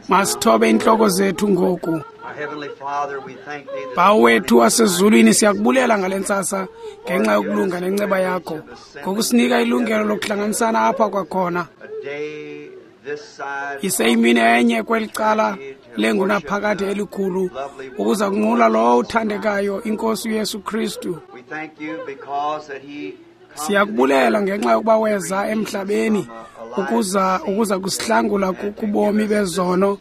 Masithobe intloko zethu ngoku. Bawo wethu wasezulwini, siyakubulela ngale ntsasa ngenxa yokulunga nenceba yakho, ngokusinika ilungelo lokuhlanganisana apha kwakhona. Iseyimini enye kweli cala lengunaphakade elikhulu ukuza kunqula lowo uthandekayo, iNkosi uYesu Kristu. Siyakubulela ngenxa yokuba weza emhlabeni ukuza kusihlangula kubomi bezono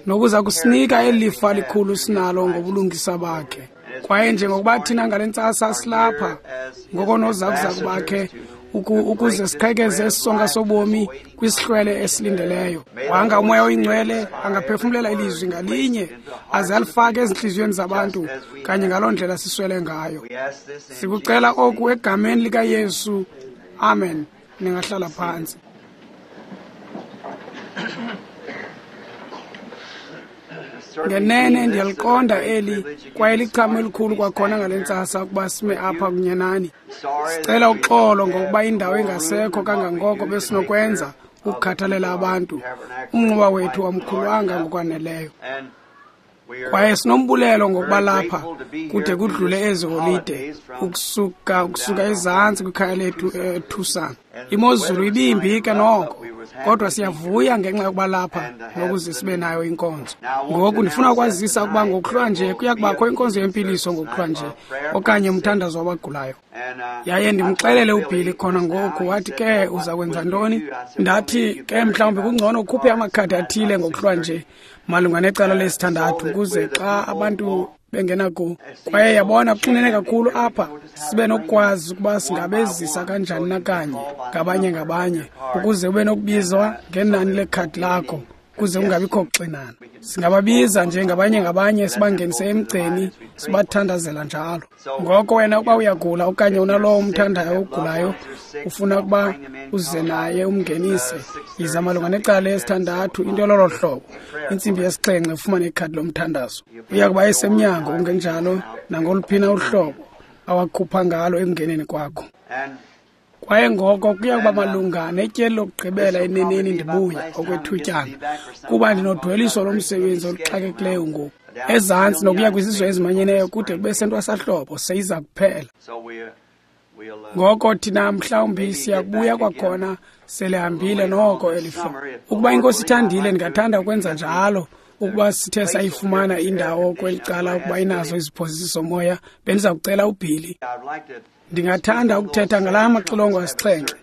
nokuza kusinika elifa likhulu sinalo ngobulungisa bakhe. Kwaye njengokuba thina ngale ntsasa silapha ngokonozakuzaku bakhe ukuze siqhekeze isonka sobomi kwisihlwele esilindeleyo. Wanga uMoya oyiNgcwele angaphefumulela ilizwi ngalinye aze alifake ezintliziyweni zabantu kanye ngaloo ndlela siswele ngayo. Sikucela oku egameni likaYesu. Amen. Ningahlala phantsi. Ngenene ndiyaliqonda eli kwaye lichamo elikhulu kwakhona ngale ntsasa ukuba sime apha kunye nani. Sicela uxolo ngokuba indawo engasekho kangangoko besinokwenza ukukhathalela abantu. Umnquba wethu wamkhulwanga ngokwaneleyo. Kwaye sinombulelo ngokuba lapha kude kudlule ezi holide ukusuka ezantsi kwikhaya lethu eTucson. Imozulu ibimbi ke noko, kodwa siyavuya ngenxa yokuba lapha nokuze sibe nayo inkonzo. Ngoku ndifuna ukwazisa ukuba ngokuhlwa nje kuya kubakho inkonzo yempiliso ngokuhlwa nje okanye umthandazo wabagulayo. Yaye ndimxelele uBilly khona ngoku, wathi ke uza kwenza ntoni? Ndathi ke mhlawumbi kungcono ukhuphe amakhadi athile ngokuhlwa nje malunga necala lesithandathu ukuze xa abantu bengena ku. Kwaye yabona kuxinene kakhulu apha, sibe nokukwazi ukuba singabezisa kanjani nakanye ngabanye ngabanye ukuze ube nokubizwa ngenani lekhadi lakho ukuze kungabikho kuxinana. Singababiza nje ngabanye ngabanye sibangenise emgceni sibathandazela njalo. Ngoko wena ukuba uyagula okanye unalowo umthandayo ogulayo ufuna ukuba uze naye umngenise, yiza malunga necala lesithandathu, into lolo hlobo, intsimbi yesixhenxe, ufumane ikhadi lomthandazo. Uya kuba esemnyango kungenjalo nangoluphina uhlobo awakhupha ngalo ekungeneni kwakho. Kwaye ngoko kuya kuba malunga netyeli lokugqibela eneneni ndibuya okwethutyana, kuba ndinodweliso lomsebenzi oluxakekileyo ngoku ezantsi nokuya kwizizwe ezimanyeneyo kude kube sentwasahlobo seyiza kuphela. Ngoko thina mhlawumbi siyakubuya kwakhona selihambile noko eli hlobo. Ukuba iNkosi ithandile, ndingathanda ukwenza njalo. Ukuba sithe sayifumana indawo kweli cala ukuba inazo iziphozisi zomoya, bendiza kucela uBilly. Ndingathanda ukuthetha ngalaa maxilongo asixhenxe.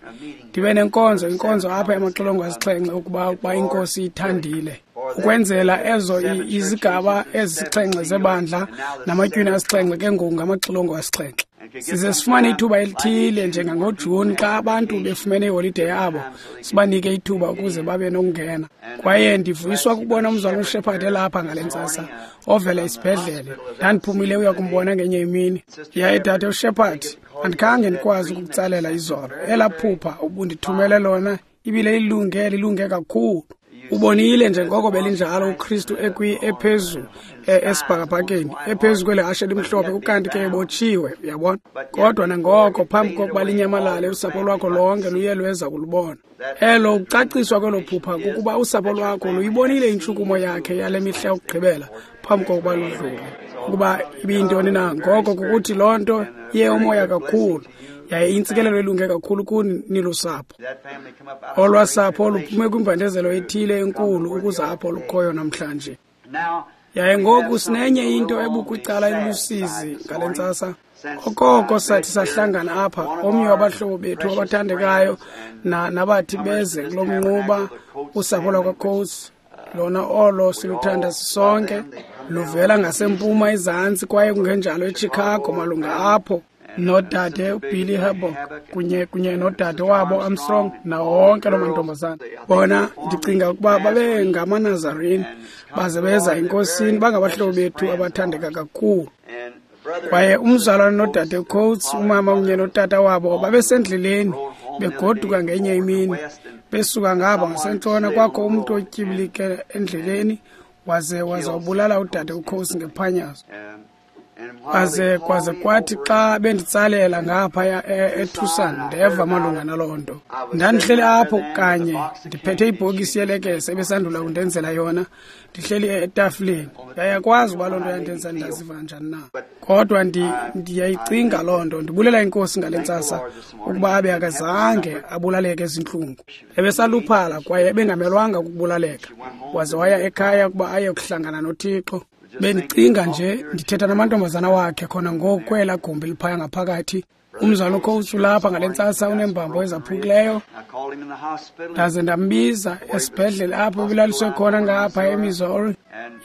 Ndibe nenkonzo, inkonzo apha yamaxilongo asixhenxe ukuba iNkosi ithandile. Ukwenzela ezo izigaba ezisixhenxe zebandla namatywina asixhenxe ke ngoku ngamaxilongo asixhenxe. Size sifumane ithuba elithile njengangoJuni xa abantu befumene iholide yabo, sibanike ithuba ukuze babe nokungena. Kwaye ndivuyiswa kukubona umzalwana uShepherd elapha ngale ntsasa ovela esibhedlele. Ndandiphumile uya kumbona ngenye imini. Yaye dade uShepherd, andikhange ndikwazi ukukutsalela izolo. Elaa phupha ubundithumele lona ibile lilunge kakhulu. Ubonile njengoko belinjalo uKristu ephezulu esibhakabhakeni, ephezu kweli hashe limhlophe, ukanti ke ebotshiwe, uyabona. Kodwa nangoko phambi kokuba linyamalale usapho lwakho lonke luye lweza kulubona. Elo ukucaciswa kwelo phupha kukuba usapho lwakho luyibonile intshukumo yakhe yale mihla yokugqibela phambi kokuba ludlule. Ukuba ibiyintoni na, ngoko kukuthi loo nto iye umoya kakhulu. Yaye intsikelelo elunge kakhulu kuni nilusapho. Olwa sapho luphume kwimbandezelo ethile enkulu ukuza apho lukhoyo namhlanje. Yaye ngoku sinenye into ebukwicala elusizi ngale ntsasa. Okoko sathi sahlangana apha, omnye wabahlobo bethu abathandekayo nabathi beze kulo mnquba, usapho lwakwaCoates, lona olo siluthanda sisonke, luvela ngasempuma ezantsi kwaye kungenjalo eChicago malunga apho. Nodade uBilly Herbock kunye nodade wabo Armstrong nawo wonke loo mantombazana. Bona ndicinga ukuba babe ngamaNazarene baze beza eNkosini, bangabahlobo bethu abathandeka kakhulu. Kwaye umzalwane nodade Coates, umama kunye notata wabo babesendleleni begoduka ngenye imini besuka ngapha ngasentshona, kwakho umntu otyibilike endleleni waze wabulala udade uCoates ngephanyazo. Kwaze kwathi xa benditsalela ngaphaya eTucson, ndeva malunga naloo nto. Ndandihleli apho kanye ndiphethe ibhokisi yelekese ebesandula kundenzela yona, ndihleli etafileni. Ndiyakwazi uba loo nto yandenza ndaziva njani na, kodwa ndiyayicinga loo nto. Ndibulela iNkosi ngale ntsasa ukuba abe akazange abulaleke ezintlungu. Ebesaluphala kwaye ebengamelwanga kukubulaleka, waze waya ekhaya ukuba aye kuhlangana noThixo. Bendicinga nje ndithetha namantombazana wakhe khona ngoku kwela gumbi liphaya ngaphakathi. Umzalwana uCoates ulapha ngale ntsasa uneembambo ezaphukileyo. Ndaze ndambiza esibhedlele apho ebelaliswe khona ngapha eMissouri.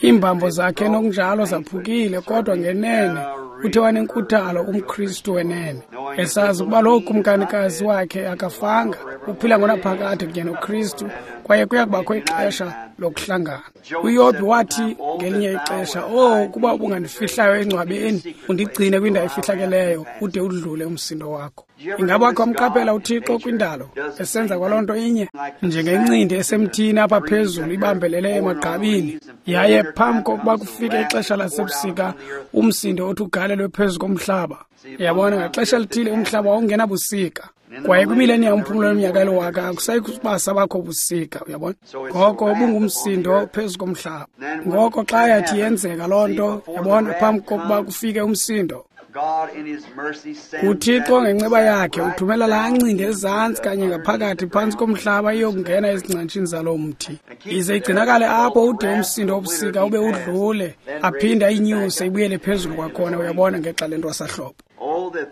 Iimbambo zakhe nokunjalo zaphukile, kodwa ngenene uthe wanenkuthalo umKristu wenene, esazi ukuba loo kumkanikazi wakhe akafanga, uphila ngonaphakade kunye noKristu, kwaye kuya kubakho ixesha lokuhlangana. UYobhi wathi ngelinye ixesha, "Oh, ukuba ubungandifihlayo engcwabeni, undigcine kwindawo efihlakeleyo, ude udlule umsindo wakho." Ingaba wakhe wamqaphela uThixo kwindalo esenza kwaloo nto inye, njengencindi esemthini apha phezulu ibambelele emagqabini, yaye phambi kokuba kufike ixesha lasebusika umsindo othi ugalelwe phezu komhlaba. Yabona, ngaxesha lithile umhlaba wawungenabusika, kwaye kwimileniya umphumulo weminyaka eliwaka akusayi kuba sabakho busika. Uyabona, ngoko ubungumsindo phezu komhlaba. Ngoko xa yathi yenzeka loo nto, yabona, phambi kokuba kufike umsindo, uThixo ngenceba yakhe uthumela laa ncindi ezantsi kanye ngaphakathi phantsi komhlaba iyokungena ezingcantshini zaloo mthi, ize igcinakale apho ude umsindo wobusika ube udlule, aphinde ayinyuse ibuyele phezulu kwakhona. Uyabona, ngexa lentwasahlobo.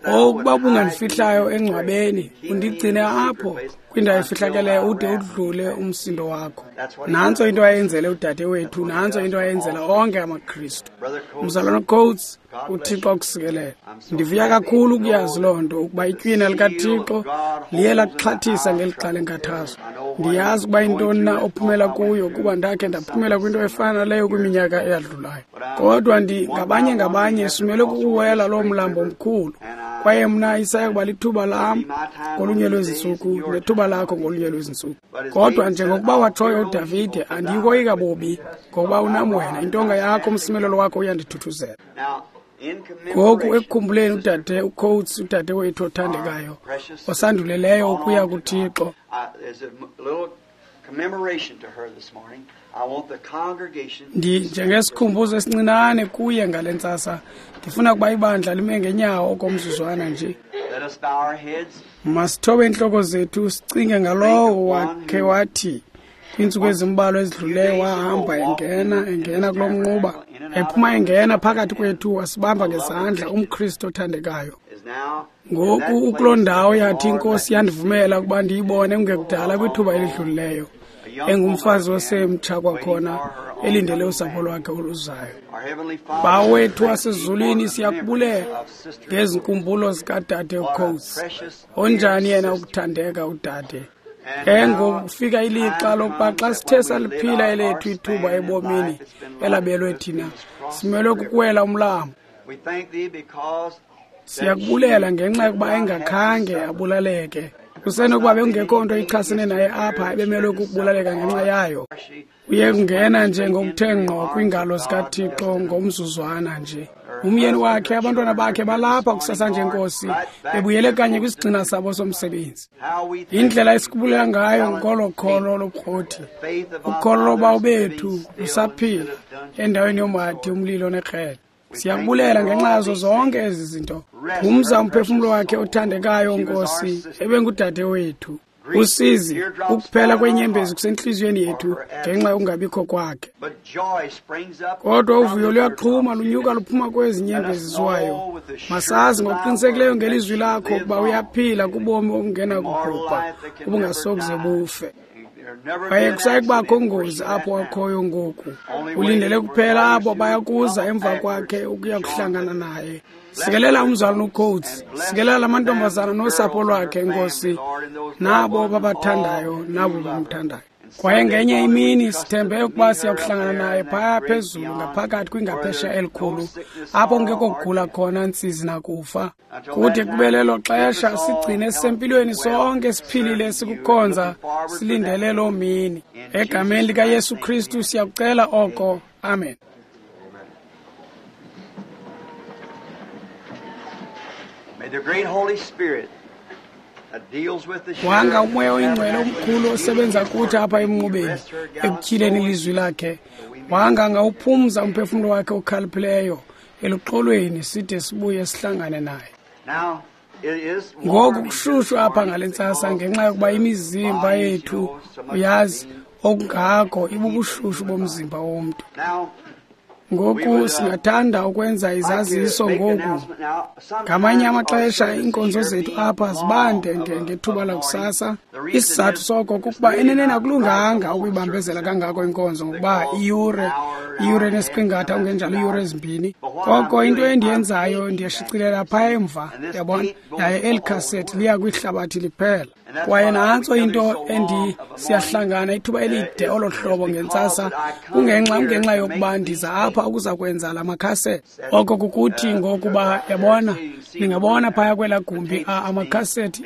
Oh, ukuba ubungandifihlayo engcwabeni, undigcine apho kwindawo efihlakeleyo ude udlule umsindo wakho. Nantso into ayenzele udade wethu, nantso into ayenzela onke amaKristu. Mzalwana Coates, uThixo akusikelele. Ndivuya kakhulu ukuyazi loo nto, ukuba itywina likaThixo liye lakuxhathisa ngeli xa lenkathazo. Ndiyazi ukuba yintoni na ophumela kuyo, kuba ndakhe ndaphumela kwinto efana naleyo kwiminyaka eyadlulayo. Kodwa ngabanye ngabanye simele kukuwela loo mlambo omkhulu, kwaye mna isaya kuba lithuba lam ngolunye lwezintsuku nethuba lakho ngolunye lwezintsuku. Kodwa njengokuba watshoyo uDavide, andiyikoyika bubi, ngokuba unam wena, intonga yakho, umsimelelo wakho uyandithuthuzela. Ngoku ekukhumbuleni udade uCoates, udade wethu othandekayo osanduleleyo ukuya kuThixo, njengesikhumbuzo esincinane kuye ngale ntsasa, ndifuna ukuba ibandla lime ngenyawo okomzuzwana nje. Masithobe iintloko zethu sicinge ngalowo wakhe wathi kwiintsuku ezimbalwa ezidluleyo wahamba engena kulo mnquba, ephuma engena phakathi kwethu, wasibamba ngezandla, umKristu othandekayo. Ngoku ukuloo ndawo yathi iNkosi yandivumela ukuba ndiyibone kungekudala kwithuba elidlulileyo, engumfazi osemtsha kwakhona, elindele usapho lwakhe oluzayo. Bawo wethu wasezulwini, siyakubulela ngezinkumbulo zikadade uCoates. Onjani yena ukuthandeka udade. Ke ngokufika ilixa lokuba xa sithe saliphila elethu ithuba ebomini elabelwe thina, simelwe kukuwela umlambo. Siyakubulela ngenxa yokuba engakhange abulaleke. Kusenokuba bekungekho nto ichasene naye apha ebemelwe kukubulaleka ngenxa yayo. Uye kungena nje ngokuthe ngqo kwiingalo zikaThixo ngomzuzwana nje. Umyeni wakhe, abantwana bakhe balapha kusasa nje, Nkosi, bebuyele kanye kwisigxina sabo somsebenzi. Indlela esikubulela ngayo ngolo kholo lobukrothi, ukholo lobawo bethu lusaphila endaweni yomhadi, umlilo nekrele. Siyakubulela ngenxa yazo zonke ezi zinto. Phumza umphefumlo wakhe othandekayo, Nkosi, ebengudade wethu. Usizi, ukuphela kwenyembezi kusentliziyweni yethu ngenxa yokungabikho kwakhe. Kodwa uvuyo luyaxhuma, lunyuka luphuma kwezi nyembezi ziwayo. Masazi ngokuqinisekileyo ngelizwi lakho ukuba uyaphila kubomi obungenakubhubha, obungasokuze bufe. Kwaye kusayi kubakho ngozi apho akhoyo ngoku. Ulindele kuphela abo bayakuza emva kwakhe ukuya kuhlangana naye. Sikelela umzalwana uCoates, sikelela lamantombazana nosapho lwakhe, Nkosi, nabo babathandayo nabo bamthandayo. Kwaye ngenye imini sithembe ukuba siyakuhlangana naye phaya phezulu ngaphakathi kwingaphesheya elikhulu, apho kungekho kugula khona, ntsizi nakufa. Kude kube lelo xesha, sigcine sisempilweni sonke, siphilile, sikukhonza, silindele loo mini. Egameni likaYesu Kristu siyakucela oko. Amen. Wanga uMoya oyiNgcwele omkhulu osebenza kuthi apha emnqubeni ekutyhileni ilizwi lakhe, wanga angawuphumza umphefumlo wakhe okhaliphileyo eluxolweni side sibuye sihlangane naye. Ngoku kushushu apha ngale ntsasa ngenxa yokuba imizimba yethu, uyazi, okungako ibubushushu bomzimba womntu. Ngoku singathanda ukwenza izaziso ngoku. Ngamanye amaxesha iinkonzo zethu apha zibande ngethuba lakusasa. Isizathu soko kukuba eneneni akulunganga ukuyibambezela kangako inkonzo ngokuba iyure nesiqingatha kungenjalo iiyure ezimbini. Koko into endiyenzayo ndiyashicilela phaa emva, yabona, yaye eli khasethi liya kwihlabathi liphela. Kwaye nantso into siyahlangana ithuba elide olo hlobo ngentsasa kungenxa yokuba ndiza apha ukuza kwenza la makhasethi. Oko kukuthi ngokuba yabona, ningabona phaya kwelaa gumbi amakhasethi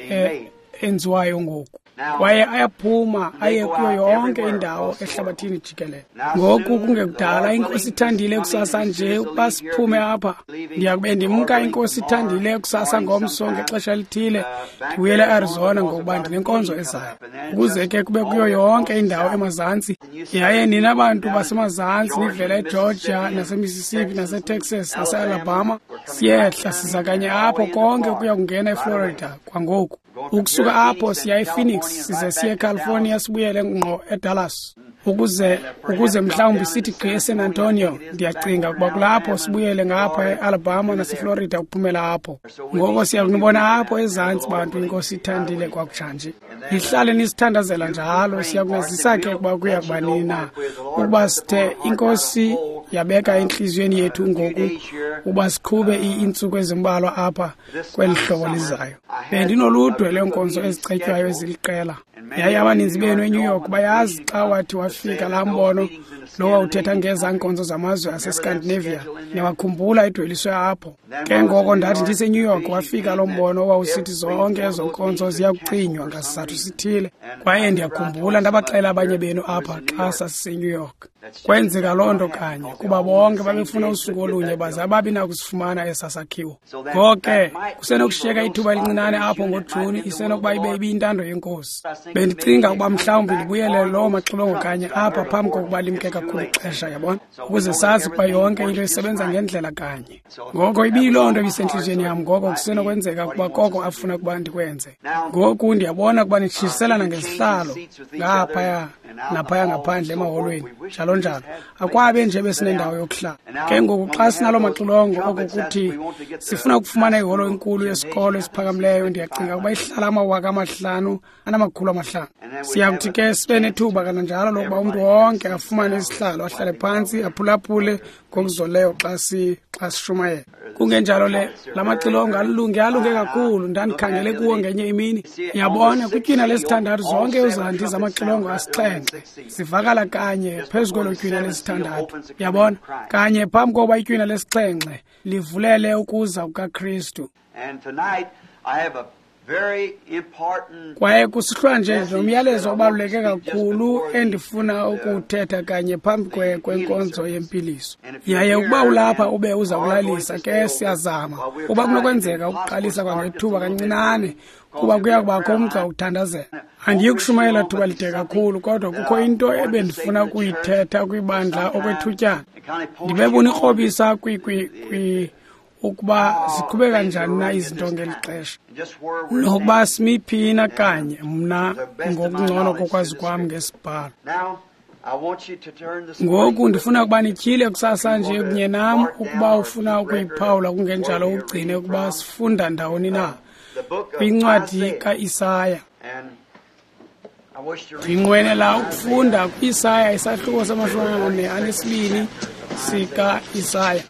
enziwayo ngoku. Kwaye ayaphuma aye kuyo yonke indawo ehlabathini jikelele. Ngoku kungekudala iNkosi ithandile kusasa nje ukuba siphume apha. Ndiyakube ndimka iNkosi ithandile kusasa ngomso ngexesha elithile ndibuyele eArizona ngokuba ndinenkonzo ezayo. Ukuze ke kube kuyo yonke indawo emazantsi. Yaye nina bantu basemazantsi nivela eGeorgia naseMississippi naseTexas naseAlabama, siyehla siza kanye apho konke kuya kungena eFlorida kwangoku. Ukusuka apho siya ePhoenix size siye eCalifornia sibuyele ngqo eDallas. Ukuze mhlawumbi sithi gqi eSan Antonio, ndiyacinga ukuba kulapho sibuyele ngapha eAlabama naseFlorida ukuphumela apho. Ngoko siya kunibona apho ezantsi bantu iNkosi ithandile kwakutshanje. Nihlale nisithandazela njalo, siya kunazisa ke ukuba kuya kuba nini na. Ukuba sithe iNkosi yabeka entliziyweni yethu ngoku ukuba siqhube iintsuku ezimbalwa apha kweli hlobo lizayo. Bendinoludwe lweenkonzo ezicetywayo eziliqela. Yaye abaninzi benu eNew York bayazi xa wathi wafika laa mbono lo wawuthetha ngezaa nkonzo zamazwe aseScandinavia, niyawakhumbula edweliswe apho. Ke ngoko ndathi ndiseNew York wafika loo mbono owawusithi zonke ezo nkonzo ziya kucinywa ngasizathu sithile. Kwaye ndiyakhumbula ndabaxela abanye benu apha xa sasiseNew York. Kwenzeka loo nto kanye kuba bonke babefuna usuku olunye baze ababi nakusifumana esaa sakhiwo. Ngoko ke kusenokushiyeka ithuba elincinane apho ngoJuni, isenokuba ibe ibiyintando yeNkosi. Bendicinga ukuba mhlawumbi ndibuyele loo maxilongo kanye apha phambi kokuba limke kakhulu ixesha, yabona, ukuze sazi ukuba yonke into isebenza ngendlela kanye. Ngoko ibiyiloo nto ibisentliziyweni yam, ngoko kusenokwenzeka ukuba koko afuna ukuba ndikwenze. Ngoku ndiyabona ukuba nitshiselana ngezihlalo ngaphaya naphaya ngaphandle emaholweni, njalo njalo. Akwabe nje besinendawo yokuhlala. Ke ngoku xa sinaloo maxilongo, oko kuthi sifuna ukufumana iholo enkulu yesikolo esiphakamileyo, ndiyacinga ukuba ihlala 5,500. Siyakuthi ke sibe nethuba kananjalo lokuba umntu wonke afumane isihlalo, ahlale phantsi, aphulaphule ngokuzoleyo xa sishumayela. Kungenjalo le la maxilongo alunge kakhulu, ndandikhangele kuwo ngenye imini. Yabona, kwitywina lesithandathu zonke izandi zamaxilongo asixhenxe zivakala kanye phezu kwelo tywina lesithandathu. Yabona, kanye phambi kokuba itywina lesixhenxe livulele ukuza kukaKristu. Kwaye kusihlwa nje nomyalezo obaluleke kakhulu endifuna ukuwuthetha kanye phambi kwenkonzo yempiliso. Yaye ukuba ulapha ube uza kulalisa ke siyazama uba kunokwenzeka ukuqalisa kwangethuba kancinane kuba kuya kubakho umgca wokuthandazela. Andiyi kushumayela thuba lide kakhulu, kodwa kukho into ebendifuna ukuyithetha kwibandla okwethutyana. Ndibebona ikrobisa ukuba ziqhubeka njani na izinto ngeli xesha, nokuba simi phi na kanye mna ngokungcono kokwazi kwam ngesibhalo. Ngoku ndifuna ukuba nityhile kusasa nje kunye nam ukuba ufuna ukuyiphawula, kungenjalo ugcine ukuba sifunda ndawoni na kwincwadi kaIsaya. Ndinqwenela ukufunda kwi-Isaya isahluko sama-42 sika-Isaya.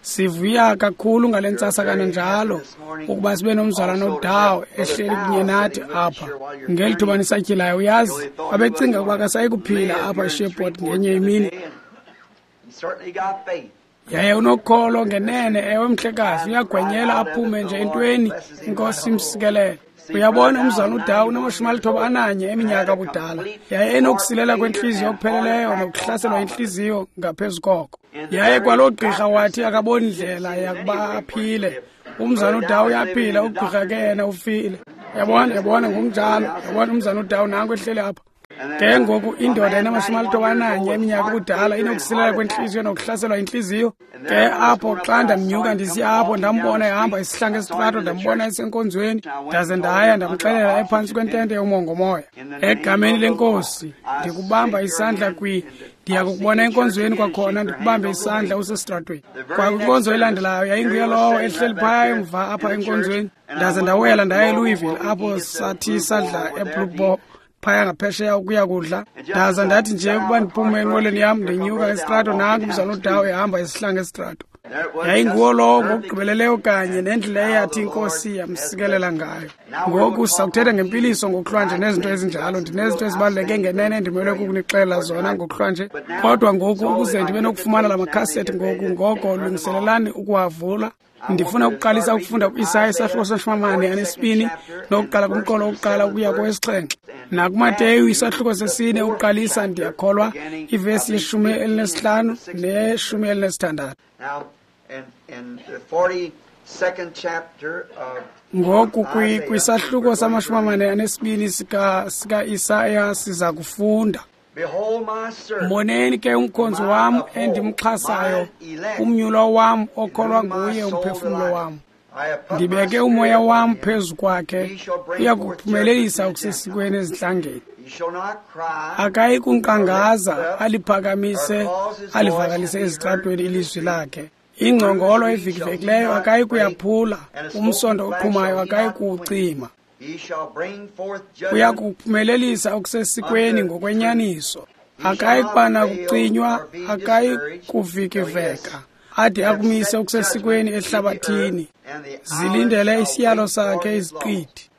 Sivuya kakhulu ngale ntsasa kananjalo ukuba sibe nomzalwana uDow ehleli kunye nathi apha. Ngeli thuba nisatyhilayo, uyazi, babecinga ukuba akasayi kuphila apha eSheport ngenye imini. Yaye unokholo ngenene, ewe mhlekazi, uyagwenyela aphume nje entweni, iNkosi imsikelele. Uyabona, umzalwana uDawu unama-91 eminyaka ubudala, yaye enokusilela kwentliziyo okupheleleyo nokuhlaselwa yintliziyo ngaphezu koko. Yaye kwaloo gqirha wathi akaboni ndlela yakuba aphile. Umzalwana uDawu uyaphila, ugqirha ke yena ufile. Yabona, ngokunjalo. Yabona, umzalwana uDawu nanku ehleli apha. Ke ngoku indoda enama-91 eminyaka ubudala inokusilela kwentliziyo nokuhlaselwa yintliziyo. Ke apho xa ndamnyuka ndisiya apho, ndambona ehamba isihlangu esitrato, ndambona esenkonzweni, ndaze ndaya ndamxelela ephantsi kwentente yomongomoya. Egameni leNkosi, ndikubamba isandla ndiya kukubona enkonzweni kwakhona, ndikubambe isandla usesitratweni. Kwakwinkonzo elandelayo yayinguye lowo ehleli phaya emva apha enkonzweni. Ndaze ndawela ndaya eLouisville apho sathi sadla eBlue Boar phaya ngaphesheya ukuya kudla. Ndaza ndathi nje ukuba ndiphume enqwelweni yam ndinyuka esitrato, nanku umzalwana uDawu ehamba isihlangu esitrato. Yayinguwo lowo ngokugqibeleleyo kanye nendlela eyathi iNkosi yamsikelela ngayo. Ngoku sizakuthetha ngempiliso ngokuhlwanje nezinto ezinjalo. Ndinezinto ezibaluleke ngenene endimelwe kukunixelela zona ngokuhlwanje. Kodwa ngoku ukuze ndibe nokufumana la makhasethi ngoku, ngoko lungiselelani ukuwavula. Ndifuna ukuqalisa ukufunda ku-Isaya isahluko se-42 nokuqala kumqolo wokuqala ukuya kowesixhenxe. NakuMateyu isahluko sesine ukuqalisa, ndiyakholwa, ivesi ye-15 ne-16. Ngoku kwisahluko sama-42 sika-Isaya siza kufunda. Mboneni ke umkhonzi wam endimxhasayo, umnyulwa wam okholwa nguye umphefumlo wam. Ndibeke umoya wam phezu kwakhe, uya kuphumelelisa okusesikweni ezintlangeni. Akayi kunkqangaza, aliphakamise, alivakalise ezitratweni ilizwi lakhe. Ingcongolo evikivekileyo akayi kuyaphula, umsonto oqhumayo akayi kuwucima. Uya kuphumelelisa okusesikweni ngokwenyaniso. Akayi kuba nakucinywa, akayi kuvikiveka, ade akumise okusesikweni ehlabathini. Zilindele isiyalo sakhe iziqithi.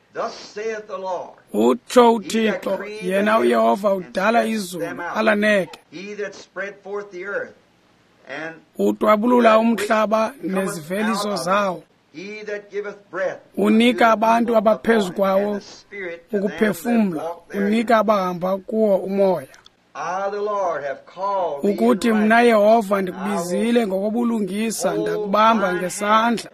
Utsho uThixo, yena uYehova udala izulu alaneke, utwabulula umhlaba neziveliso zawo. Unika abantu abaphezu kwawo ukuphefumla, unika abahamba kuwo umoya. Ukuthi mna Yehova ndikubizile ngokobulungisa, ndakubamba ngesandla.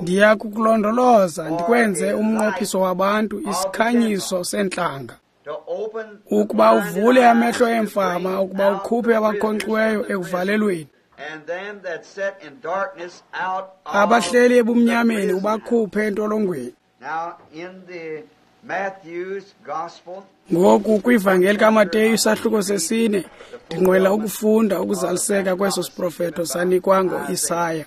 Ndiya kukulondoloza ndikwenze umnqophiso wabantu, isikhanyiso seentlanga, ukuba uvule amehlo eemfama, ukuba ukhuphe abakhonkxiweyo ekuvalelweni, abahleli ebumnyameni ubakhuphe entolongweni. Ngoku kwivangeli kaMateyu isahluko sesine, ndinqwela ukufunda ukuzaliseka kweso siprofeto sanikwa ngo-Isaya.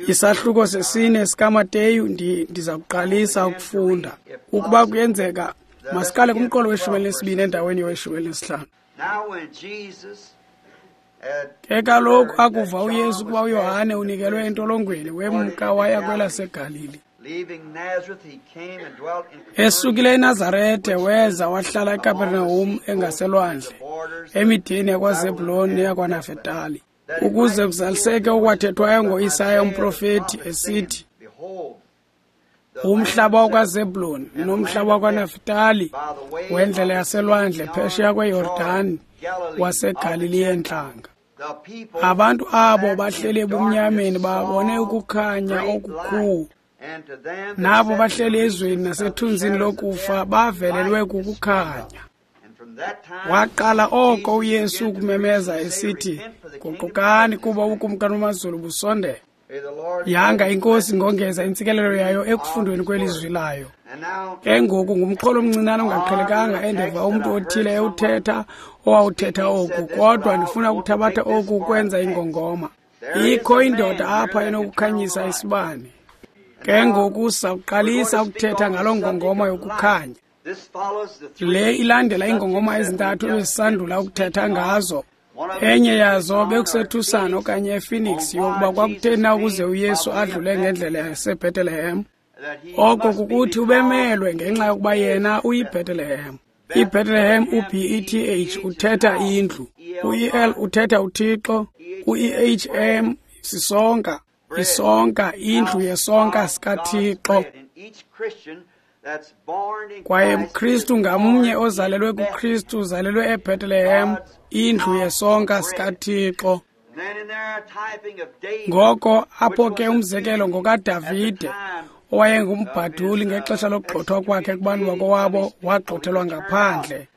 Isahluko sesine sikaMateyu ndiza kuqalisa ukufunda. Ukuba kuyenzeka, masiqale kumqolo we-12 endaweni yowe-15. Ke kaloku akuva uYesu ukuba uYohane unikelwe entolongweni, wemka waya kwelaseGalili. Esukile eNazarete weza wahlala eKapernahum engaselwandle, emideni yakwaZebhulon neyakwaNafetali, ukuze kuzaliseke okwathethwayo ngo-Isaya umprofeti esithi, umhlaba wakwaZebhulon nomhlaba wakwaNafetali wendlela yaselwandle phesheya kweYordani waseGalili yeentlanga. Abantu abo bahleli ebumnyameni babone ukukhanya okukhulu. Nabo bahleli ezweni nasethunzini lokufa bavelelwe kukukhanya. Waqala oko uYesu ukumemeza esithi, guqukani kuba ubukumkani bamazulu busondele. Yanga iNkosi ngongeza intsikelelo yayo ekufundweni kwelizwi layo. Ke ngoku ngumxholo omncinane ongaqhelekanga endeva umntu othile ewuthetha owawuthetha oku, kodwa ndifuna ukuthabatha oku ukwenza ingongoma. Ikho indoda apha enokukhanyisa isibane. Ke ngoku sawuqalisa ukuthetha ngaloo ngongoma yokukhanya. Le ilandela iingongoma ezintathu ebesisandula ukuthetha ngazo. Enye yazo bekuseTucson okanye ePhoenix, yokuba kwakutheni na ukuze uYesu adlule ngendlela yaseBethlehem. Oko kukuthi ubemelwe ngenxa yokuba yena uyiBethlehem. IBethlehem, u-B-E-T-H uthetha indlu, u-E-L uthetha uThixo, u-E-H-M sisonka, isonka, indlu yesonka sikaThixo. Kwaye mKristu ngamnye ozalelwe kuKristu uzalelwe eBethlehem, indlu yesonka sikaThixo. Ngoko apho ke umzekelo ngokaDavide, owayengumbhaduli ngexesha lokugxothwa kwakhe kubantu bakowabo, wagxothelwa ngaphandle.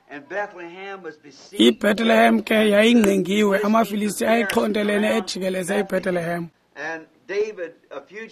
IBethlehem ke yayingqingiwe, amaFilisti ayexhontelene ejikeleze iBethlehem.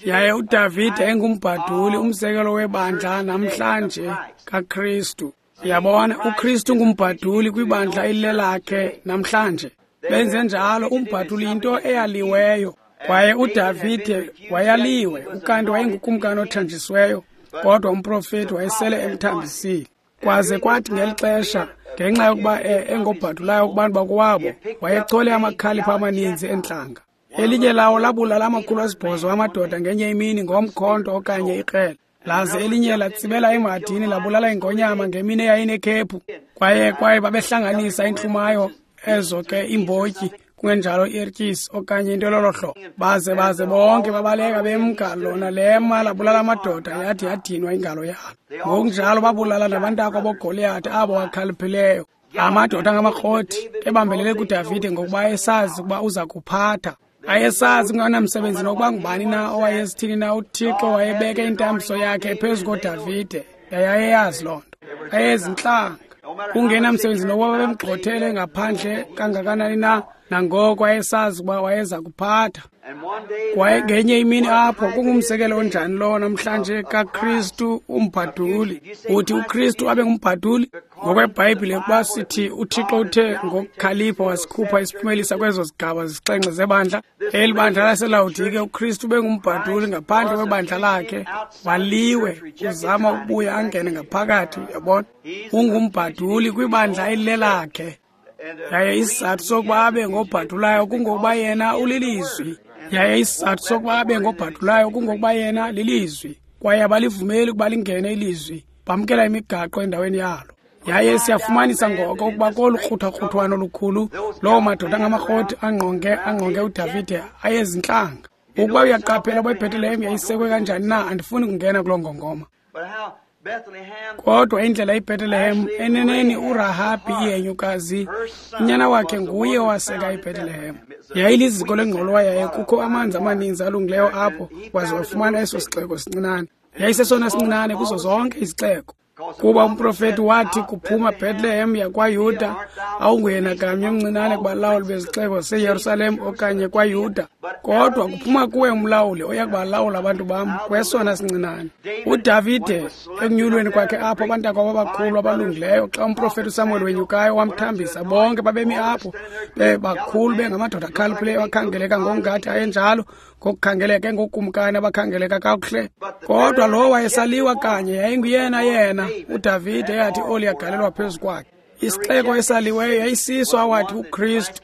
Yaye uDavide engumbhaduli, umzekelo webandla namhlanje kaKristu. Yabona, uKristu ngumbhaduli kwibandla elilelakhe namhlanje. Benze njalo, umbhaduli yinto eyaliweyo. Kwaye uDavide wayaliwe, ukanti wayengukumkani othanjisiweyo, kodwa umprofeti wayesele emthambisile. Kwaze kwathi ngeli xesha, ngenxa yokuba engobhadulayo kubantu bakowabo, wayechole amakhalipha amaninzi entlanga. Elinye lawo labulala 800 amadoda ngenye imini ngomkhonto okanye ikrele. Laze elinye latsibela emhadini labulala ingonyama ngemini eyayinekhephu. Kwaye babehlanganisa intlumayo ezo ke imbotyi, kungenjalo iertyisi okanye into elolo hlobo. Baze bonke babaleka bemka, lona lema labulala amadoda, yathi yadinwa ingalo yalo. Ngokunjalo babulala nabantakwa boGoliyathi abo wakhaliphileyo. Amadoda angamakroti ebambelele kuDavide ngokuba esazi ukuba uza kuphatha. Ayesazi kunganamsebenzi nokuba ngubani na owayesithini na, uThixo wayebeke intambiso yakhe phezu koDavide. Yayayeyazi loo nto. Ayezintlanga. Kungenamsebenzi nokuba babemgxothele ngaphandle kangakanani na, nangoko wayesazi ukuba wayeza kuphatha. Kwaye ngenye imini apho, kungumzekelo onjani lowo namhlanje kaKristu umbhaduli. Uthi uKristu abe ngumbhaduli? NgokweBhayibhile, ukuba sithi uThixo uthe ngokukhalipha wasikhupha isiphumelisa kwezo zigaba zisixhenxe zebandla, eli bandla laseLawodike, uKristu bengumbhaduli ngaphandle kwebandla lakhe, waliwe, uzama ukubuya angene ngaphakathi, uyabona. Ungumbhaduli kwibandla elilelakhe. Yaye isizathu sokuba abe ngobhadulayo kungokuba yena ulilizwi. Yaye isizathu sokuba abe ngobhadulayo kungokuba yena lilizwi. Kwaye abalivumeli ukuba lingene ilizwi, bamkela imigaqo endaweni yalo. Yaye siyafumanisa ngoko ukuba kolu kruthakruthwano olukhulu, loo madoda angamakroti angqonge uDavide ayezintlanga. Ukuba uyaqaphela uba iBethlehem yayisekwe kanjani na, andifuni kungena kuloo ngongoma. Kodwa indlela iBethlehem, eneneni uRahabhi ihenyukazi, unyana wakhe nguye owaseka iBethlehem. Yayiliziko lengqolowa yaye kukho amanzi amaninzi alungileyo apho, waze wafumana eso sixeko sincinane. Yayisesona sincinane kuzo zonke izixeko. Kuba umprofeti wathi kuphuma Bethlehem yakwaYuda, awunguyena kanye omncinane kubalawuli bezixeko zaseYerusalem okanye kwaYuda, kodwa kuphuma kuwe umlawuli oya kubalawula abantu bam kwesona sincinane. uDavide ekunyulweni kwakhe apho, abantakwabo abakhulu abalungileyo, xa umprofeti uSamuel wenyukayo wamthambisa, bonke babemi apho bebakhulu, bengamadoda akhaliphileyo akhangeleka ngokungathi ayenjalo, ngokukhangeleka engokumkani abakhangeleka kakuhle. Kodwa lo wayesaliwa kanye yayinguyena yena uDavide eyathi oli yagalelwa phezu kwakhe. Isixeko esaliweyo yayisiso awathi uKristu,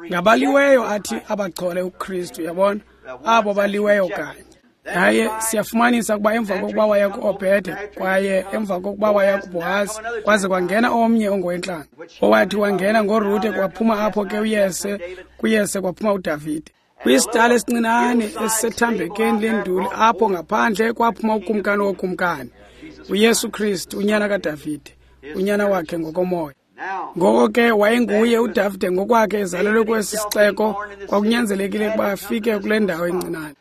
ngabaliweyo athi abachole uKristu, yabona, abo baliweyo kanye. Yaye siyafumanisa ukuba emva kokuba waya ku-Obede, kwaye emva kokuba waya kuBhohazi, kwaze kwangena omnye ongowentlanga, owathi wangena ngoRute, kwaphuma apho ke uYese, kuYese kwaphuma uDavide. Kwisitala esincinane esisethambekeni lenduli apho ngaphandle kwaphuma ukumkani wokumkani, uYesu Kristu, unyana kaDavide, unyana wakhe ngokomoya. Ngoko ke wayenguye uDavide ngokwakhe ezalelwe kwesi sixeko, kwakunyanzelekile ukuba afike kule ndawo encinane.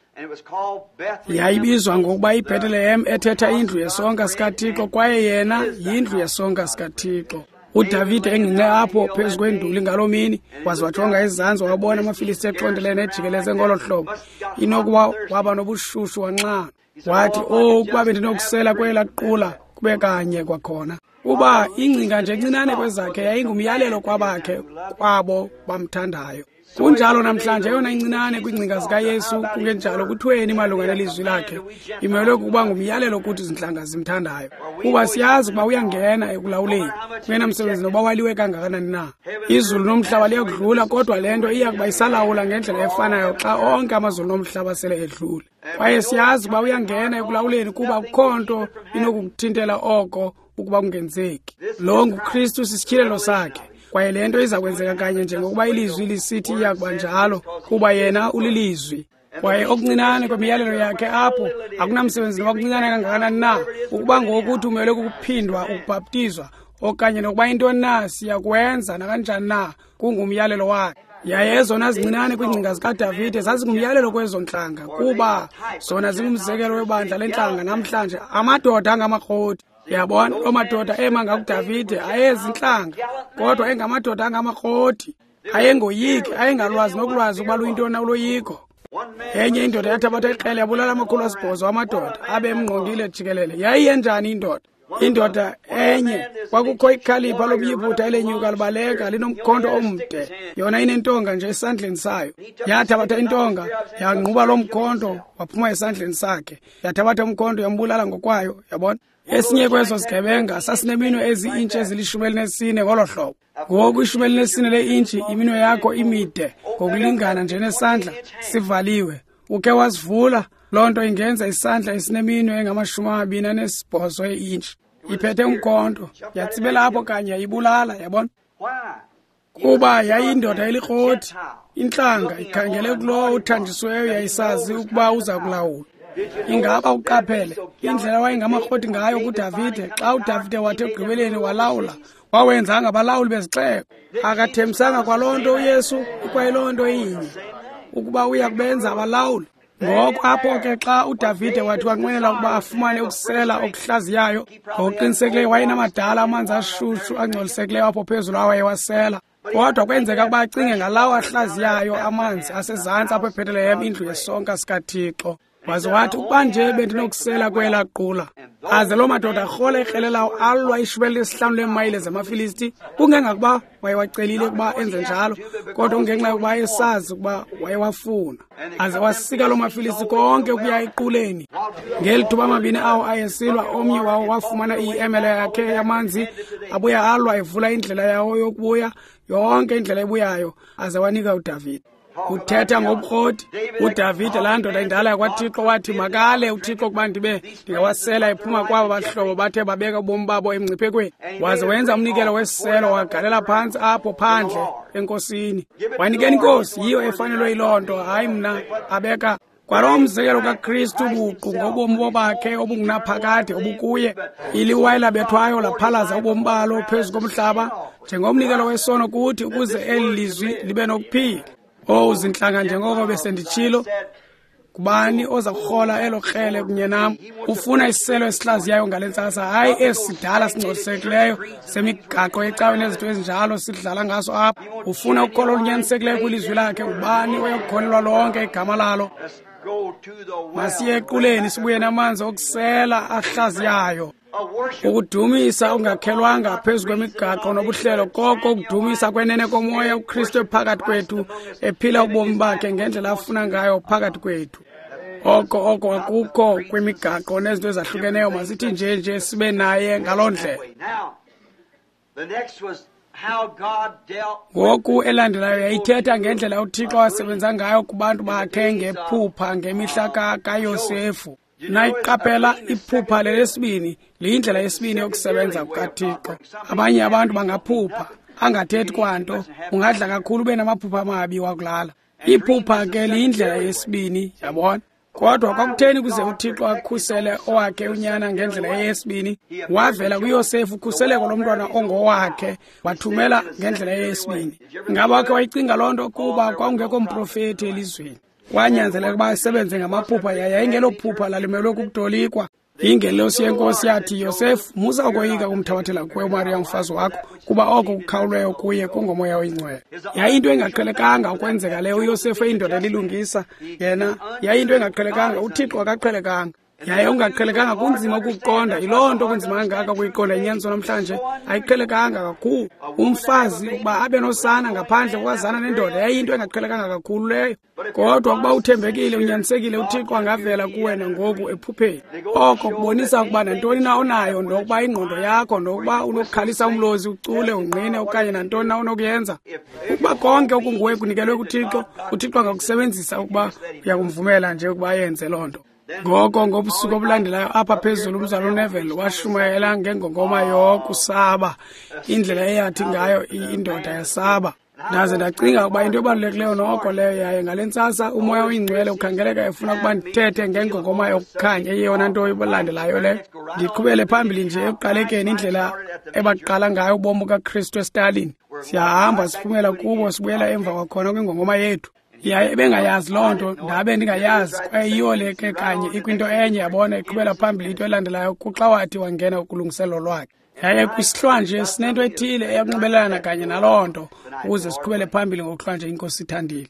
Yayibizwa ngokuba iBethlehem, ethetha indlu yesonka sikaThixo, kwaye yena yindlu yesonka sikaThixo. uDavide engqinqe apho phezu kwenduli ngaloo mini, waze wajonga ezantsi wabona amaFilisti exhontelene ejikeleze ngolo hlobo. Inokuba waba nobushushu wanxana. Wathi, "Oh, ukuba bendinokusela kwelaa qula kube kanye kwakhona." Uba ingcinga nje encinane kwezakhe yayingumyalelo kwabakhe kwabo bamthandayo. Kunjalo namhlanje, eyona incinane kwiingcinga zikaYesu, kungenjalo kuthweni malunga nelizwi lakhe, imelwe kukuba ngumyalelo kuthi zintlanga zimthandayo. Kuba siyazi ukuba uyangena ekulawuleni, kungenamsebenzi noba waliwe kangakanani na. Izulu nomhlaba liyakudlula, kodwa le nto iya kuba isalawula ngendlela efanayo xa onke amazulu nomhlaba sele edlule. Kwaye siyazi ukuba uyangena ekulawuleni, kuba akukho nto inokukuthintela oko ukuba kungenzeki. Lo nguKristu, sisityhilelo sakhe. Kwaye le nto iza kwenzeka kanye njengokuba ilizwi lisithi iya kuba njalo, kuba yena ulilizwi. Kwaye okuncinane kwemiyalelo yakhe apho akunamsebenzi noba kuncinane kangakanani na, ukuba ngokuthi umelwe kukuphindwa ukubhaptizwa okanye nokuba intoni na, siyakwenza nakanjani na, kungumyalelo wakhe. Yaye ezona zincinane kwiingcinga zikaDavide zazingumyalelo kwezo ntlanga, kuba zona zingumzekelo webandla lentlanga namhlanje, amadoda angamakroti. Yabona, loo madoda ema ngakuDavide ayezintlanga, kodwa engamadoda angamakroti, ayengoyiki, ayengalwazi nokulwazi ukuba luyintoni na uloyiko. Enye indoda yathabatha ikrele yabulala 800 amadoda abe emngqongile jikelele. Yayiyenjani indoda? Indoda enye kwakukho ikhalipha lomYiputa elenyuka libaleka linomkhonto omde, yona inentonga nje esandleni sayo. Yathabatha intonga yangquba lo mkhonto waphuma esandleni sakhe, yathabatha umkhonto yambulala ngokwayo. Yabona, esinye kwezo sigebenga sasineminwe ezi-intshi ezili-14 ngolo hlobo. Ngoku 14 le-intshi, iminwe yakho imide ngokulingana nje nesandla sivaliwe. Ukhe wasivula, loo nto ingenza isandla esineminwe engama-28 e-intshi. Iphethe umkhonto, yatsibela apho kanye yayibulala. Yabona, kuba yayindoda elikroti, intlanga ikhangele kulowo uthanjisiweyo, yayisazi ukuba uza kulawula. Ingaba uqaphele indlela wayengamakroti ngayo kuDavide? Xa uDavide wathi ekugqibeleni walawula, wawenzanga abalawuli bezixeko. Akathembisanga kwaloo nto uYesu, ikwayiloo nto inye, ukuba uya kubenza abalawuli. Ngoko apho ke xa uDavide wathi wanqwenela ukuba afumane ukusela okuhlaziyayo, ngokuqinisekileyo wayenamadala amanzi ashushu angcolisekileyo apho phezulu awayewasela. Kodwa kwenzeka ukuba acinge ngalawo ahlaziyayo amanzi asezantsi apho eBhetelehem, indlu yesonka sikaThixo. Waze wathi, ukuba nje bendinokusela kwelaa qula. Aze loo madoda arhola ikrele lawo alwa 15 leemayile zamaFilisti, kungengakuba wayewacelile ukuba enze njalo, kodwa kungenxa yokuba ayesazi ukuba wayewafuna. Aze wasika loo maFilisti konke ukuya equleni. Ngeli thuba amabini awo ayesilwa, omnye wawo wafumana iemele yakhe yamanzi, abuya alwa evula indlela yawo yokubuya, yonke indlela ebuyayo, aze wanika uDavide. Uthetha ngobukroti uDavide, laa ndoda indala yakwaThixo, wathi makale uThixo ukuba ndibe ndingawasela ephuma kwabo bahlobo bathe babeka ubomi babo emngciphekweni. Waze wenza umnikelo wesiselo, wagalela phantsi apho phandle enkosini. Wanikeni inkosi, yiyo efanelwe yiloo nto, hayi mna. Abeka kwalo mzekelo kaKristu buqu ngobomi bobakhe obungunaphakade obukuye. Iliwa elabethwayo laphalaza ubomi balo phezu komhlaba njengomnikelo wesono kuthi, ukuze eli lizwi libe nokuphila. Owu zintlanga, njengoko besenditshilo, kubani oza kurhola elo krele kunye nam? Ufuna isiselo esihlaziyayo ngale ntsasa, hayi esi sidala singcolisekileyo semigaqo yecawe nezinto ezinjalo sidlala ngaso apha. Ufuna ukholo olunyanisekileyo kwilizwi lakhe. Ubani oyokukholelwa lonke igama lalo? Masiye equleni sibuye namanzi okusela ahlaziyayo. Ukudumisa ungakhelwanga phezu kwemigaqo nobuhlelo, koko ukudumisa kwenene komoya, uKristu ephakathi kwethu, ephila ubomi bakhe ngendlela afuna ngayo phakathi kwethu. Oko akukho kwimigaqo nezinto ezahlukeneyo. Masithi nje sibe naye ngaloo ndlela. Ngoku elandelayo yayithetha ngendlela uThixo asebenza ngayo kubantu bakhe ngephupha ngemihla kaYosefu. Nayiqaphela iphupha lelesibini liyindlela yesibini yokusebenza kukaThixo. Abanye abantu bangaphupha angathethi kwanto, ungadla kakhulu ube namaphupha amabi wakulala. Iphupha ke liyindlela yesibini, yabona. Kodwa kwakutheni kuze uThixo akhusele owakhe unyana ngendlela yesibini? Wavela kuYosefu ukhuseleko lomntwana ongowakhe, wathumela ngendlela yesibini. Ngaba wakhe wayicinga loo nto? Kuba kwakungekho mprofethi elizweni, kwanyanzeleka ukuba asebenze ngamaphupha. Yayingelophupha lalimelwe kukutolikwa. Ingelosi yenkosi yathi, Yosefu, musa ukoyika kumthabathela kuwe uMariya umfazi wakho, kuba oko kukhawulweyo kuye kungomoya oyingcwele. Yayinto engaqhelekanga ukwenzeka leyo. uYosefu eyindoda elilungisa yena, yayinto engaqhelekanga. uThixo akaqhelekanga, yaye ungaqhelekanga kunzima ukuqonda. Yiloo nto kunzima kangaka ukuyiqonda inyaniso namhlanje, ayiqhelekanga kakhulu. Umfazi ukuba abe nosana ngaphandle kokwazana nendoda yayinto engaqhelekanga kakhulu leyo. Kodwa ukuba uthembekile, unyanisekile, uThixo angavela kuwe nangoku ephupheni. Oko kubonisa ukuba nantoni na onayo, nokuba ingqondo yakho, nokuba unokukhalisa umlozi, ucule, ungqine, okanye nantoni na onokuyenza, ukuba konke okunguwe kunikelwe kuThixo, uThixo angakusebenzisa ukuba uyakumvumela nje ukuba ayenze loo nto. Ngoko ngobusuku obulandelayo apha phezulu umzalwana uNeville washumayela ngengongoma yokusaba, indlela eyathi ngayo indoda yasaba. Ndaze ndacinga ukuba into ebalulekileyo noko leyo, yaye ngale ntsasa uMoya oyiNgcwele ukhangeleka efuna ukuba ndithethe ngengongoma yokukhanya, eyeyona nto ilandelayo leyo. Ndiqhubele phambili nje ekuqalekeni indlela ebaqala ngayo ubomi bukaKristu eStalin. Siyahamba siphumela kubo, sibuyela emva kwakhona kwingongoma yethu. Yaye ebengayazi loo nto, ndabe ndingayazi, kwaye yiyo le ke kanye ikwinto enye, yabona, iqhubela phambili into elandelayo kuxa wathi wangena kulungiselelo lwakhe. Yaye kwisihlwanje sinento ethile eyakunxibelelana kanye naloo nto ukuze siqhubele phambili ngokuhlwanje iNkosi ithandile.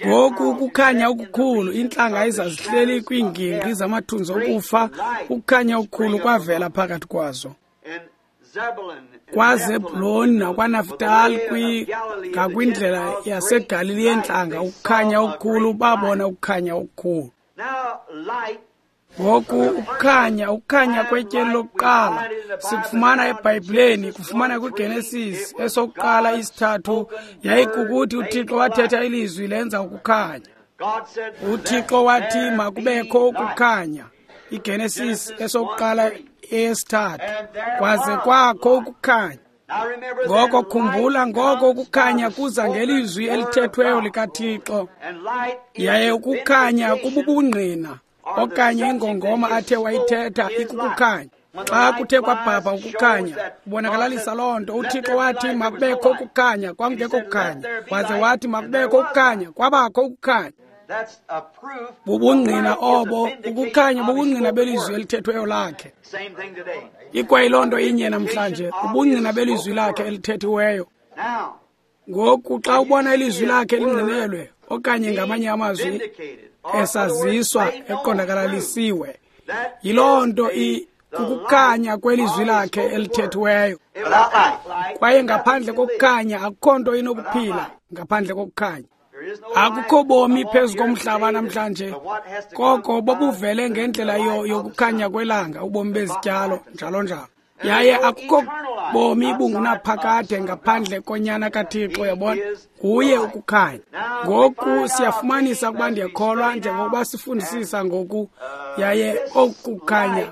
Ngoku ukukhanya okukhulu, iintlanga ezazihleli kwiingingqi zamathunzi okufa, ukukhanya okukhulu kwavela phakathi kwazo. KwaZebhuloni nakwaNaftali ngakwindlela yaseGalili yeentlanga, ukukhanya okukhulu, babona ukukhanya okukhulu. Ngoku ukukhanya kwetyeli lokuqala sikufumana eBhayibhileni, kufumana kwiGenesis esokuqala isithathu, yayikukuthi uThixo wathetha ilizwi lenza ukukhanya. UThixo wathi makubekho ukukhanya, iGenesis esokuqala eyesithathu, kwaze kwakho ukukhanya. Ngoko khumbula, ngoko ukukhanya kuza ngelizwi elithethweyo likaThixo, yaye ukukhanya kububungqina okanye ingongoma athe wayithetha ikukukhanya. Xa kuthe kwabhabha ukukhanya, kubonakalalisa loo nto. UThixo wathi makubekho ukukhanya, kwakungekho kukhanya. Waze wathi makubekho ukukhanya, kwabakho ukukhanya. Bubungqina obo, ukukhanya bubungqina belizwi elithethweyo lakhe. Ikwayiloo nto inye namhlanje, ubungqina belizwi lakhe elithethiweyo. Ngoku xa ubona ilizwi lakhe lingqinelwe, okanye ngamanye amazwi esaziswa, eqondakalalisiwe, yiloo nto kukukhanya kwelizwi lakhe elithethiweyo. Kwaye ngaphandle kokukhanya akukho nto inokuphila, ngaphandle kokukhanya akukho bomi phezu komhlaba namhlanje, koko bobuvele ngendlela yokukhanya kwelanga, ubomi bezityalo njalo njalo. Yaye akukho bomi bungunaphakade ngaphandle konyana kaThixo, yabona, nguye ukukhanya. Ngoku siyafumanisa ukuba, ndiyakholwa njengokuba sifundisisa ngoku, yaye okukhanya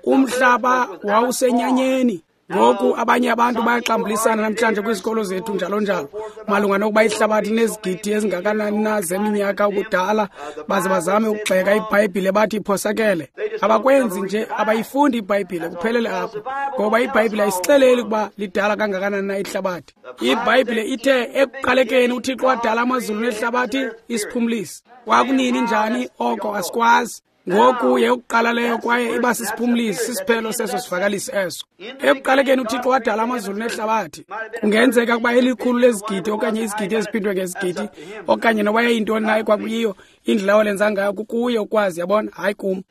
umhlaba wawusenyanyeni. Ngoku abanye abantu bayaxambulisana namhlanje kwizikolo zethu njalo njalo malunga nokuba ihlabathi linezigidi ezingakanani na zeminyaka ubudala, baze bazame ukugxeka iBhayibhile bathi iphosakele. Abakwenzi nje, abayifundi iBhayibhile, kuphelele apho, ngoba iBhayibhile ayisixeleli ukuba lidala kangakanani na ihlabathi. IBhayibhile ithe ekuqalekeni uThixo wadala amazulu nehlabathi, isiphumlisi. Kwakunini njani oko asikwazi. Ngoku yeyokuqala leyo, kwaye iba sisiphumlisi, sisiphelo seso sivakalisi eso. Ekuqalekeni uThixo wadala amazulu nehlabathi. Kungenzeka ukuba elikhulu lezigidi okanye izigidi eziphindwe ngezigidi, okanye noba yayintoni na ekwakuyiyo, indlela awalenza ngayo kukuye ukwazi, yabona, hayi kum.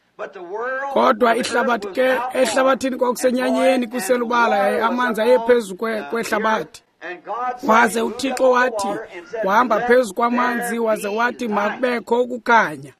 Kodwa ihlabathi ke, ehlabathini kwakusenyanyeni kuselubala, yaye amanzi ayephezu kwehlabathi. Waze uThixo wathi, wahamba phezu kwamanzi, waze wathi makubekho ukukhanya.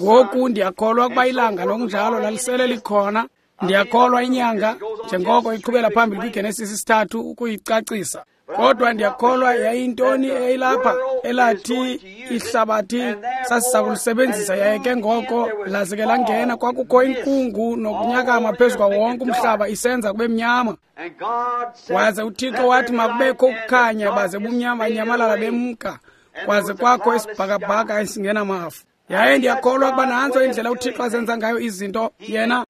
Ngoku ndiyakholwa ukuba ilanga nokunjalo lalisele likhona. Ndiyakholwa inyanga njengoko iqhubela phambili kwiGenesis isithathu ukuyicacisa. Kodwa ndiyakholwa yayintoni eyayilapha elathi ihlabathi sasiza kulisebenzisa, yaye ke ngoko laze ke langena, kwakukho inkungu nokunyakama phezu kwawo wonke umhlaba isenza kube mnyama. Waze uThixo wathi makubekho ukukhanya, baze bumnyama banyamalala bemka, kwaze kwakho isibhakabhaka esingenamafu. Yaye ndiyakholwa ukuba nantso indlela uThixo azenza ngayo izinto yena.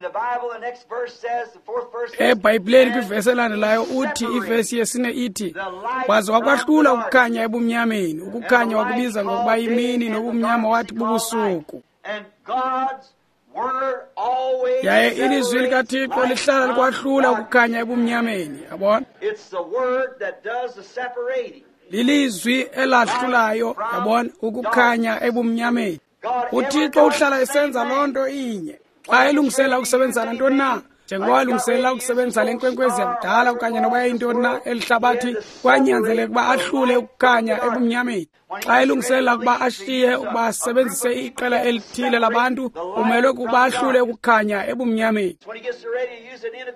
EBhayibhileni kwivesi elandelayo uthi, ivesi yesine ithi, waze wakwahlula ukukhanya ebumnyameni, ukukhanya wakubiza ngokuba yimini, nobumnyama wathi bubusuku. Yaye ilizwi likaThixo lihlala likwahlula ukukhanya ebumnyameni, yabona. Lilizwi elahlulayo, yabona, ukukhanya ebumnyameni. UThixo uhlala esenza loo nto inye. Xa elungiselela ukusebenzisa nantoni na, njengoba elungiselela ukusebenzisa le nkwenkwezi yakudala okanye noba yayintoni na elihlabathi, kwanyanzeleka ukuba ahlule ukukhanya ebumnyameni. Xa elungiselela ukuba ashiye ukuba asebenzise iqela elithile labantu, umelwe kukuba ahlule ukukhanya ebumnyameni.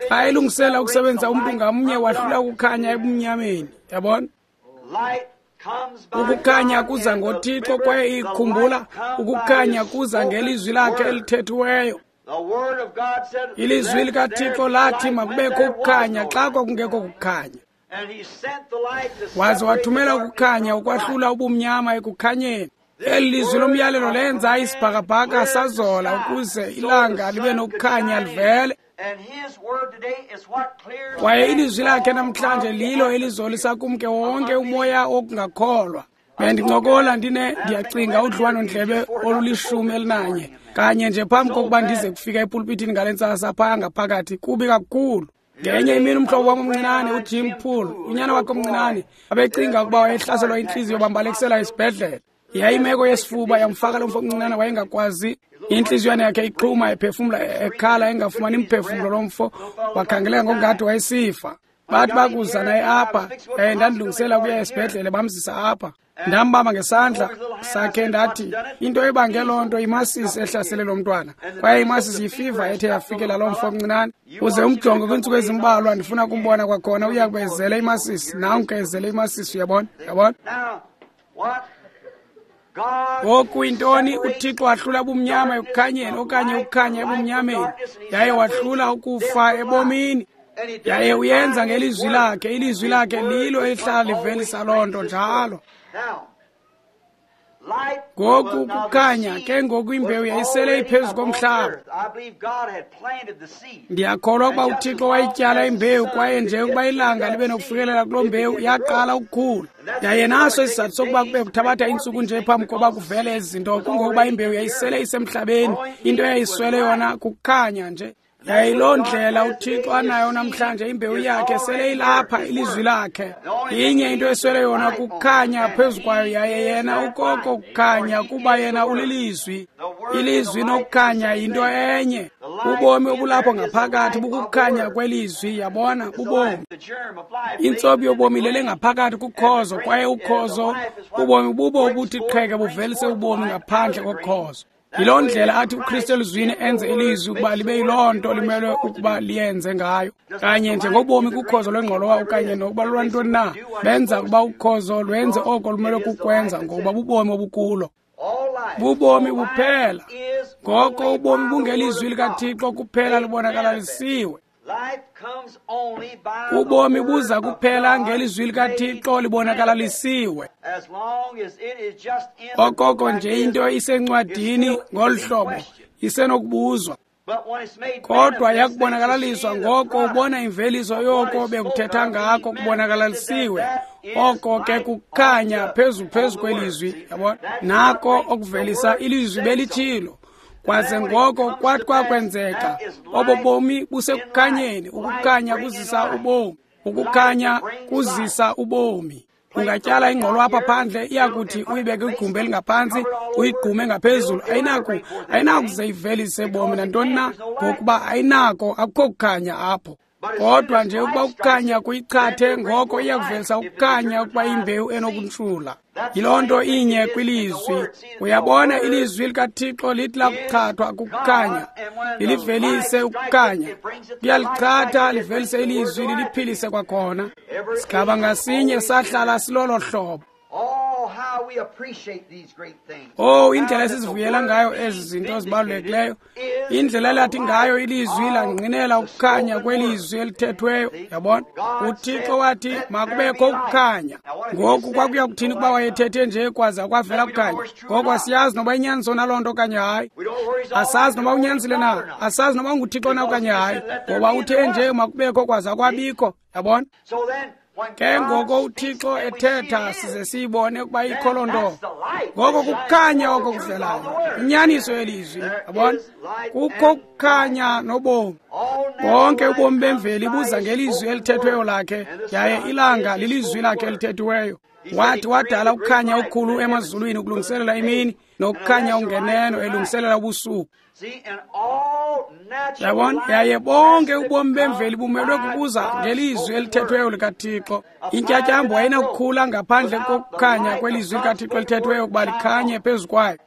Xa elungiselela ukusebenzisa umntu ngamnye, wahlula ukukhanya ebumnyameni, yabona. Ukukhanya kuza ngoThixo, kwaye ikhumbula, ukukhanya kuza ngelizwi lakhe elithethiweyo. Ilizwi likaThixo lathi makubekho ukukhanya xa kwakungekho kukhanya. Waze wathumela ukukhanya ukwahlula ubumnyama ekukhanyeni. Eli lizwi lomyalelo lenza isibhakabhaka sazola ukuze ilanga libe nokukhanya livele. Kwaye ilizwi lakhe namhlanje lilo elizolisa kumke wonke umoya wokungakholwa. Bendincokola ndiyacinga udliwano-ndlebe olulihlumi-elinanye kanye nje phambi kokuba ndize kufika epulpitini ngale ntsasa phaya ngaphakathi, kubi kakhulu. Ngenye imini umhlobo wam omncinane uJim Poole, unyana wakhe omncinane, abecinga ukuba wayehlaselwa intliziyo, bambalekisela esibhedlele. Yayimeko yesifuba yamfaka lo mfo omncinane, wayengakwazi, intliziywana yakhe ixhuma, ephefumla, ekhala, engafumani mphefumlo. Lo mfo wakhangeleka ngokungathi wayesifa. Bathi bakuza naye apha, ndandilungisela ukuya esibhedlele, bamzisa apha. Ndambamba ngesandla sakhe ndathi, into ebange loo nto imasisi ehlasele lo mntwana, kwaye imasisi yifiva ethe yafikela loo mfo omncinane. Uze umjonge kwiintsuku ezimbalwa, ndifuna kumbona kwakhona, uya kube ezele imasisi. Nanku ezele imasisi, uyabona, uyabona. Ngoku intoni? UThixo wahlula ubumnyama ekukhanyeni, okanye ukukhanya ebumnyameni, yaye wahlula ukufa ebomini. Yaye uyenza ngelizwi lakhe. Ilizwi lakhe lilo elihlala livelisa loo nto njalo. Ngoku kukhanya ke ngoku imbewu yayisele iphezu komhlaba. Ndiyakholwa ukuba uThixo wayityala imbewu, kwaye nje ukuba ilanga libe nokufikelela kuloo mbewu, yaqala ukukhula. Yaye naso isizathu sokuba kube kuthabatha iintsuku nje phambi koba kuvele ezi zinto, kungokuba imbewu yayisele isemhlabeni. Into eyayiswele yona kukhanya nje. Yayiloo ndlela uThixo anayo namhlanje, imbewu yakhe sele ilapha, ilizwi lakhe. Inye into eswele yona kukhanya phezu kwayo, yaye yena ukoko kukhanya, kuba yena ulilizwi. Ilizwi nokukhanya yinto enye. Ubomi obulapho ngaphakathi bukukhanya kwelizwi, yabona, bubomi. Intsobi yobomi ilele ngaphakathi kukhozo, kwaye ukhozo ubomi bubo obuthi qheke buvelise ubomi ngaphandle kokhozo. Yiloo ndlela athi uKristu elizwini enze ilizwi ukuba libe yiloo nto limelwe ukuba liyenze ngayo. Kanye njengobomi kukhozo lwengqolowa okanye nokuba lolwantoni na, benza ukuba ukhozo lwenze oko lumelwe kukwenza, ngokuba bubomi obukulo. Bubomi buphela. Ngoko ubomi bungelizwi likaThixo kuphela libonakalalisiwe. Ubomi buza kuphela ngelizwi likaThixo libonakalalisiwe. Okoko nje into isencwadini ngolu hlobo isenokubuzwa, kodwa yakubonakalaliswa, ngoko ubona imveliso yoko bekuthetha ngako kubonakalalisiwe. Oko ke kukhanya phezu kwelizwi, yabona, nako okuvelisa ilizwi belitshilo. Kwaze ngoko kwathi kwakwenzeka, obo bomi busekukhanyeni. Ukukhanya kuzisa ubomi, ukukhanya kuzisa ubomi. Ungatyala ingqolo apha phandle, iyakuthi uyibeke kwigumbi elingaphantsi, uyigqume ngaphezulu, ayinakuze ivelise bomi nantoni na, ngokuba ayinako, akukho kukhanya apho. Kodwa nje ukuba ukukhanya kuyichathe, ngoko iyakuvelisa ukukhanya ukuba imbewu enokuntshula. Yiloo nto inye kwilizwi. Uyabona, ilizwi likaThixo lithi lakuchathwa kukukhanya, lilivelise ukukhanya. Kuyalichatha livelise ilizwi, liliphilise kwakhona. Sigaba ngasinye sahlala silolo hlobo. Oh, indlela esizivuyela ngayo ezi zinto zibalulekileyo, indlela elathi ngayo ilizwi langqinela ukukhanya kwelizwi elithethweyo. Yabona, uThixo wathi makubekho ukukhanya. Ngoku kwakuya kuthini ukuba wayethethe nje kwaza kwavela kukhanya? Ngoko asiyazi noba inyaniso naloo nto okanye hayi, asazi noba unyanisile na, asazi noba unguThixo na okanye hayi, ngoba uthe nje makubekho kwaza kwabikho. Yabona? Ke ngoko uThixo ethetha size siyibone ukuba ikho loo nto, ngoko kukhanya oko kuvelayo, inyaniso yelizwi. Yabona, kukho ukukhanya nobomi. Bonke ubomi bemveli buza ngelizwi elithethweyo lakhe, yaye ilanga lilizwi lakhe elithethiweyo. Wathi wadala ukukhanya okukhulu emazulwini ukulungiselela imini, nokukhanya okungeneno elungiselela ubusuku. Yabona, yaye bonke ubomi bemveli bumelwe kukuza ngelizwi elithethweyo likaThixo. Intyatyambo ayinakukhula ngaphandle kokukhanya kwelizwi likaThixo elithethweyo ukuba likhanye phezu kwayo.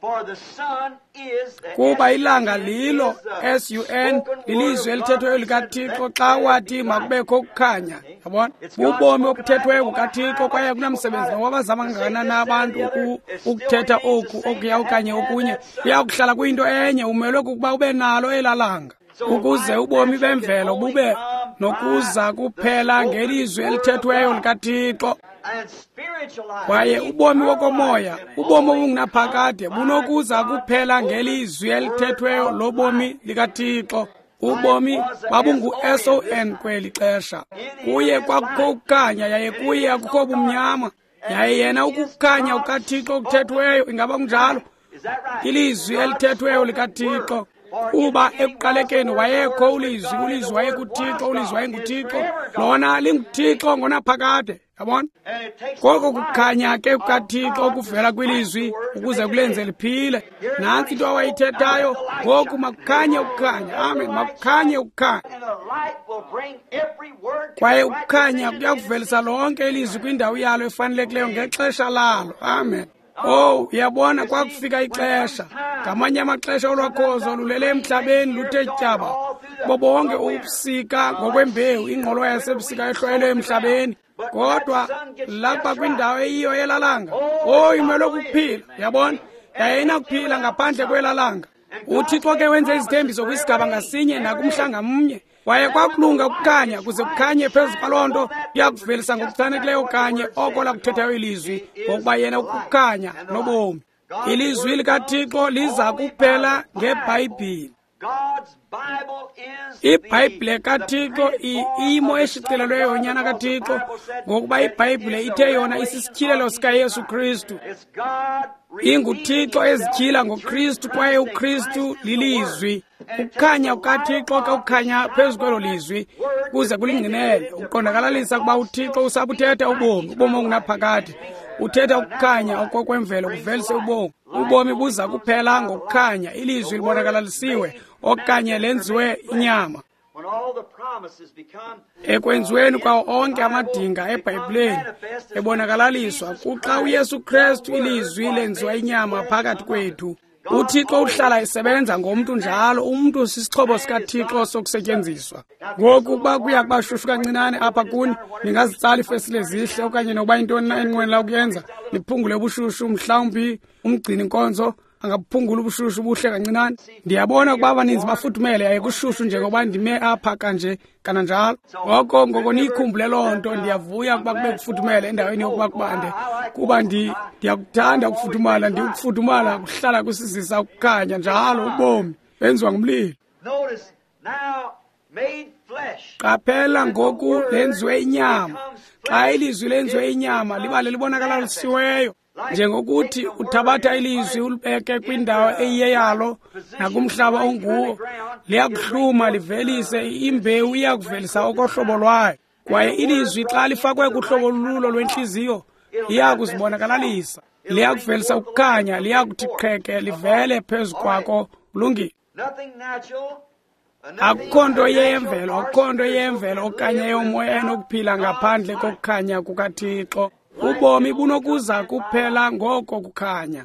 Kuba ilanga lilo, S-U-N, lilizwi elithethweyo likaThixo xa wathi makubekho ukukhanya. Yabona, bubomi obuthethweyo bukaThixo kwaye kunamsebenzi noba bazama kangakanani na abantu ukuthetha oku, okuya okanye okunye, kuya kuhlala kuyinto enye. Umelwe kukuba ube nalo elaa langa ukuze ubomi bemvelo bube nokuza kuphela ngelizwi elithethweyo likaThixo. Kwaye ubomi wokomoya, ubomi obungunaphakade, bunokuza kuphela ngelizwi elithethweyo lobomi likaThixo. Ubomi babungu-S-O-N kweli xesha. Kuye kwakukho ukukhanya, yaye kuye akukho bumnyama. Yaye yena ukukhanya kukaThixo okuthethweyo, ingaba kunjalo? Ilizwi elithethweyo likaThixo. Kuba ekuqalekeni wayekho uLizwi, uLizwi wayekuThixo, uLizwi wayenguThixo. Lona linguThixo ngonaphakade. Yabona? Koko kukhanya ke kukaThixo okuvela kwilizwi ukuze kulenze liphile. Nantsi into awayithethayo, ngoku makukhanye ukukhanya. Amen, makukhanye ukukhanya. Kwaye ukukhanya kuyakuvelisa lonke ilizwi kwindawo yalo efanelekileyo ngexesha lalo. Amen. Oh, uyabona, kwakufika ixesha. Ngamanye amaxesha olwakhozo lulele emhlabeni luthe tyaba. Bobonke ubusika ngokwembewu, ingqolowa yasebusika ehlwayelwe emhlabeni. Kodwa lapha kwindawo eyiyo yelalanga, oh, imelwe kukuphila, yabona? Yaye inakuphila ngaphandle kwelalanga. UThixo ke wenze izithembiso kwisigaba ngasinye nakumhla ngamnye. Kwaye kwakulunga ukukhanya kuze kukhanye phezu kwaloo nto kuyakuvelisa ngokuchanekileyo kanye oko lakuthethayo ilizwi, ngokuba yena ukukhanya nobomi. Ilizwi likaThixo liza kuphela ngeBhayibhile. IBhayibhile kaThixo iyimo eshicilelweyo yonyana kaThixo, ngokuba iBhayibhile ithe yona isisityhilelo sikaYesu Kristu. InguThixo ezityhila ngoKristu, kwaye uKristu lilizwi. Ukukhanya kukaThixo ke kukhanya phezu kwelo lizwi kuze kulingqinele, ukuqondakalalisa ukuba uThixo usabuthetha ubomi, ubomi obungunaphakade. Uthetha ukukhanya okokwemvelo kuvelise ubomi. Ubomi buza kuphela ngokukhanya, ilizwi libonakalalisiwe okanye lenziwe inyama. Ekwenziweni kwawo onke amadinga eBhayibhileni ebonakalaliswa kuxa uYesu Kristu ilizwi lenziwa inyama phakathi kwethu. UThixo uhlala esebenza ngomntu njalo, umntu sisixhobo sikaThixo sokusetyenziswa. Ngoku ukuba kuya kuba shushu kancinane apha kuni, ningazitsala iifestile zihle okanye nokuba yintoni na eninqwenela ukuyenza, niphungule ubushushu, mhlawumbi umgcini nkonzo angaphungula ubushushu buhle kancinane. Ndiyabona ukuba abaninzi bafudumele yaye kushushu njengoba ndime apha kanje kananjalo. Ngoko ngoko niyikhumbule loo nto. Ndiyavuya ukuba kube kufudumele endaweni yokuba kubande, kuba ndiyakuthanda ukufudumala. Ndikufudumala kuhlala kusizisa ukukhanya njalo, ubomi benziwa ngumlilo. Qaphela ngoku lenziwe inyama. Xa ilizwi lenziwe inyama liba lelibonakalisiweyo, njengokuthi uthabatha ilizwi ulibeke kwindawo eyiyeyalo nakumhlaba onguwo, liyakuhluma livelise imbewu, iyakuvelisa okohlobo lwayo. Kwaye ilizwi xa lifakwe kuhlobo lulo lwentliziyo liyakuzibonakalisa, liyakuvelisa ukukhanya, liyakuthi qheke livele phezu kwako. Kulungile. Akukho nto yemvelo, akukho nto yemvelo okanye yomoya enokuphila ngaphandle kokukhanya kukaThixo. Ubomi bunokuza kuphela ngoko kukhanya.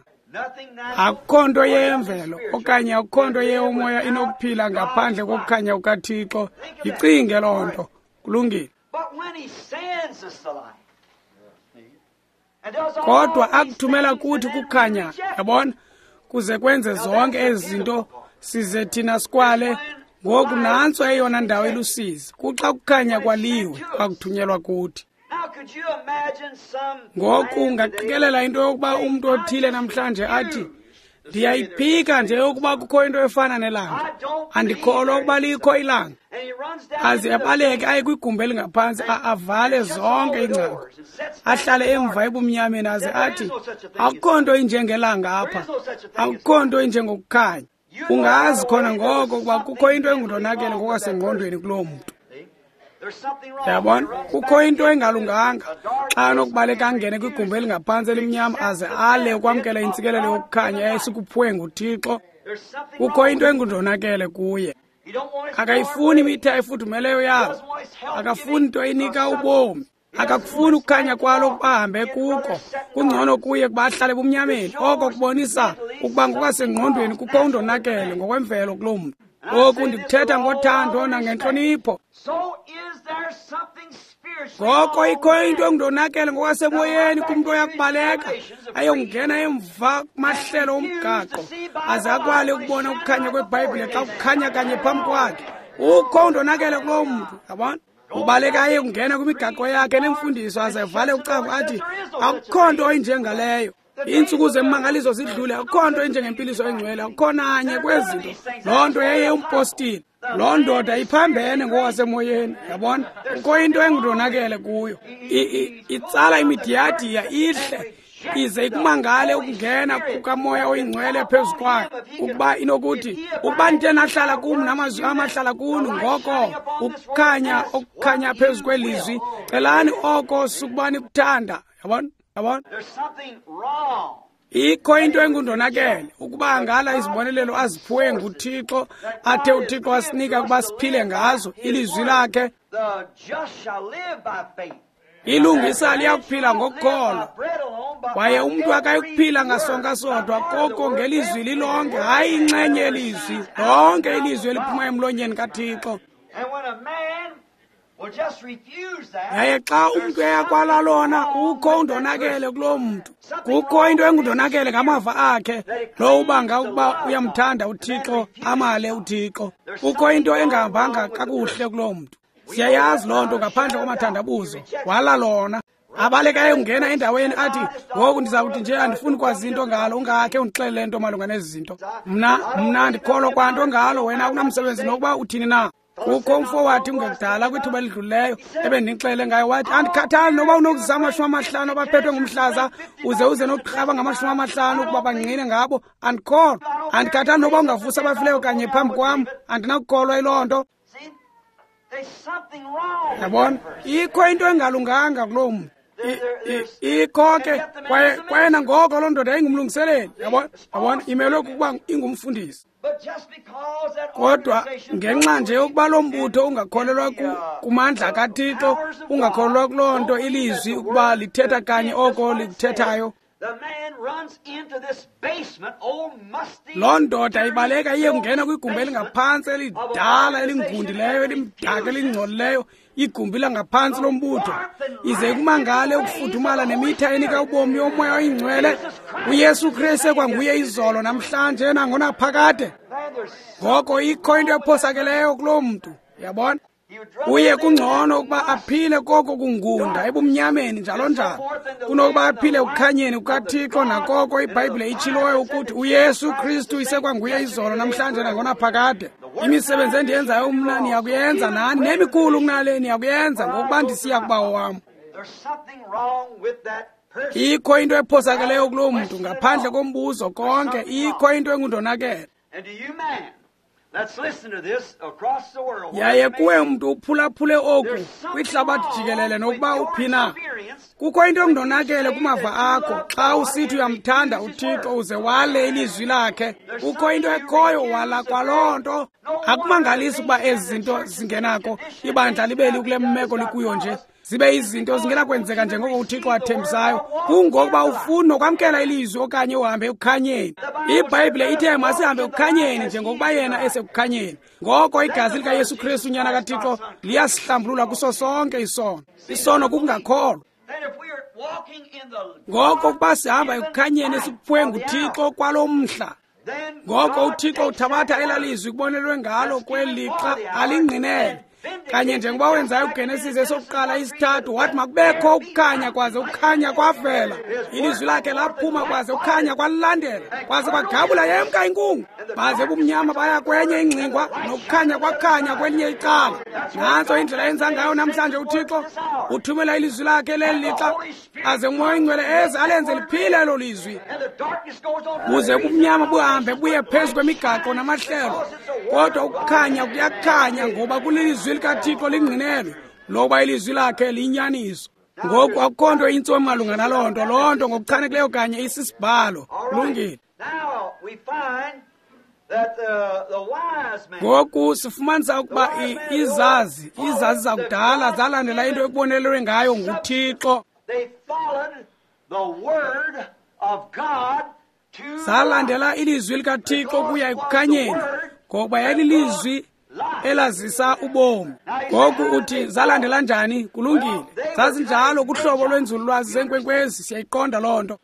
Akukho nto yemvelo okanye akukho nto yeyomoya inokuphila ngaphandle kokukhanya kukaThixo. Yicinge loo nto. Kulungile. Kodwa akuthumela kuthi kukhanya, yabona, kuze kwenze zonke ezi zinto size thina sikwale. Ngoku nantso eyona ndawo ilusizi, kuxa kukhanya kwaliwe kwakuthunyelwa kuthi. Ngoku ungaqikelela into yokuba umntu othile namhlanje athi, ndiyayiphika nje yokuba kukho into efana nelanga, andikholwa ukuba likho ilanga, aze abaleke aye kwigumbi elingaphantsi, avale zonke iingcango, ahlale emva ebumnyameni, aze athi akukho nto injengelanga apha, akukho nto injengokukhanya. Ungazi khona ngoko ukuba kukho into engundonakele ngokwasengqondweni kuloo mntu. Yabona, kukho into engalunganga xa anokubaleka angene kwigumbi elingaphantsi elimnyama aze ale ukwamkela intsikelelo yokukhanya esikuphiwe nguThixo. Kukho into engundonakele kuye. Akayifuni imitha efudumeleyo yalo, akafuni nto inika ubomi, akakufuni ukukhanya kwalo ukuba ahambe kuko. Kungcono kuye ukuba ahlale ebumnyameni. Oko kubonisa ukuba ngokwasengqondweni kukho undonakele ngokwemvelo kuloo mntu. Oku ndikuthetha ngothando nangentlonipho. Ngoko ikho into engundonakele ngokwasemoyeni kumntu oyakubaleka ayongena emva kumahlelo omgaqo aze akwale ukubona ukukhanya kweBhayibhile xa kukhanya kanye phambi kwakhe. Ukho undonakele kuloo mntu, yabona? Ubaleka aye kungena kwimigaqo yakhe nemfundiso aze avale ucango athi akukho nto injengaleyo. Iintsuku zemmangaliso zidlule, akukho nto injengempiliso engcwele, akukho nanye kwezi zinto. Loo nto yeye umpostile. Loo ndoda iphambene ngokwasemoyeni, yabona? Kukho into engundonakele kuyo. Itsala imidiyadiya ihle ize ikumangale ukungena kukaMoya oyiNgcwele phezu kwayo, ukuba inokuthi, ukuba ndithe nahlala kum namazwi am ahlala kuni, ngoko ukukhanya okukhanya phezu kwelizwi, celani oko sukuba nikuthanda. Yabona? Yabona? Ikho into engundonakele ukuba angala izibonelelo aziphiwe nguThixo, athe uThixo asinika ukuba siphile ngazo, ilizwi lakhe. Ilungisa liyakuphila ngokukholwa, kwaye umntu akayikuphila ngasonka sodwa, koko ngelizwi lilonke, hayi inxenye yelizwi, lonke ilizwi eliphuma emlonyeni kaThixo. Yaye xa umntu eyakwala lona, ukho undonakele kuloo mntu. Kukho into engundonakele ngamava akhe, lo ubanga ukuba uyamthanda uThixo, amale uThixo. Kukho into engahambanga kakuhle kuloo mntu. Siyayazi loo nto ngaphandle kwamathandabuzo. Wala lona. Abaleka ayongena endaweni athi, ngoku ndiza kuthi nje andifuni kwazi into ngalo, ungakhe undixelele nto malunga nezi zinto. Mna ndikholwa kwanto ngalo, wena akunamsebenzi nokuba uthini na. Kukho umfo wathi kungekudala kwithuba elidlulileyo ebendinixelele ngayo, wathi andikhathali noba unokuzisa 50 abaphethwe ngumhlaza uze nokuqhaba ngama-50 ukuba bangqine ngabo, andikholwa. Andikhathali noba ungavusa abafileyo kanye phambi kwam, andinakukholwa yiloo nto. Yabona, ikho into engalunganga kuloo mntu. Ikho ke kwaye nangoko loo ndoda ingumlungiseleli. Yabona, yabona, imelwe kukuba ingumfundisi. Kodwa ngenxa nje yokuba lo mbutho ungakholelwa kumandla kaThixo, ungakholelwa kuloo nto ilizwi ukuba lithetha kanye oko likuthethayo, loo ndoda ibaleka iye kungena kwigumbi elingaphantsi elidala elingundileyo elimdaka elingcolileyo, igumbi langaphantsi lombutho, ize ikumangale ukufudumala nemitha enika ubomi yoMoya oyiNgcwele, uYesu Kristu ekwanguye izolo namhlanje nangonaphakade. Ngoko ikho into ephosakeleyo kuloo mntu, yabona? Uye kungcono ukuba aphile koko kungunda ebumnyameni njalo njalo, kunokuba aphile ekukhanyeni kukaThixo nakoko iBhayibhile itshiloyo ukuthi uYesu Kristu isekwanguye izolo namhlanje nangonaphakade. Imisebenzi endiyenzayo mna niyakuyenza nani, nemikhulu kunale niyakuyenza, ngokuba ndisiya kuBawo wam. Ikho into ephosakeleyo kuloo mntu, ngaphandle kombuzo konke, ikho into engundonakele. Yaye kuwe mntu uphulaphule oku kwihlabathi jikelele nokuba uphi na, kukho into engundonakele kumava akho xa usithi uyamthanda uThixo uze wale ilizwi lakhe. Kukho into ekhoyo, wala kwaloo nto. Akumangalisi ukuba ezi zinto zingenako ibandla libe likule meko likuyo nje, zibe izinto zingenakwenzeka njengoko uThixo athembisayo. Kungokuba ufuna nokwamkela ilizwi okanye uhambe ekukhanyeni. IBhayibhile ithe masihambe ekukhanyeni njengokuba yena esekukhanyeni. Ngoko igazi likaYesu Kristu unyana kaThixo liyasihlambulula kuso sonke isono. Isono kukungakholwa. Ngoko ukuba sihamba ekukhanyeni esikuphiwe nguThixo kwalo mhla, ngoko uThixo uthabatha elaa lizwi kubonelwe ngalo kweli lixa alingqinele. Kanye njengoba wenzayo kuGenesis esokuqala isithathu, wathi makubekho ukukhanya, kwaze ukukhanya kwavela. Ilizwi lakhe laphuma, kwaze ukukhanya kwalilandela, kwaze kwagabula yemka inkungu, baze bumnyama baya kwenye ingxingwa, nokukhanya kwakhanya kwelinye icala. Nantso indlela yenza ngayo namhlanje uThixo, uthumela ilizwi lakhe leli lixa, aze uMoya oyiNgcwele eze alenze liphile elo lizwi, buze bumnyama buhambe buye phezu kwemigaqo namahlelo. Kodwa ukukhanya kuyakhanya ngoba kulilizwi likaThixo lingqinelwe. Lokuba ilizwi lakhe liyinyaniso. Ngoku akukho nto intsomi malunga naloo nto. Loo nto ngokuchanekileyo kanye isisibhalo. Kulungile. Ngoku sifumanisa ukuba izazi zakudala zalandela into ekubonelelwe ngayo nguThixo. Zalandela ilizwi likaThixo kuya ekukhanyeni, ngokuba yayililizwi elazisa ubomi. Ngoku uthi zalandela njani? Kulungile. Zazinjalo kuhlobo lwenzululwazi zenkwenkwezi, siyayiqonda loo nto.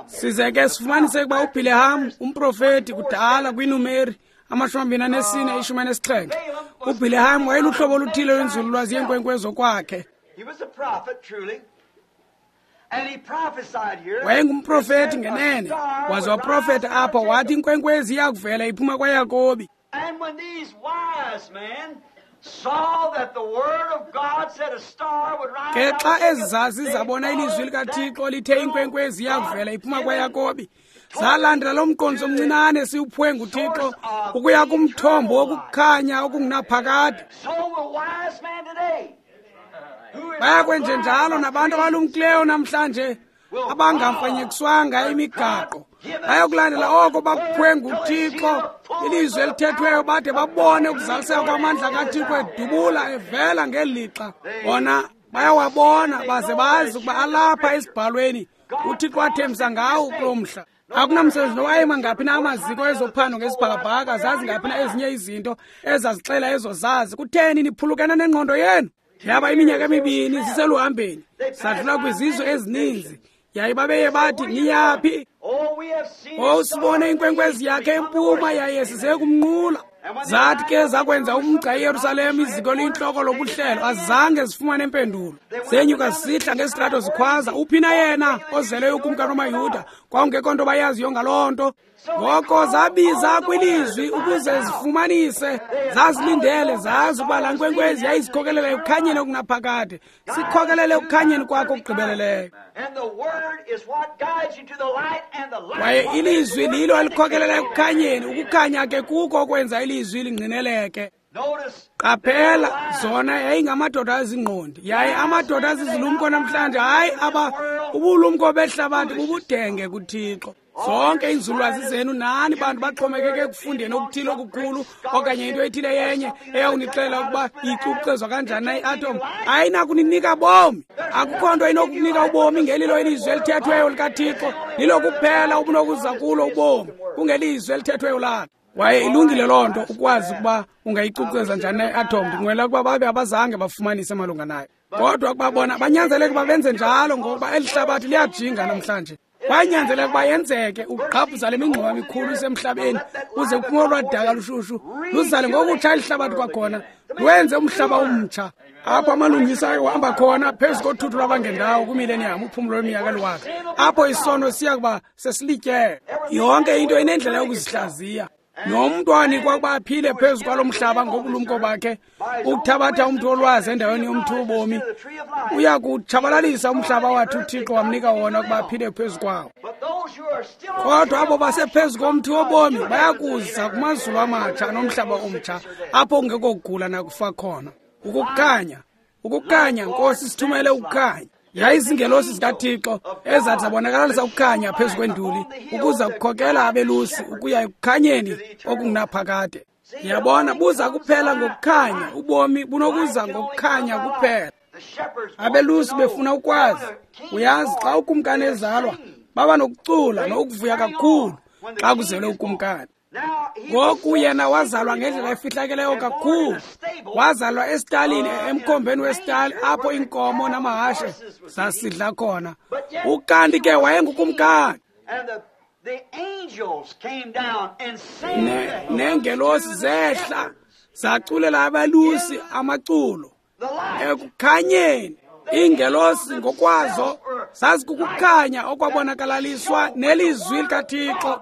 Size ke sifumanise ukuba uBhileham, umprofeti kudala kwiNumeri 24:17, uBhileham wayeluhlobo oluthile lwenzululwazi yenkwenkwezi okwakhe. Wayengumprofeti ngenene, waze waprofeta apho wathi inkwenkwezi iyakuvela iphuma kwaYakobi. Ke xa ezi zazi zabona ilizwi likaThixo lithe inkwenkwezi iyakuvela iphuma kwaYakobi, zalandela lo mqondiso omncinane siwuphiwe nguThixo ukuya kumthombo wokukhanya okungunaphakade. Bayakwenjenjalo nabantu abalumkileyo namhlanje abangamfanyekiswanga imigaqo. Bayokulandela oko bakuphiwe nguThixo, ilizwi elithethweyo, bade babone ukuzaliseka kwamandla kaThixo edubula evela ngeli lixa. Bona bayawabona baze bazi ukuba alapha esibhalweni uThixo athembisa ngawo kulo mhla. Akunamsebenzi nowayema ngaphi na amaziko ezophando ngesibhakabhaka, zazi ngaphi na ezinye izinto ezazixela ezo zazi. Kutheni niphulukene nengqondo yenu? Yaba iminyaka emibini siseluhambeni, sadlula kwizizwe ezininzi. Yaye babeye bathi, niyaphi? Sibone inkwenkwezi yakhe empuma, yaye size kumnqula. Zathi ke zakwenza umgca eYerusalem, iziko liyintloko lobuhlelo, azange zifumane impendulo. Zenyuka zisihla ngesitrato zikhwaza, uphi na yena ozeleyo ukumkani wamaYuda? Kwakungekho nto bayaziyo ngaloo nto. Ngoko zabiza kwilizwi ukuze zifumanise. Zazilindele, zazi ukuba laa nkwenkwezi yayizikhokelela ekukhanyeni okunaphakade. Sikhokelele ekukhanyeni kwakho okugqibeleleyo. Kwaye ilizwi lilo elikhokelela ekukhanyeni. Ukukhanya ke kuko okwenza ilizwi lingqineleke. Qaphela, zona yayingamadoda azingqondi, yaye amadoda azizilumko namhlanje. Hayi, aba ubulumko behlabathi bubudenge kuThixo. Zonke iinzululwazi zenu nani bantu baxhomekeke ekufundeni okuthile okukhulu okanye into ethile yenye eyawunixelela ukuba icukucezwa kanjani na i-atom, ayinakuninika bomi. Akukho nto inokunika ubomi ngelilo ilizwi elithethweyo likaThixo. Lilo kuphela obunokuza kulo ubomi, kungelizwi elithethweyo lakhe. Kwaye ilungile loo nto ukwazi ukuba ungayicukuceza njani na i-atom. Ndinqwela ukuba babe abazange bafumanise malunga nayo, kodwa ukuba bona banyanzeleke uba benze njalo, ngokuba eli hlabathi liyajinga namhlanje. Kwanyanzeleka ukuba yenzeke ukugqabhuza le mingxuma mikhulu isemhlabeni, uze kuphume olwadaka lushushu luzale ngokutsha eli hlabathi kwakhona, lwenze umhlaba umtsha apho amalungisa ayohamba khona phezu kothuthu lwabangendawo kwimileniyam, uphumlo lweminyaka eliwaka, apho isono siya kuba sesilityele. Yonke into inendlela yokuzihlaziya. Nomntu anikwa ukuba aphile phezu kwalo mhlaba ngobulumko bakhe, ukuthabatha umntu olwazi endaweni yomthi wobomi, uya kutshabalalisa umhlaba wathi uThixo wamnika wona ukuba aphile phezu kwawo. Kodwa abo basephezu komthi wobomi bayakuza kumazulu amatsha nomhlaba omtsha, apho kungekho kugula nakufa khona. Ukukhanya, ukukhanya, Nkosi, sithumele ukukhanya. Yayizingelosi zikaThixo ezathi zabonakalisa ukukhanya phezu kwenduli ukuza kukhokela abelusi ukuya ekukhanyeni okungunaphakade. Yabona, buza kuphela ngokukhanya. Ubomi bunokuza ngokukhanya kuphela. Abelusi befuna ukwazi. Uyazi, xa ukumkani ezalwa, baba nokucula nokuvuya kakhulu xa kuzelwe ukumkani. Ngoku yena wazalwa ngendlela efihlakeleyo kakhulu. Wazalwa esitalini, emkhombeni wesitali, apho iinkomo namahashe zasidla khona. Ukanti ke wayengukumkani. Neengelosi zehla zaculela abelusi amaculo ekukhanyeni. Iingelosi ngokwazo zazikukukhanya okwabonakalaliswa nelizwi likaThixo.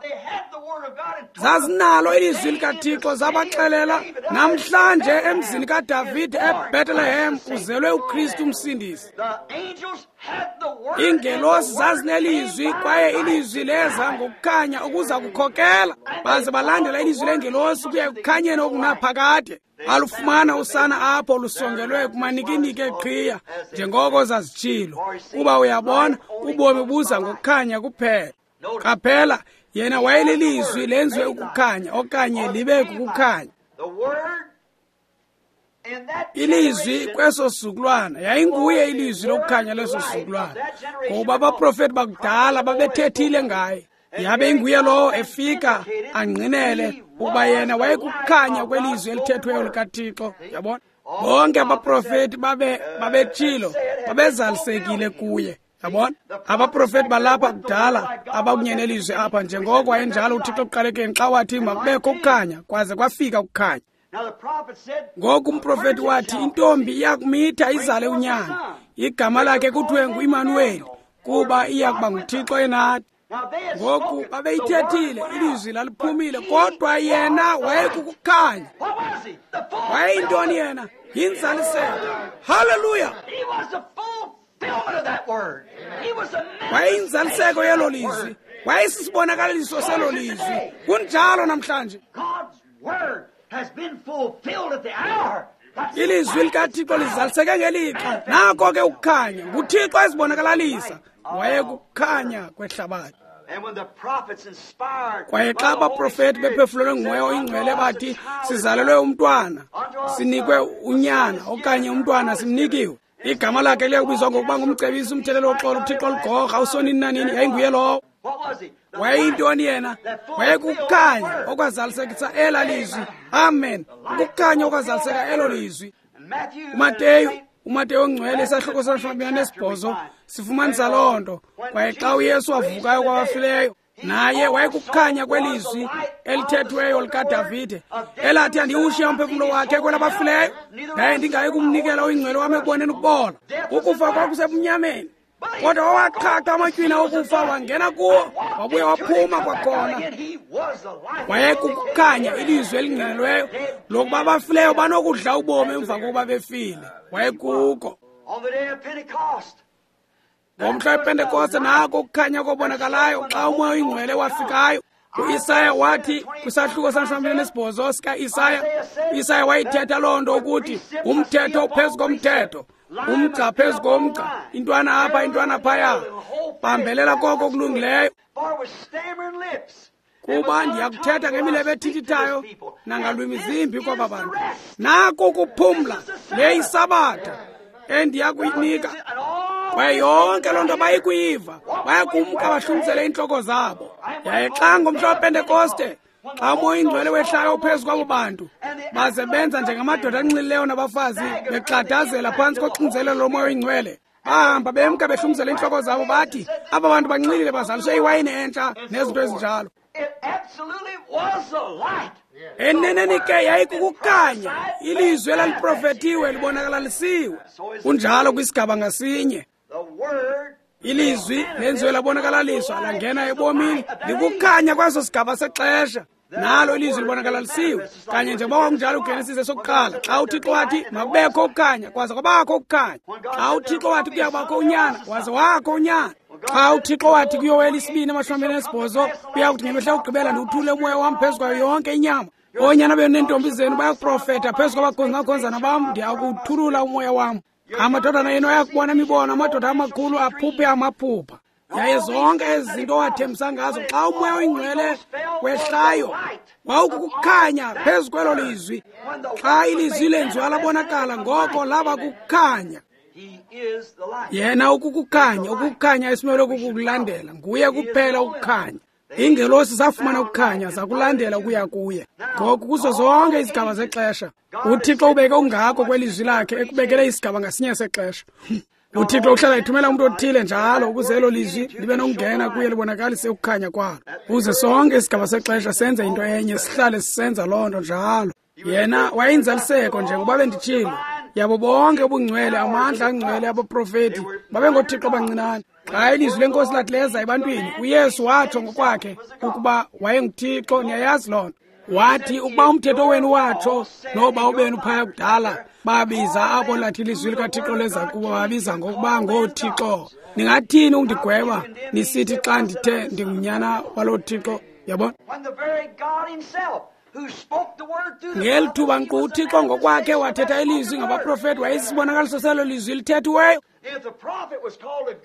Zazinalo ilizwi likaThixo, zabaxelela namhlanje emzini kaDavide eBethlehem kuzelwe uKristu uMsindisi. Iingelosi zazinelizwi kwaye ilizwi leza ngokukhanya ukuza kukhokela, baze balandela ilizwi lengelosi kuya ekukhanyeni okungunaphakade. Alufumana usana apho lusongelwe kumanikiniki eqhiya njengoko zazitshilo, kuba uyabona ubomi buza ngokukhanya kuphela. Qaphela, yena wayelilizwi lenziwe ukukhanya okanye libe kukukhanya. Ilizwi kweso sizukulwana yayinguye ilizwi lokukhanya leso sizukulwana, ngokuba abaprofeti bakudala babethethile ngaye. Yabe inguye lowo efika angqinele ukuba yena wayekukhanya kwelizwi elithethweyo likaThixo. Yabona, bonke abaprofeti babetshilo, babezalisekile kuye. Yabona, abaprofeti balapha kudala abakunye nelizwi apha, njengoko wayenjalo uThixo ekuqalekeni xa wathi makubekho ukukhanya, kwaze kwafika ukukhanya. Ngoku umprofeti wathi intombi iyakumitha izale unyana, igama lakhe kuthiwe nguImanuweli, kuba iya kuba nguThixo enathi. Ngoku babeyithethile, ilizwi laliphumile, kodwa yena wayekukukhanya. Wayeyintoni yena? Yinzaliseko. Haleluya! Wayeyinzaliseko yelo lizwi, wayesisibonakaliso selo lizwi. Kunjalo namhlanje. Ilizwi likaThixo lizaliseke ngelixa. Nako ke ukukhanya, nguThixo ezibonakalalisa. Wayekukhanya kwehlabathi. Kwaye xa abaprofeti bephefumlelwe nguMoya oyiNgcwele bathi sizalelwe umntwana, sinikwe unyana okanye umntwana simnikiwe, igama lakhe liya kubizwa ngokuba ngumcebisi, umthelelo woxolo, uThixo ligorha, usonini nanini. Yayinguye lowo. Wayeyintoni yena? Wayekukhanya okwazalisekisa ela lizwi. Amen. Ukukhanya okwazaliseka elo lizwi. uMateyu ongcwele isahluko se-28 sifumanisa loo nto. Kwaye xa uYesu wavukayo kwabafileyo, naye wayekukhanya kwelizwi elithethweyo likaDavide elathi andiwushiya umphefumlo wakhe kwelabafileyo, ndaye ndingayi kumnikela oyingcwele wam ekuboneni ukubola. Ukufa kwakusebumnyameni, kodwa wawaqhaqha amatywina okufa, wangena kuwo, wabuya waphuma kwakhona. Wayekukukhanya, ilizwi elingqinelweyo lokuba abafileyo banokudla ubomi emva kokuba befile. Wayekuko. Ngomhla wePentekoste nako ukukhanya kobonakalayo xa uMoya oyiNgcwele wafikayo. UIsaya wathi kwisahluko se-28 sikaIsaya, uIsaya wayithetha loo nto ukuthi umthetho phezu komthetho, umgca phezu komgca, intwana apha intwana phaya, bambelela koko kulungileyo. Kuba ndiyakuthetha ngemilebe ethithithayo nangalwimi zimbi kwaba bantu. Nako ukuphumla, le yisabatha endiyakuyinika. Kwaye yonke loo nto bayikuyiva, bayakumka bahlumisele iintloko zabo. Yaye xa ngomhla wePentekoste, xa uMoya oyiNgcwele wehlayo phezu kwabo bantu, baze benza njengamadoda anxilileyo nabafazi bexadazela phantsi koxinzelelo loMoya oyiNgcwele, bahamba bemka behlumisele iintloko zabo, bathi aba bantu banxilile, bazaliswe iwayini entsha nezinto ezinjalo. Eneneni ke yayikukukhanya, ilizwi elaliprofetiwe libonakalalisiwe. Kunjalo kwisigaba ngasinye. Ilizwi lenziwe labonakalaliswa, langena ebomini, likukhanya kweso sigaba sexesha. Nalo ilizwi libonakalalisiwe kanye njengoba kwakunjalo kuGenesis esokuqala, xa uThixo wathi makubekho ukukhanya, kwaze kwabakho ukukhanya. Xa uThixo wathi kuyabakho unyana, waze wakho unyana. Xa uThixo wathi kuYoweli 2:28 kuya kuthi ngemihla yokugqibela ndiwuthule umoya wam phezu kwayo yonke inyama, oonyana benu neentombi zenu bayakuprofeta, phezu kwabakhonzi nabakhonzana bam ndiyakuwuthulula umoya wam. Amadodana yenu ayakubona imibono, amadoda amakhulu aphuphe amaphupha. Yaye zonke ezi zinto owathembisa ngazo, xa uMoya oyiNgcwele wehlayo wawukukukhanya phezu kwelo lizwi. Xa ilizwi lenziwa labonakala, ngoko laba kukukhanya. Yena ukukukhanya, ukukukhanya esimelwe kukukulandela. Nguye kuphela ukukhanya. Iingelosi zafumana ukukhanya, zakulandela ukuya kuye. Ngoku kuzo zonke izigaba zexesha, uThixo ubeke ungako kwelizwi lakhe ekubekele isigaba ngasinye sexesha. UThixo uhlala ethumela umntu othile njalo ukuze elo lizwi libe nokungena kuye libonakalise ukukhanya kwalo, ukuze sonke isigaba sexesha senze into enye, sihlale sisenza loo nto njalo. Yena wayinzaliseko njengoba benditshilo yabo bonke ubungcwele, amandla angcwele abaprofeti babengothixo abancinane. Xa ilizwi lenkosi lathi leza ebantwini, uYesu watsho ngokwakhe ukuba wayenguThixo. Niyayazi loo nto. Wathi ukuba umthetho wenu watsho noba ubenu phaya kudala babiza abo lathi ilizwi likaThixo leza kubo babiza ngokuba ngoothixo, ningathini ukundigweba nisithi xa ndithe ndingunyana waloo Thixo? Yabona? Ngeli thuba nkqu uThixo ngokwakhe wathetha ilizwi ngabaprofeti, wayesisibonakaliso selo lizwi lithethiweyo.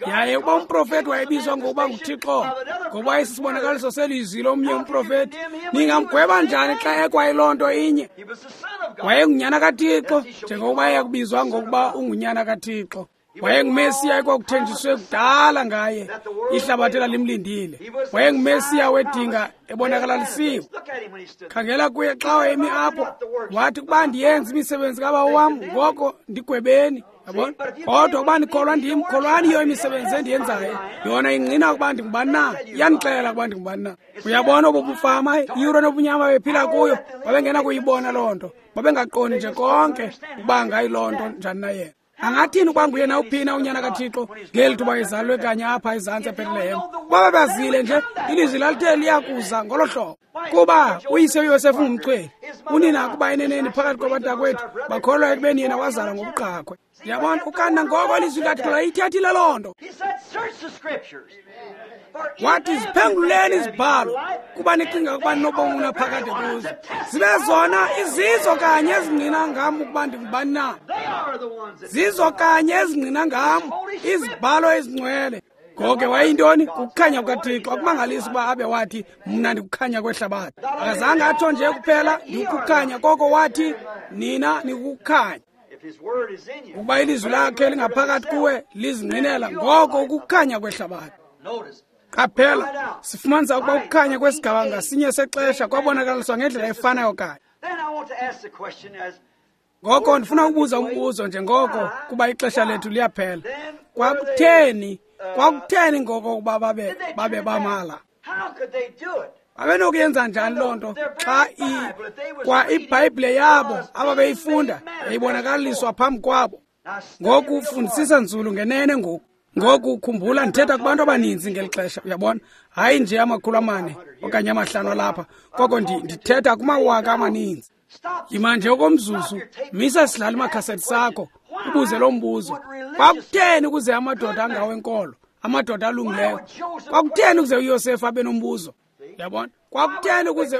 Yaye ukuba umprofeti wayebizwa ngokuba nguThixo ngoba wayesisibonakaliso selizwi lomnye umprofeti, ningamgweba njani xa ekwayiloo nto inye? Wayengunyana kaThixo njengokuba eyakubizwa ngokuba ungunyana kaThixo. WayenguMesiya ekwakuthenjiswe kudala ngaye, ihlabathi lalimlindile. WayenguMesiya wedinga ebonakalalisiwe. Khangela kuye xa wayemi apho, wathi ukuba ndiyenze imisebenzi kabawo wam, ngoko ndigwebeni. Yabona? Kodwa ukuba ndikholwa ndim, kholwani yiyo imisebenzi endiyenzayo. Yona ingqina ukuba ndingubani na, iyandixelela ukuba ndingubani na. Uyabona obu bufama, iyure nobunyama bephila kuyo, babengena kuyibona loo nto. Babengaqondi nje konke ukuba ngayiloo nto njani na yena. Angathini ukuba nguye nawuphina unyana kaThixo ngeli thuba ezalwe kanye apha ezantsi eBethlehem? Babebazile nje ilizwi lalithe liyakuza ngolo hlobo. Kuba uyise uYosefu ungumchweli, unina kuba eneneni phakathi kwabantakwethu bakholwa ekubeni yena wazalwa ngobuqhakhwe. Yabona, ukanti nangoko ilizwi likaThixo layithethile loo nto. Wathi ziphenguleni izibhalo kuba nicinga ukuba ninobomi obunaphakade kuzo, zibe zona izizo kanye ezingqina ngam ukuba ndingubani na. Zizo kanye ezingqina ngam izibhalo ezingcwele. Ngoko ke wayeyintoni? Kukukhanya kukaThixo. Akumangalisi ukuba abe wathi mna ndikukhanya kwehlabathi. Akazange atsho nje kuphela ndikukukhanya, koko wathi nina nikukukhanya. Ukuba ilizwi lakhe lingaphakathi kuwe lizingqinela, ngoko ukukhanya kwehlabathi. Qaphela, sifumanisa ukuba ukukhanya kwesigaba ngasinye sexesha kwabonakaliswa ngendlela efanayo kanye. Ngoko ndifuna ukubuza umbuzo njengoko kuba ixesha lethu liyaphela. Kwakutheni ngoko ukuba babe bamala? Babenokuyenza njani loo nto xa kwa iBhayibhile yabo ababeyifunda yayibonakaliswa phambi kwabo? Ngoku fundisisa nzulu ngenene ngoku. Ngoku khumbula ndithetha kubantu abaninzi ngeli xesha, uyabona? Hayi nje 400 okanye 500 lapha, koko ndithetha kumawaka amaninzi. Yima nje okomzuzu, misa sidlala imakhasethi sakho, ubuze lo mbuzo. Kwakutheni ukuze amadoda angawenkolo, amadoda alungileyo, kwakutheni ukuze uYosefu abe nombuzo? Uyabona? Kwakutheni ukuze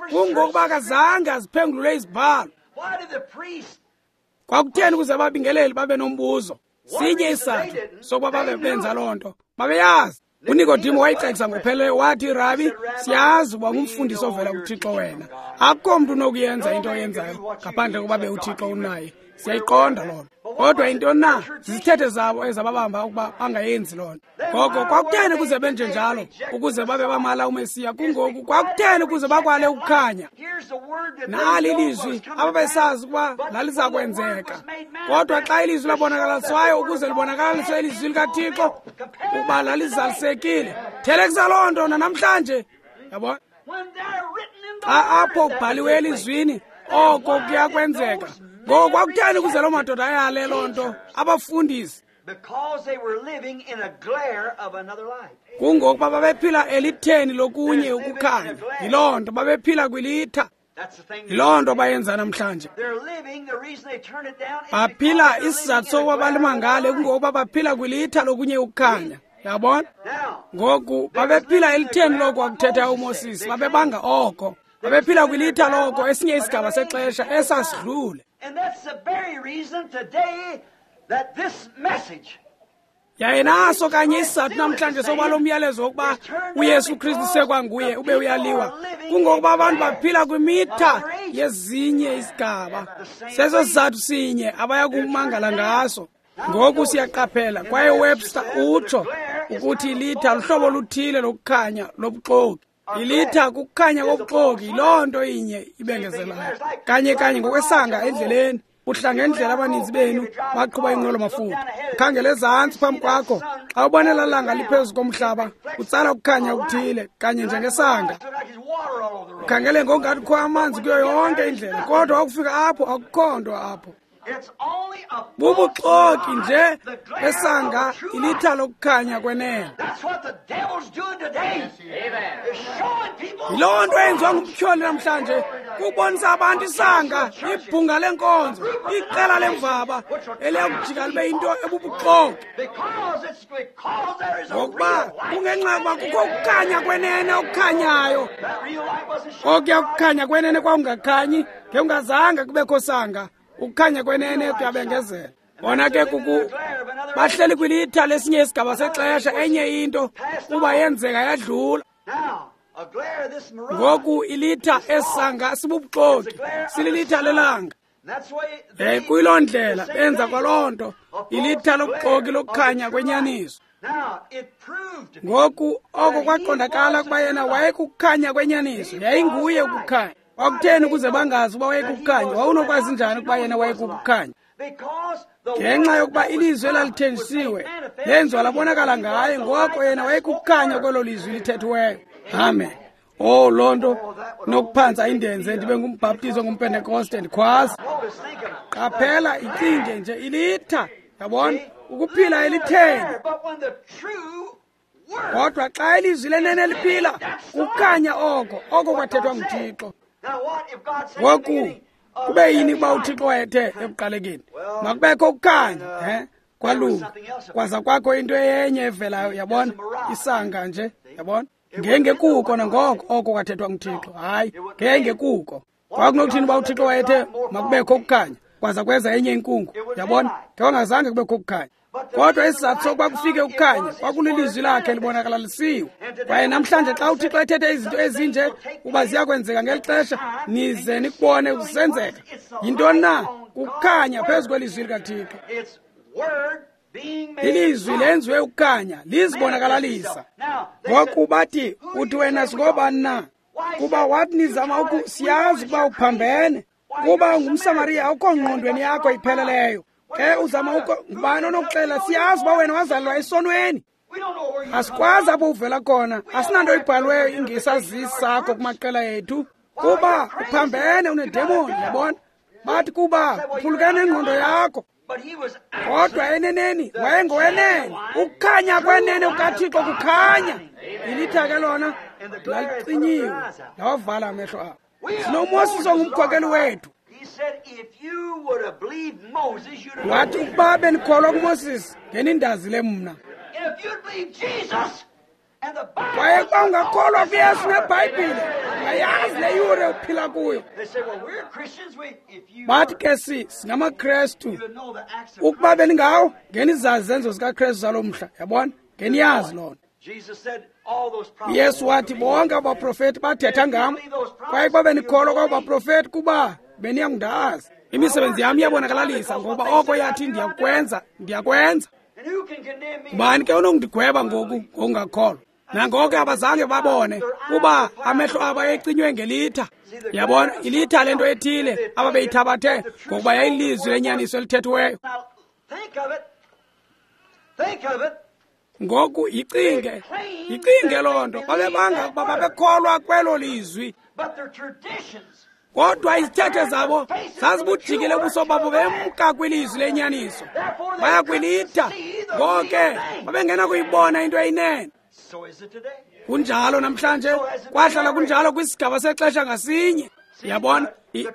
kungokuba akazange aziphengulule izibhalo. Kwakutheni ukuze ababingeleli babe nombuzo? Sinye isizathu sokuba babe benza loo nto, babeyazi. UNikodimo wayicekisa ngopheleleyo, wathi, Rabi, siyazi uba ngumfundisi ovela kuThixo wena. Akukho mntu unokuyenza into oyenzayo ngaphandle kokuba be uThixo unaye. Siyayiqonda loo nto. Kodwa yintoni na? Zizithethe zabo ezababamba ukuba bangayenzi loo nto. Ngoko kwakutheni ukuze benje njalo, ukuze babe bamala uMesiya? Kungoku kwakutheni ukuze bakwale ukukhanya? Nali ilizwi ababesazi ukuba laliza kwenzeka. Kodwa xa ilizwi labonakalaliswayo ukuze libonakalaliswe ilizwi likaThixo ukuba lalizalisekile, thelekisa loo nto nanamhlanje. Yabona? Xa apho kubhaliwe elizwini, oko kuyakwenzeka. Ngoko kwakutheni ukuze loo madoda ayale loo nto? Abafundisi. Kungokuba babephila elitheni lokunye ukukhanya. Yiloo nto babephila kwilitha. Yiloo nto bayenza namhlanje. Baphila isizathu sokuba balimangale kungokuba baphila kwilitha lokunye ukukhanya. Yabona? Ngoku babephila elitheni loko akuthetha uMoses, babebanga oko. Babephila kwilitha loko esinye isigaba sexesha esasidlule. Yaye naso kanye isizathu namhlanje sokuba lo myalezo wokuba uYesu Kristu sekwanguye ube uyaliwa, kungokuba abantu baphila kwimitha yezinye izigaba. Seso sizathu sinye abaya kumangala ngaso. Ngoku siyaqaphela, kwaye Webster utsho ukuthi ilitha luhlobo oluthile lokukhanya lobuxoki. Ilitha kukukhanya kobuxoki, yiloo nto inye ibengezelayo. Kanye kanye ngokwesanga endleleni, uhla ngendlela abaninzi benu baqhuba inqwelo-mafutha. Khangela ezantsi phambi kwakho, xa ubona elaa langa liphezu komhlaba, utsala ukukhanya okuthile, kanye njengesanga. Ukhangele ngokungathi kukho amanzi kuyo yonke indlela, kodwa wakufika apho akukho nto apho. Bubuxoki nje besanga ilitha lokukhanya kwenene. Yiloo nto eyenziwa ngumtyholi namhlanje, kubonisa abantu isanga, ibhunga lenkonzo, iqela lemvaba eliyakujika libe yinto ebubuxoki. Ngokuba kungenxa yokuba kukho ukukhanya kwenene okukhanyayo. Okuya kukhanya kwenene kwakungakhanyi, ngekungazange kubekho sanga. Ukukhanya kwenene kuyabengezela. Bona ke kuku bahleli kwilitha lesinye isigaba sexesha, enye into kuba yenzeka yadlula. Ngoku ilitha esanga sibubuxoki, sililitha lelanga. Kuyiloo ndlela benza kwaloo nto, ilitha lobuxoki lokukhanya kwenyaniso. Ngoku oko kwaqondakala ukuba yena wayekukhanya kwenyaniso, yayinguye ukukhanya. Kwakutheni ukuze bangazi uba wayekukhanya? Wawunokwazi njani ukuba yena wayekukhanya? Ngenxa yokuba ilizwi elalithenjisiwe lenziwa labonakala ngaye, ngoko yena wayekukhanya kwelo lizwi lithethiweyo. Amen. Oh, loo nto nokuphantsa indenze ndibe ngumbhaptizo ngumpentekoste ndikhwaza. Qaphela, icinge nje ilitha, yabona, ukuphila elitheni. Kodwa xa ilizwi lenene liphila, kukhanya oko, oko kwathethwa nguThixo. Ngoku kube yini ukuba uThixo wayethe ekuqalekeni makubekho ukukhanya, kwalunga, kwaza kwakho into enye evelayo, yabona, isanga nje, yabona, ngengekuko nangoko oko kwathethwa nguThixo. Hayi, ngengekuko. Kwakunokuthini uba uThixo wayethe makubekho ukukhanya, kwaza kweza enye inkungu, yabona, ngewangazange kubekho ukukhanya. Kodwa isizathu sokuba kufike ukukhanya kwakulilizwi lakhe libonakalalisiwe. Kwaye namhlanje xa uThixo ethethe izinto ezinje uba ziyakwenzeka ngeli xesha, nize nikubone kusenzeka. Yintoni na? Kukhanya phezu kwelizwi likaThixo. Ilizwi lenziwe ukukhanya, lizibonakalalisa. Ngoku bathi, uthi wena singobani na? Kuba wathi nizama siyazi ukuba uphambene. Kuba ungumSamariya, awukho ngqondweni yakho ipheleleyo. Ke uzama ngubani onokuxela? Siyazi uba wena wazalelwa esonweni. Asikwazi apho uvela khona, asinanto ibhalweyo ingesazisi sakho kumaqela ethu. Kuba uphambene, unedemoni, yabona. Bathi kuba uphulukene nengqondo yakho. Kodwa eneneni wayengowenene. Ukukhanya kwenene kukaThixo kukhanya. Ilitha ke lona lalicinyiwe, lawavala amehlo abo. SinoMoses ongumkhokeli wethu. Wathi ukuba benikholwa kuMoses, ngenindazile mna. Kwaye xa ungakholwa kuYesu neBhayibhile, ungayazi le yure uphila kuyo. Bathi ke singamaKrestu. Ukuba beningawo, ngenizazi izenzo zikaKrestu zalo mhla, yabona, ngeniyazi loo nto. Yesu wathi bonke abaprofeti bathetha ngam, kwaye kuba benikholwa kwabo baprofeti kuba beniyakundazi. Imisebenzi yam iyabonakalalisa, ngoba oko yathi ndiyakwenza, ndiyakwenza. Ngubani ke onokundigweba ngoku ngokungakholwa? Nangoko abazange babone kuba amehlo abo ayecinywe ngelitha. Yabona, ilitha lento ethile ababeyithabathe ngokuba yayilizwi lenyaniso elithethiweyo. Ngoku yicinge loo nto. Babebanga ukuba babekholwa kwelo lizwi, kodwa izithethe zabo zazibujikile ubuso babo bemka kwilizwi lenyaniso, baya kwilitha. Ngoke babengena kuyibona into eyinene. Kunjalo namhlanje, kwahlala kunjalo kwisigaba sexesha ngasinye. Yabona,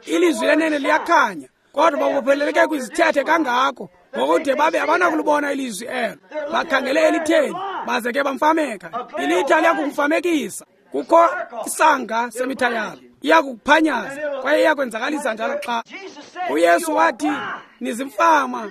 ilizwi lenene liyakhanya, kodwa babopheleleke kwizithethe kangako ngokude babe abanakulibona ilizwi elo. Bakhangele elitheni, baze ke bamfameka. Ilitha liyakumfamekisa. Kukho isanga semitha yalo, iyakukuphanyaza kwaye iyakwenzakalisa njalo. Xa uYesu wathi nizimfama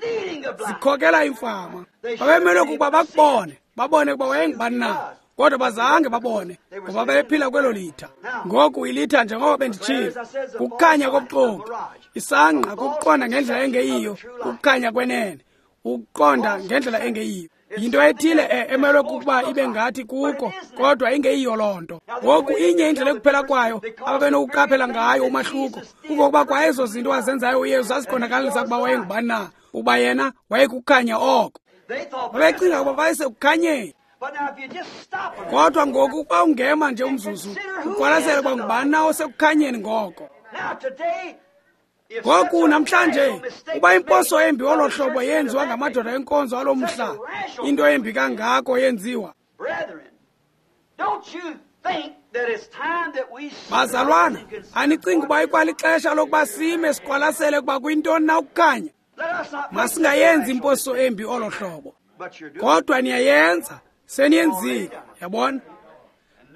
zikhokela imfama, babemelwe kukuba bakubone, babone ukuba wayengubani na, kodwa bazange babone ngoba bephila kwelo litha. Ngoku ilitha, njengoba benditshilo, kukukhanya kobuxoki, isangqa kukuqonda ngendlela engeyiyo, ukukhanya kwenene, ukuqonda ngendlela engeyiyo. Yinto ethile emelwe kukuba ibe ngathi kuko, kodwa ingeyiyo loo nto. Ngoku inye indlela ekuphela kwayo ababenokuqaphela ngayo umahluko, kungokuba kwa ezo zinto wazenzayo uYesu zaziqondakalisa ukuba wayengubani na, ukuba yena wayekukhanya oko. Babecinga ukuba wayesekukhanyeni. Kodwa ngoku ukuba ungema nje umzuzu, uqwalasele ukuba ngubani na osekukhanyeni ngoko. Ngoku namhlanje uba imposo embi olo hlobo yenziwa ngamadoda enkonzo alo mhla, into embi kangako yenziwa. Bazalwana, anicingi uba ikwalixesha lokuba sime siqwalasele ukuba kuyintoni na ukukhanya? Masingayenzi imposo embi olo hlobo. Kodwa niyayenza, seniyenzile, yabona?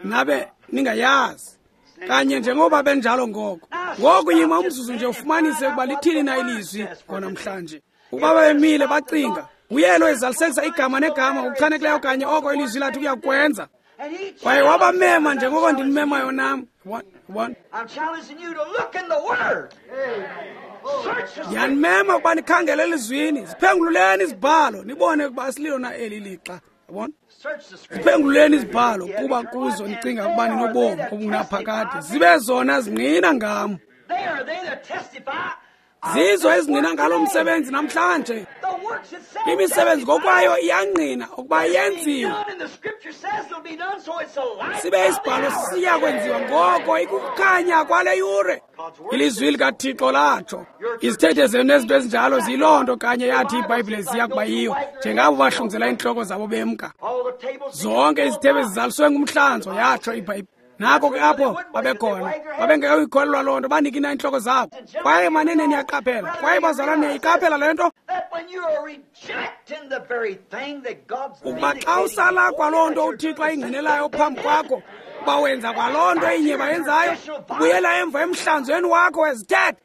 Nabe ningayazi. Kanye njengoba benjalo ngoko. Ngoku yima umzuzu nje ufumanise ukuba lithini na ilizwi ngonamhlanje. Ukuba bemile bacinga, uyelo ezalisekisa igama negama ngokuchanekileyo kanye oko ilizwi lathi kuyakwenza. Kwaye wabamema njengoko ndinimemayo nam. Yabona? Ndiyanimema ukuba nikhangele elizwini, ziphengululeni izibhalo, nibone ukuba asililo na eli lixa. Yabona? Ziphengululeni izibhalo kuba kuzo nicinga ukuba ninobomi obungunaphakade, zibe zona zingqina ngam. Zizo ezingqina ngalo msebenzi namhlanje. Imisebenzi ngokwayo iyangqina ukuba yenziwe. Sibe isibhalo siya kwenziwa ngoko ikukukhanya kwale yure. Ilizwi likaThixo latsho. Izithethe zenu nezinto ezinjalo ziyiloo nto kanye yathi iBhayibhile ziya kuba yiyo, njengabo bahlunguzela iintloko zabo bemka. Zonke izithebe zizaliswe ngumhlanzo, yatsho iBhayibhile. Nako ke apho babekhona, babengekuyikholelwa loo nto, banikina iintloko zabo. Kwaye manene niyaqaphela, kwaye bazalwane niyayiqaphela le nto, ukuba xa usala kwaloo nto uThixo ayingqinelayo phambi kwakho, uba wenza kwaloo nto inye bayenzayo, ubuyela emva emhlanzweni wakho wezithethe.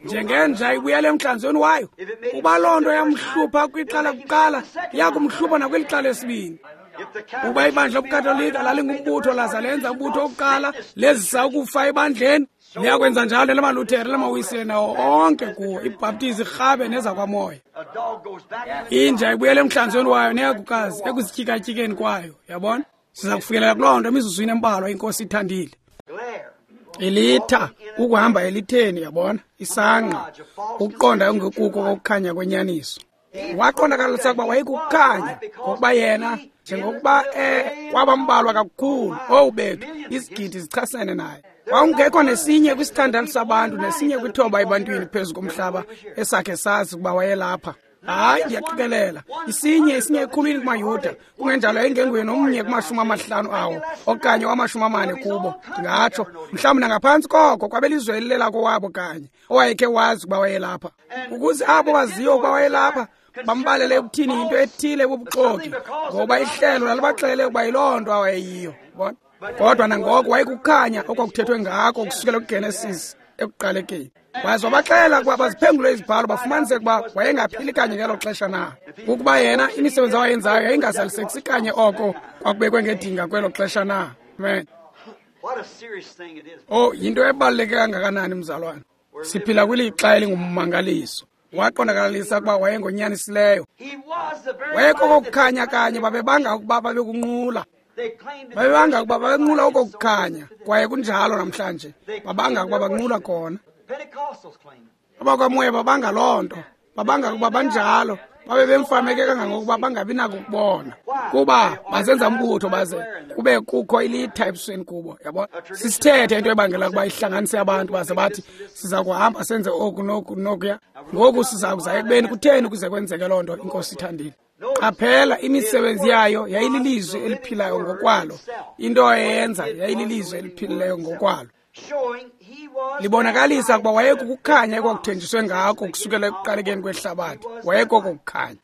Njengenja ibuyela emhlanzweni wayo, uba loo nto yamhlupha kwixa lakuqala, iyakumhlupha nakwilixa lesibini. Ukuba ibandla lobuKatolika lalingumbutho laza lenza umbutho wokuqala lezisa ukufa ebandleni, liyakwenza njalo nelamaLuthere, lamaWisile nawo onke kuwo, ibhaptizi, irhabe nezakwamoya. Inja ibuyela emhlanzweni wayo neyakukazi ekuzityikatyikeni kwayo, yabona? Siza kufikelela kuloo nto emizuzwini embalwa, iNkosi ithandile. Ilitha, ukuhamba elitheni, yabona? Isangqa, ukuqonda ongekuko kokukhanya kwenyaniso. Waqondakalisa ukuba wayekukhanya, ngokuba yena njengokuba kwabambalwa kakhulu, owu bethu, izigidi zichasene naye. Kwakungekho nesinye kwisithandathu sabantu nesinye kwithoba ebantwini phezu komhlaba esakhe sazi ukuba wayelapha. Hayi, ndiyaqikelela isinye ekhulwini kumaYuda, kungenjalo yayingenguye nomnye kuma-50 awo okanye wama-40 kubo, ndingatsho mhlawumbi nangaphantsi koko kwabelizwe elilelakowabo kanye owayekhe wazi ukuba wayelapha. Ukuze abo baziyo ukuba wayelapha bambalele ekuthini into ethile bubuxoki, ngoba ihlelo lalibaxelele ukuba yiloo nto awayeyiyo. Bona? Kodwa nangoko wayekukhanya okwakuthethwe ngako ukusukela kuGenesis ekuqalekeni. Waze wabaxelela ukuba baziphengule izibhalo bafumanise ukuba wayengaphili kanye ngelo xesha na. Ukuba yena imisebenzi awayenzayo yayingazalisekisi kanye oko kwakubekwe ngedinga kwelo xesha na. Amen. Oh, yinto ebaluleke kangakanani mzalwane. Siphila kwilixa elingummangaliso. Waqondakalisa ukuba wayengonyanisileyo. Wayekokokukhanya kanye babebanga ukuba babekunqula. Babebanga ukuba babenqula okokukhanya, kwaye kunjalo namhlanje. Babanga ukuba banqula kona. Abakwamoya babanga loo nto. Babanga ukuba banjalo. Babe bemfameke kangangokuba bangabi nako ukubona. Kuba bazenza umbutho baze kube kukho ilitha ebusweni kubo, yabona? Sisithethe into ebangela ukuba ihlanganise abantu baze bathi siza kuhamba senze oku noku nokuya. Ngoku siza kuza ekubeni kutheni ukuze kwenzeke loo nto, iNkosi ithandile. Qaphela, imisebenzi yayo yayililizwi eliphilayo ngokwalo. Into eyenza yayililizwi eliphilileyo ngokwalo. Libonakalisa ukuba wayekukukhanya ekwakuthenjiswe ngako kusukela ekuqalekeni kwehlabathi. Wayekoko kukhanya.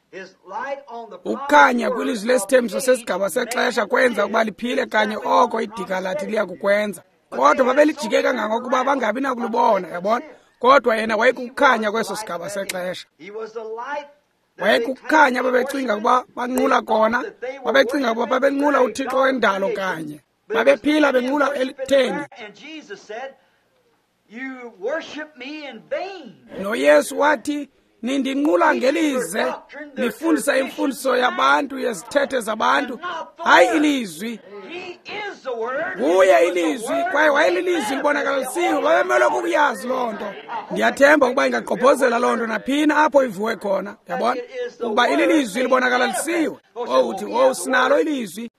Ukukhanya kwilizwi lesithembiso sesigaba sexesha kwenza ukuba liphile kanye oko idika lathi liya kukwenza. Kodwa babelijike kangangokuba bangabi nakulubona, yabona? Kodwa yena wayekukukhanya kweso sigaba sexesha. Wayekukukhanya babecinga ukuba banqula kona, babecinga ukuba babenqula uThixo wendalo kanye. Babephila benqula elitheni. NoYesu wathi, nindinqula ngelize, nifundisa imfundiso yabantu yezithethe zabantu, hayi ilizwi. Nguye ilizwi, kwaye wayelilizwi libonakalisiwe, babemelwe kukuyazi loo nto. Ndiyathemba ukuba ingagqobhozela loo nto naphina apho ivuwe khona, yabona? Ukuba ililizwi libonakalisiwe. Oh, uthi, oh, sinalo ilizwi.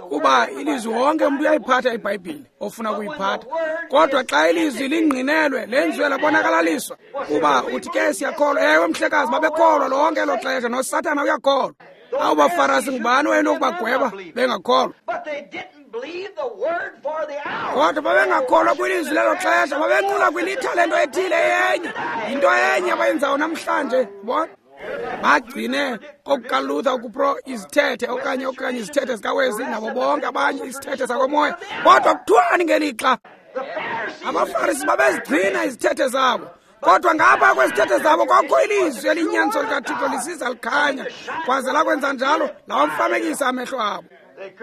Kuba ilizwi wonke umntu uyayiphatha iBhayibhile ofuna ukuyiphatha, kodwa xa ilizwi lingqinelwe lenziwe labonakalaliswa, kuba uthi ke siyakholwa. Ewe mhlekazi, babekholwa lonke elo xesha, noSathana uyakholwa. Awu baFarisi, ngubani wayenokubagweba bengakholwa? Kodwa babengakholwa kwilizwi lelo xesha, babenqula kwilitha lento ethile yenye. Yinto enye abayenzayo namhlanje, bona. Bagcine okukaLuther ukupro izithethe okanye izithethe zikaWesley nabo bonke abanye isithethe sakomoya. Kodwa kuthiwani ngelixa? AbaFarisi babezigcina izithethe zabo, kodwa ngapha kwezithethe zabo kwakho ilizwi eliyinyaniso likaThixo lisiza likhanya, kwaze lakwenza njalo lawamfamekisa amehlo abo.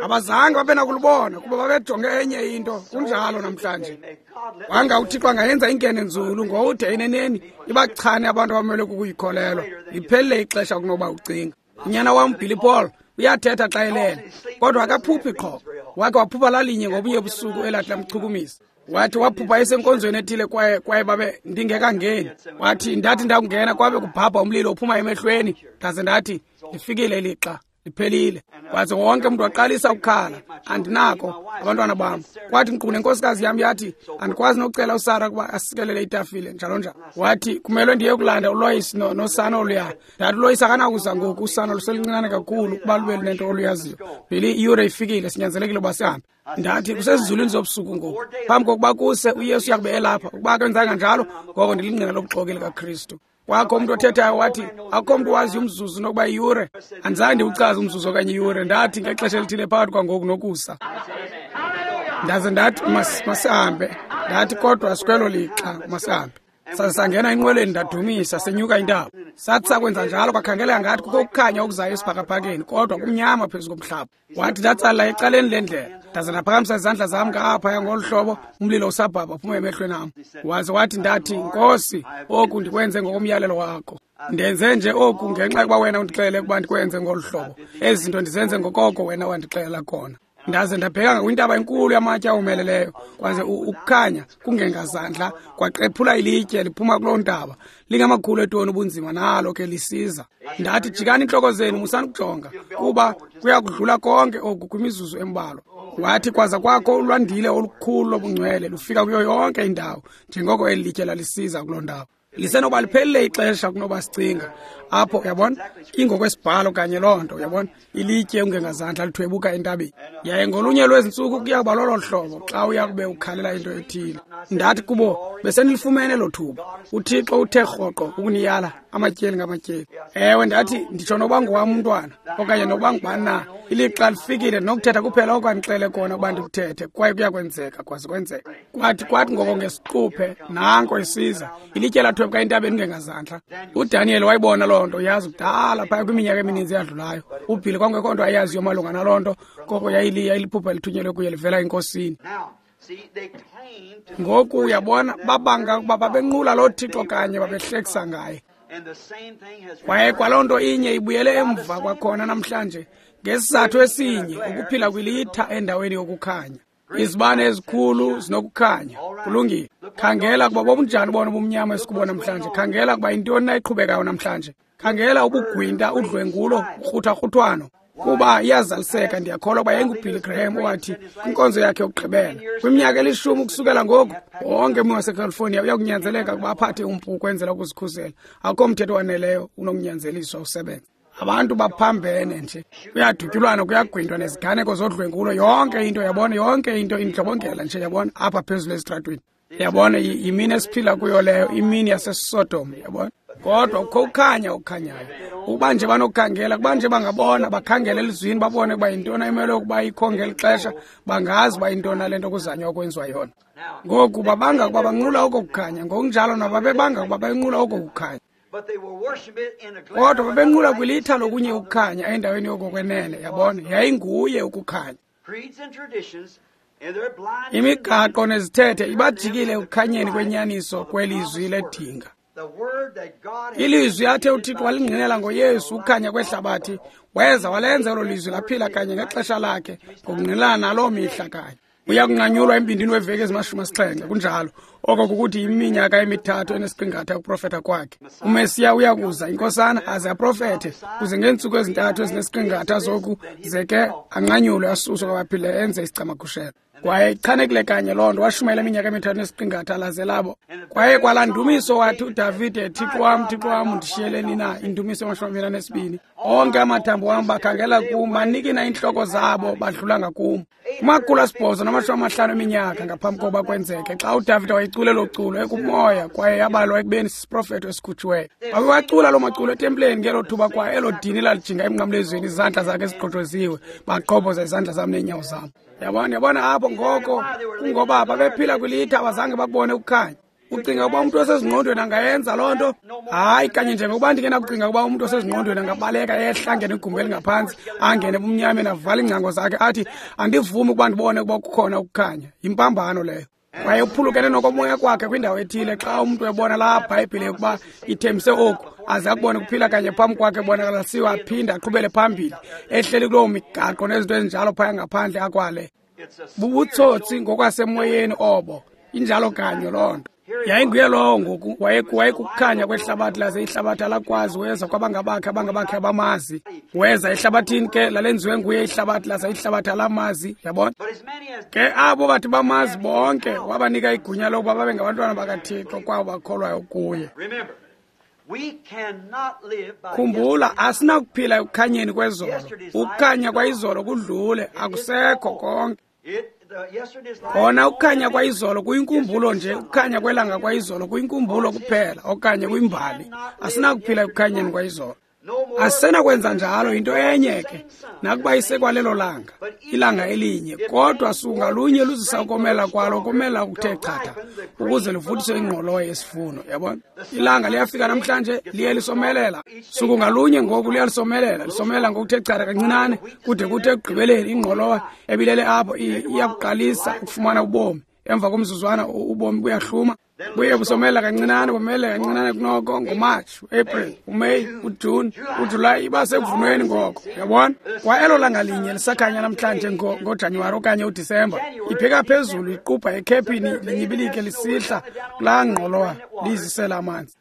Abazange babe nakulubona kuba babejonge enye into. Kunjalo namhlanje. Wanga uThixo angayenza inkene nzulu ngowude eneneni ibachane abantu abamelwe kukuyikholelwa. Liphelile ixesha kunoba ucinga. Unyana wam Billy Paul uyathetha xa elele, kodwa akaphuphi qho. Wakhe waphupha lalinye ngobunye busuku elathi lamchukumisa. Wathi waphupha esenkonzweni ethile kwaye babe ndingekangeni. Wathi ndathi ndakungena kwabe kubhabha umlilo uphuma emehlweni, ndaze ndathi lifikile ilixa, liphelile. Waze wonke umntu waqalisa ukukhala, andinako abantwana bam. Kwathi nkqu nenkosikazi yam yathi andikwazi nokucela uSara ukuba asikelele itafile njalo njalo. Wathi kumelwe ndiye kulanda uLois nosana oluya. Ndathi uLois akanakuza ngoku, usana luseluncinane kakhulu ukuba lube lunento oluyaziyo. Billy, iyure ifikile, sinyanzelekile uba sihambe. Ndathi kusezizulwini zobusuku ngoku, phambi kokuba kuse uYesu uyakube elapha. Ukuba akwenzanga njalo, ngoko ndilingqina lobuxoki likaKristu. Kwakho umntu othethayo wathi akukho mntu waziyo umzuzu nokuba iyure. Andizange ndiwuchaze umzuzu okanye iyure. Ndathi ngexesha elithile phakathi kwangoku nokusa. Ndaze ndathi masihambe. Ndathi kodwa sikwelo lixa, masihambe. Saze sangena enqwelweni, ndadumisa, senyuka intaba. Sathi sakwenza njalo kwakhangeleka ngathi kukho ukukhanya okuzayo esibhakabhakeni, kodwa kumnyama phezu komhlaba. Wathi ndatsalela ecaleni lendlela, ndaze ndaphakamisa izandla zam ngaphaya ngolu hlobo, umlilo usabhabha uphuma emehlweni am. Waze wathi ndathi, Nkosi, oku ndikwenze ngokomyalelo wakho. Ndenze nje oku ngenxa yokuba wena undixelele ukuba ndikwenze ngolu hlobo. Ezi zinto ndizenze ngokoko wena wandixelela kona. Ndaze ndabheka kwintaba enkulu yamatye awomeleleyo, kwaze ukukhanya kungengazandla kwaqephula ilitye liphuma kuloo ntaba, lingamakhulu eetoni ubunzima, nalo ke lisiza. Ndathi jikani intloko zenu, musani ukujonga, kuba kuya kudlula konke oku kwimizuzu embalwa. Wathi kwaza kwakho ulwandile olukhulu lobungcwele lufika kuyo yonke indawo, njengoko eli litye lalisiza kuloo ndawo. Lisenoba liphelile ixesha kunoba sicinga. Apho uyabona, ingokwesibhalo kanye loo nto, uyabona, ilitye ungengazandla lithwebuka entabeni. Yaye ngolunye lwezintsuku kuya kuba lolo hlobo xa uya kube ukhalela into ethile. Ndathi kubo, besenilifumene elo thuba. UThixo uthe rhoqo ukuniyala amatyeli ngamatyeli. Ewe, ndathi nditsho noba ngowam umntwana okanye noba ngubani na, ilixa lifikile ndinokuthetha kuphela oko andixele kona ukuba ndikuthethe, kwaye kuyakwenzeka, kwaze kwenzeka. Kwathi ngoko ngesiquphe nanko isiza ilitye lathwebuka entabeni kungengazandla. UDaniel wayibona loo nto, yazi kudala phaya kwiminyaka emininzi eyadlulayo. UBilly kwangekho nto ayaziyo malunga naloo nto, koko yayiliphupha elithunyelwe kuye livela eNkosini. Ngoku uyabona, babanga ukuba babenqula loo Thixo kanye babehlekisa ngaye. Kwaye kwaloo nto inye ibuyele emva kwakhona namhlanje, ngesizathu esinye, ukuphila kwilitha endaweni yokukhanya. Izibane ezikhulu zinokukhanya. Kulungile. Khangela kuba bobunjani bona ubumnyama esikubo namhlanje. Khangela kuba yintoni na iqhubekayo namhlanje. Khangela ubugwinta, udlwengulo, ukruthakruthwano. Kuba iyazaliseka, ndiyakholwa ukuba yayinguBilly Graham owathi kwinkonzo yakhe yokugqibela, kwiminyaka elishumi ukusukela ngoku, wonke ummi waseCalifornia uyakunyanzeleka ukuba aphathe umpu ukwenzela ukuzikhusela. Akukho mthetho waneleyo unokunyanzeliswa usebenze. Abantu baphambene nje, kuyadutyulwana, kuyagwintwa, neziganeko zodlwengulo, yonke into, yabona, yonke into indlobongela nje, yabona, apha phezulu esitratweni. Yabona, yimini esiphila kuyo leyo, imini yaseSodom, yabona. Kodwa kukho ukukhanya okukhanyayo. Ukuba nje banokukhangela, kuba nje bangabona, bakhangele elizwini, babone ukuba yintoni emelwe ukuba ikho ngeli xesha, bangazi uba yintoni le nto kuzanywa ukwenziwa yona. Ngoku babanga ukuba banqula oko kukhanya, ngokunjalo nabo babebanga ukuba benqula oko kukhanya. Kodwa babenqula kwilitha lokunye ukukhanya endaweni yokokwenene, yabona, yayinguye ukukhanya. Imigaqo nezithethe ibajikile ekukhanyeni kwenyaniso kwelizwi ledinga. Ilizwi athe uThixo walingqinela ngoYesu ukukhanya kwehlabathi, weza walenza elo lizwi laphila kanye ngexesha lakhe ngokungqinelana naloo mihla kanye. Uya kunqanyulwa embindini weveki ezimashumi 7, kunjalo. Oko kukuthi iminyaka 3 enesiqingatha ukuprofetha kwakhe. UMesiya uya kuza, inkosana, aze aprofethe kuze ngeentsuku 3 ezinesiqingatha zoku ze ke anqanyulwe asuswe kwabaphilileyo enze isicamagushelo. Kwaye ichanekile kanye loo nto. Washumayela iminyaka 3 nesiqingatha laze labo. Kwaye kwalaa ndumiso wathi uDavide, "Thixo wam, Thixo wam, undishiyeleni na?" Indumiso 22. Onke amathambo wam bakhangela kum, banikina iintloko zabo badlula ngakum. 850 eminyaka ngaphambi kokuba kwenzeke, xa uDavide wayecula elo culo ekumoya, kwaye yabalwa ekubeni sisiprofeto esikhutshiweyo. Wawewacula loo maculo etempileni ngelo thuba, kwaye elo dini lalijinga emnqamlezweni, izandla zakhe ezigqojoziwe, baqhobhoza izandla zam neenyawo zam. Yabona, yabona apho ngoko kungoba babephila kwilitha, abazange bakubone ukukhanya. Ucinga ukuba umntu osezingqondweni angayenza loo nto? Hayi, kanye njengokuba ndingenakucinga ukuba umntu osezingqondweni angabaleka ehla angene igumbi elingaphantsi, angene ebumnyameni, avale iingcango zakhe, athi, "Andivumi ukuba ndibone ukuba kukhona ukukhanya." Yimpambano leyo, kwaye uphulukene nokomoya kwakhe kwindawo ethile. Xa umntu ebona laa Bhayibhile ukuba ithembise oku, aze akubone kuphila kanye phambi kwakhe ebonakalisiwe, aphinde aqhubele phambili ehleli kuloo migaqo nezinto ezinjalo phaya ngaphandle akwale, bubutsotsi ngokwasemoyeni obo. Injalo kanye loo nto. Yayinguye lowo ngoku wayekukukhanya kwehlabathi, laze ihlabathi alakwazi. Weza kwabangabakhe, abangabakhe abamazi. Weza ehlabathini ke lalenziwe nguye ihlabathi, laze ihlabathi alamazi. Yabona ke, abo bathi bamazi bonke wabanika igunya lokuba babe ngabantwana bakaThixo, kwabo bakholwayo kuye. Khumbula, asinakuphila ekukhanyeni kwezolo. Ukukhanya kwayizolo kudlule, akusekho konke. Kona ukukhanya kwayizolo kuyinkumbulo nje, ukukhanya kwelanga kwayizolo kuyinkumbulo kuphela okanye kwimbali. Asinakuphila ekukhanyeni kwayizolo, asenakwenza njalo. Yinto enye ke nakuba isekwalelo langa, ilanga elinye, kodwa suku ngalunye luzisa ukomela kwalo, ukomela okuthe chatha ukuze luvuthise ingqolowa yesivuno. Yabona, ilanga liyafika namhlanje, liye lisomelela suku ngalunye. Ngoku liyalisomelela, lisomelela ngokuthe chatha kancinane, kude kuthi ekugqibeleni ingqolowa ebilele apho iyakuqalisa ukufumana ubomi. Emva komzuzwana ubomi buyahluma, buye busomela kancinane, bomele kancinane kunoko. NgoMatshi, uApril, uMeyi, uJuni, uJulayi, iba sekuvunweni ngoko. Uyabona, kwa elo langa linye lisakhanya namhlanje ngoJanuwari okanye uDisemba, ibheka phezulu iqubha ekhephini, linyibilike lisihla kulaa ngqolowa liyizisela amanzi.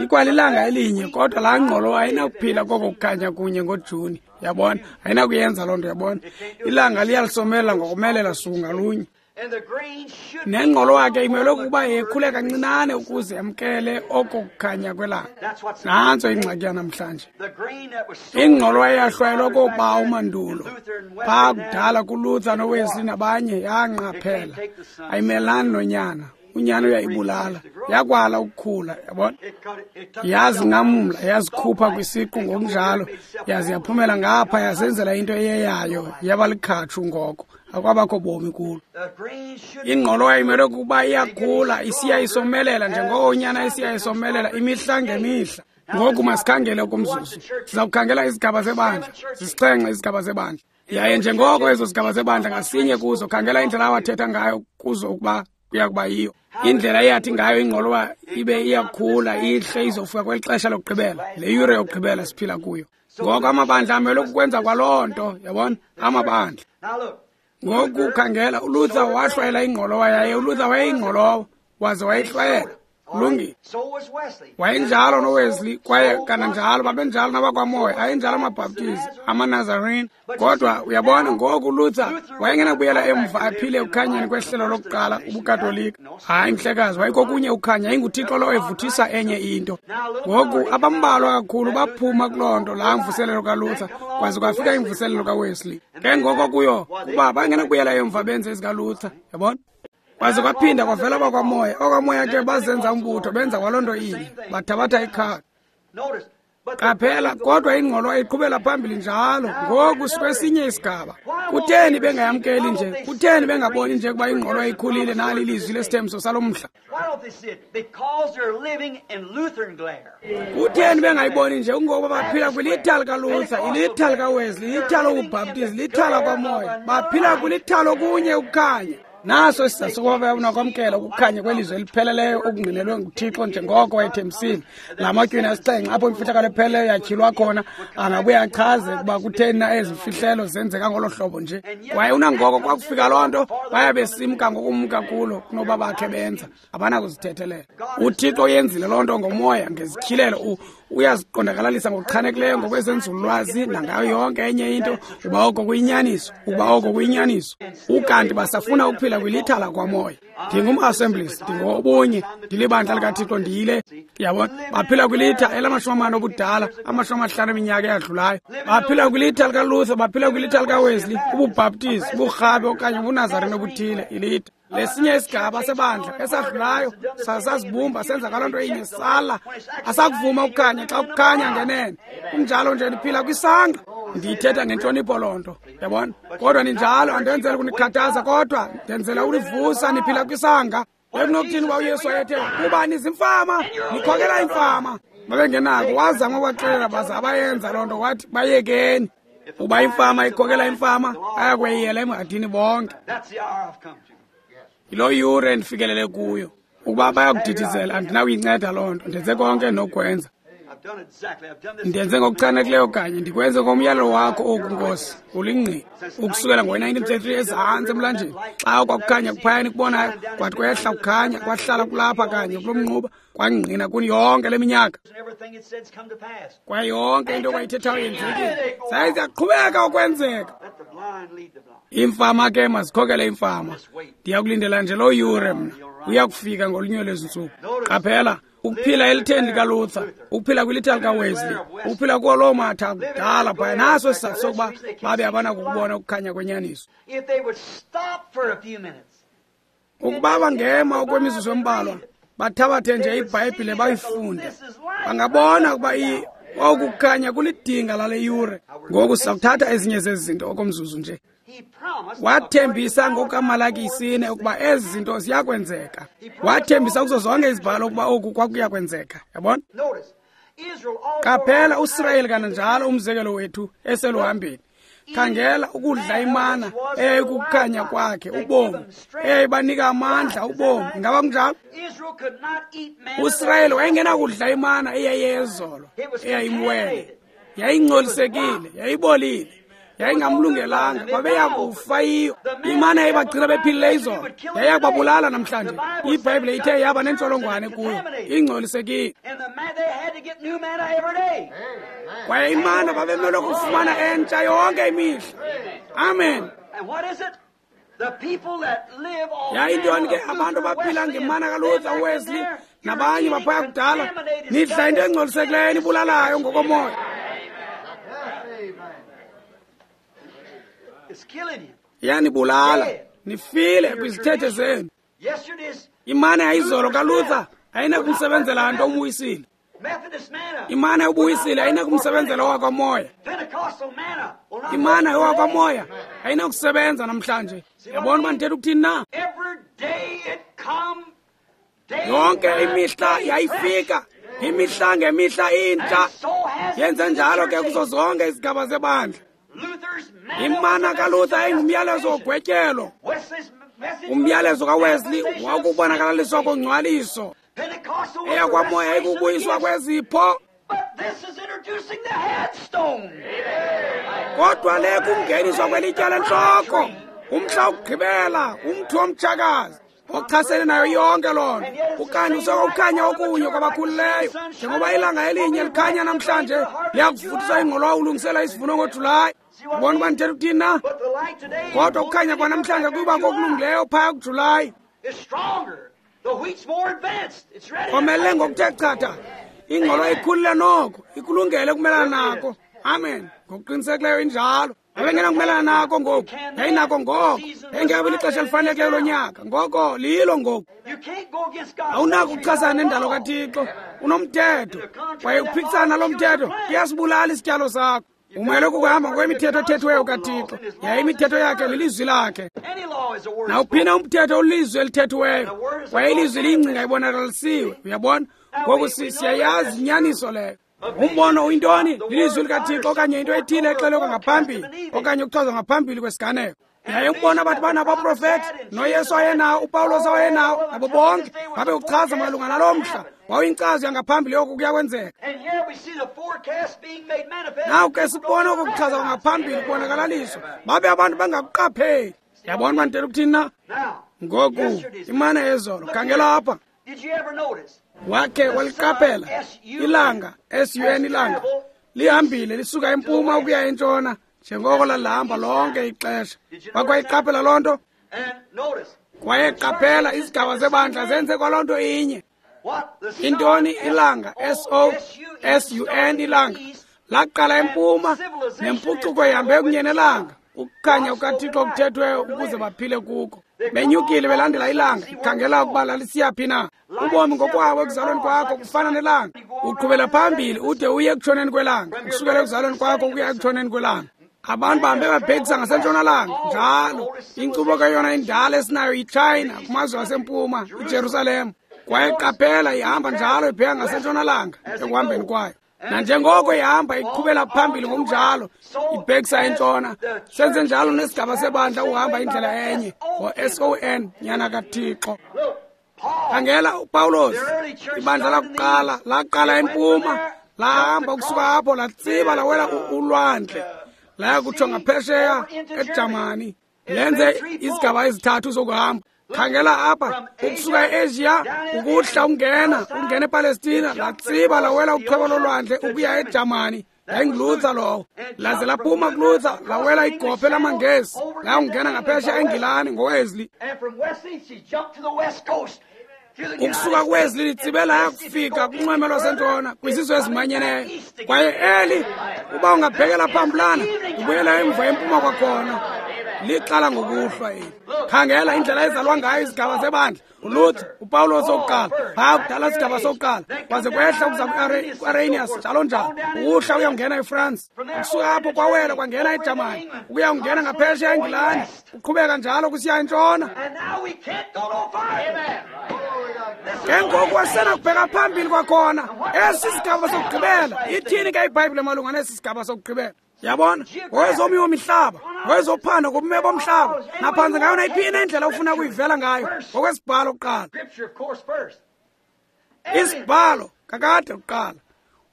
Ikwalilanga elinye, kodwa laa ngqolowa ayinakuphila koko kukhanya kunye ngoJuni. Yabona, ayinakuyenza loo nto. Yabona, ilanga liyalisomela ngokumelela suku ngalunye, nengqolowa ke imelwe kukuba yekhule kancinane ukuze yamkele oko kukhanya kwelanga. Nantso ingxaki yanamhlanje. Ingqolowa eyahlwayelwa koobawo mandulo phaa kudala kuLuther noWesley nabanye yanqaphela, ayimelani nonyana. Unyana uyayibulala, yakwala ukukhula. Yabona, yazinqamla, yazikhupha kwisiqu ngokunjalo, yaze yaphumela ngapha, yazenzela into eyeyayo, yaba likhatshu. Ngoko akwabakho bomi kulo. Ingqolowa imelwe kukuba iyakhula, isiya isomelela njengoko unyana isiya isomelela imihla ngemihla. Ngoku masikhangele okomzuzu. Siza kukhangela izigaba zebandla. 7 izigaba zebandla, yaye njengoko ezo zigaba zebandla ngasinye kuzo, khangela indlela awathetha ngayo kuzo ukuba kuya kuba yiyo indlela eyathi ngayo ingqolowa ibe iyakhula ihle izofika kweli xesha lokugqibela, le yure yokugqibela siphila kuyo ngoku. Amabandla amelwe kukwenza kwaloo nto. Yabona, amabandla ngoku, khangela, uLuther wahlwayela ingqolowa, yaye uLuther wayeyingqolowa waze wayihlwayela. Kulungile. Wayenjalo noWesley, kwaye kananjalo babenjalo nabakwamoya, ayenjalo amaBhaptizi, amaNazarene. Kodwa uyabona ngoku, uLuther wayengenakubuyela emva aphile ekukhanyeni kwehlelo lokuqala, ubuKatolika. Hayi, mhlekazi, wayikokunye ukukhanya, yayinguThixo lowo evuthisa enye into. Ngoku abambalwa kakhulu baphuma kuloo nto, laa mvuselelo kaLuther, kwaze kwafika imvuselelo kaWesley. Ke ngoko kuyo kuba bangenakubuyela emva benze ezikaLuther, yabona. Kwaze kwaphinda kwavela bakwamoya. Okwamoya ke bazenza umbutho, benza kwaloo nto inye, bathabatha ikhadi. Qaphela, kodwa ingqolowa iqhubela phambili njalo. Ngoku sikwesinye isigaba. Kutheni bengayamkeli nje? Kutheni bengaboni nje ukuba ingqolowa ikhulile, nali ilizwi lesithembiso salo mhla? Kutheni bengayiboni nje? Kungokuba baphila kwilitha likaLuther, ilitha likaWesley, ilitha lobuBhaptizi, ilitha lakwamoya. Baphila kwilitha lokunye ukukhanya. Naso isizathu sokuba bayakunakwamkela ukukhanya kwelizwi elipheleleyo okungqinelwe nguThixo njengoko wayethembisile. La matywina asixhenxe apho imfihlakalo epheleleyo yatyhilwa khona, angabuye achaze ukuba kutheni na ezi mfihlelo zenzeka ngolo hlobo nje. Kwaye unangoko kwakufika loo nto, baya besimka ngokumka kulo kunoba bakhe benza. Abanakuzithethelela. UThixo uyenzile loo nto ngomoya, ngezityhilelo. Uyaziqondakalalisa ngokuchanekileyo ngokwezenzululwazi nangayo yonke enye into, uba oko kuyinyaniso, uba oko kuyinyaniso. Ukanti basafuna ukuphila kwilitha lakwamoya. Ndingum-Assemblies, ndingobunye, ndilibandla likaThixo, ndiyile. Yabona, baphila kwilitha elamashumi amane obudala, 50 eminyaka eyadlulayo. Baphila kwilitha likaLuther, baphila kwilitha likaWesley, ubuBhaptizi, uburhabe okanye ubuNazarene obuthile, ilitha. Lesinye isigaba sebandla esadlulayo sasazibumba senza ngaloo nto inye, sala asakuvuma ukukhanya xa kukhanya ngenene. Kunjalo nje niphila kwisangqa. Ndiyithetha ngentlonipho loo nto, yabona. Kodwa ninjalo, andenzela ukunikhathaza, kodwa ndenzela univusa. Niphila kwisanga. Bekunokuthini uba uYesu wayethe kuba nizimfama, nikhokela imfama? Babengenako. Wazama ubaxelela baza abayenza loo nto, wathi bayekeni. Uba imfama ikhokela imfama, ayakweyiyela emhadini bonke. Yiloo yure endifikelele kuyo. Ukuba bayakudidizela, andinakuyinceda loo nto. Ndenze konke endinokwenza. Ndenze ngokuchanekileyo kanye, ndikwenze ngomyalelo wakho oku, Nkosi, ulingqina. Ukusukela ngowe-1933 ezantsi emlanjeni, xa kwakukhanya kuphaya nikubonayo, kwathi kwehla kukhanya, kwahlala kulapha kanye kulo mnquba, kwangqina kuni yonke le minyaka. Kwaye yonke into kwayithethayo yenzekile. Zaye ziyaqhubeka ukwenzeka. Imfama ke mazikhokele imfama. Ndiyakulindela nje loo yure mna. Uyakufika ngolunye lwezi ntsuku. Qaphela, ukuphila elitheni likaLuther, ukuphila kwilitha likaWesley, ukuphila kuwo loo matha akudala phaya. Naso isizathu sokuba babe abanakukubona ukukhanya kwenyaniso. Ukuba bangema okwemizuzu embalwa, bathabathe nje iBhayibhile bayifunde, bangabona ukuba oku kukhanya kulidinga lale yure. Ngoku sizakuthatha ezinye zezi zinto okomzuzu nje. Wathembisa ngokukaMalaki 4 ukuba ezi zinto ziyakwenzeka. Wathembisa kuzo zonke izibhalo ukuba oku kwakuyakwenzeka. Yabona? Qaphela uSirayeli kananjalo, umzekelo wethu eseluhambeni. Khangela ukudla imana eyayikukukhanya kwakhe, ubomi, eyayibanika amandla, ubomi. Ingaba kunjalo? uSirayeli wayengenakudla imana eyayeyezolo, eyayimwele, yayingcolisekile, yayibolile, yayingamlungelanga, babeyakufa yiyo. Imana yayibagcina bephilile izolo, yayiyakubabulala namhlanje. IBhayibhile ithe yaba nentsholongwane kuyo, ingcolisekile. Kwaye imana babemelwe kufumana entsha yonke imihla. Amen. Yayintoni ke? Abantu baphila ngemana kaLuther, Wesley nabanye baphaya kudala. Nidla into engcolisekileyo enibulalayo ngokomoya. Iyanibulala, nifile kwizithethe zenu. Imana yayizolo kaLuther ayinakumsebenzela nto umwisile. Imana yobuyisile ayinakumsebenzela owakwamoya. Imana yowakwamoya ayinakusebenza namhlanje. Yabona uba ndithetha ukuthini na? Yonke imihla yayifika, imihla ngemihla intsha. Yenze njalo ke kuzo zonke izigaba zebandla. Imana kaLuther yayingumyalezo wogwetyelo. Umyalezo kaWesley wakubonakalaliswa kongcwaliso. Eyakwamoya ikubuyiswa kwezipho. Kodwa le kungeniswa kwelitye lentloko, umhla wokugqibela, umthi womtshakazi ochasene nayo yonke loo nto. Ukanti usekukhanya okunye kwabakhulileyo, njengoba ilanga elinye likhanya namhlanje liyakuvuthisa ingqolowa ulungisela isivuno ngoJulayi. Ubona uba ndithetha ukuthini na? Kodwa ukukhanya kwanamhlanje kuba kokulungileyo phaya kuJulayi. Komelele ngokuthe chatha, ingqolowa ikhulile noko, ikulungele ukumelana nako. Amen. Ngokuqinisekileyo injalo. Abengena kumelana nako ngoku, yayinako ngoko, yayingekabi lixesha elifanelekileyo lonyaka. Ngoko lilo ngoku. Awunako ukuchasana nendalo kaThixo, unomthetho. Kwaye uphikisana nalo mthetho kuyasibulala isityalo sakho. Umele ukuhamba ngokwemithetho ethethiweyo kaThixo, yaye imithetho yakhe lilizwi lakhe. Nawuphina umthetho ulizwi elithethiweyo, kwaye ilizwi liyingcinga ibonakalisiwe. Uyabona? Ngoku siyayazi inyaniso leyo. Umbono uyintoni? Lilizwi likaThixo okanye into ethile exelwe ngaphambili okanye ukuchazwa ngaphambili kwesiganeko. Yaye ukubona bathi banabaprofethi noYesu wayenawo, uPawulos wayenawo, nabo bonke babe uchaza malunga naloo mhla. Wawuyinkcazo yangaphambili yoku kuyakwenzeka. Naw ke sibona oku kuchaza kwangaphambili kubonakalaliswa, babe abantu bengakuqapheli. Yabona uba ndithetha ukuthini na? Ngoku imana yezolo, khangela apha. Wakhe waliqaphela ilanga, SUN ilanga, lihambile lisuka empuma ukuya entshona njengoko lalihamba lonke ixesha. Wakwayiqaphela loo nto? Kwaye qaphela izigaba zebandla zenze kwaloo nto inye. Intoni ilanga, SOSUN ilanga, laqala empuma nempucuko ihambe kunye nelanga, ukukhanya kukaThixo okuthethweyo ukuze baphile kuko. Benyukile belandela ilanga, ikhangela ukuba lalisiyaphi na. Ubomi ngokwabo ekuzalweni kwakho kufana nelanga, uqhubela phambili ude uye ekutshoneni kwelanga, ukusukela ekuzalweni kwakho ukuya ekutshoneni kwelanga. Abantu bahambe babhekisa ngasentshonalanga njalo. Inkcubo ke yona indala esinayo yiChina kumazwe asempuma, iJerusalem. Kwaye qaphela ihamba njalo ibheka ngasentshonalanga ekuhambeni kwayo. Nanjengoko ihamba iqhubela phambili ngokunjalo ibhekisa entshona, senze njalo nesigaba sebandla uhamba indlela enye ngo-SON nyana kaThixo. Khangela uPawulos, ibandla lakuqala laqala empuma, lahamba ukusuka apho latsiba lawela ulwandle, laya kutsho ngaphesheya eJamani, lenze izigaba ezithathu zokuhamba. Khangela apha, ukusuka eAsia ukuhla ungena ePalestina, latsiba lawela uchwebo lolwandle ukuya eJamani. YayinguLuther lowo. Laze laphuma kuLuther lawela igophe lamaNgesi, layawungena ngaphesheya eNgilani ngoWesley. Ukusuka kuWesley litsibe laya kufika kunxweme lwasentshona kwizizwe ezimanyeneyo. Kwaye eli uba ungabhekela phambulana ubuyela emva empuma kwakhona. Liqala ngokuhlwa eli. Khangela indlela ezalwa ngayo izigaba zebandla. uLuther, uPawulos owokuqala, phaa kudala isigaba sokuqala, kwaze kwehla ukuza ku-Arrhenius njalo njalo, ukuhla uyawungena eFrance. Ukusuka apho kwawela kwangena eJamani, ukuya kungena ngaphesheya eNgilani, kuqhubeka njalo kusiya entshona. Ke ngoku asenakubheka phambili kwakhona. Esi sigaba sokugqibela, ithini ke iBhayibhile malunga nesi sigaba sokugqibela? Yabona, ngowezomiwo mihlaba, ngowezophando ngobume bomhlaba, naphantsi ngayo nayiphina indlela ofuna ukuyivela ngayo, ngokwesibhalo kuqala. Isibhalo kakade kuqala,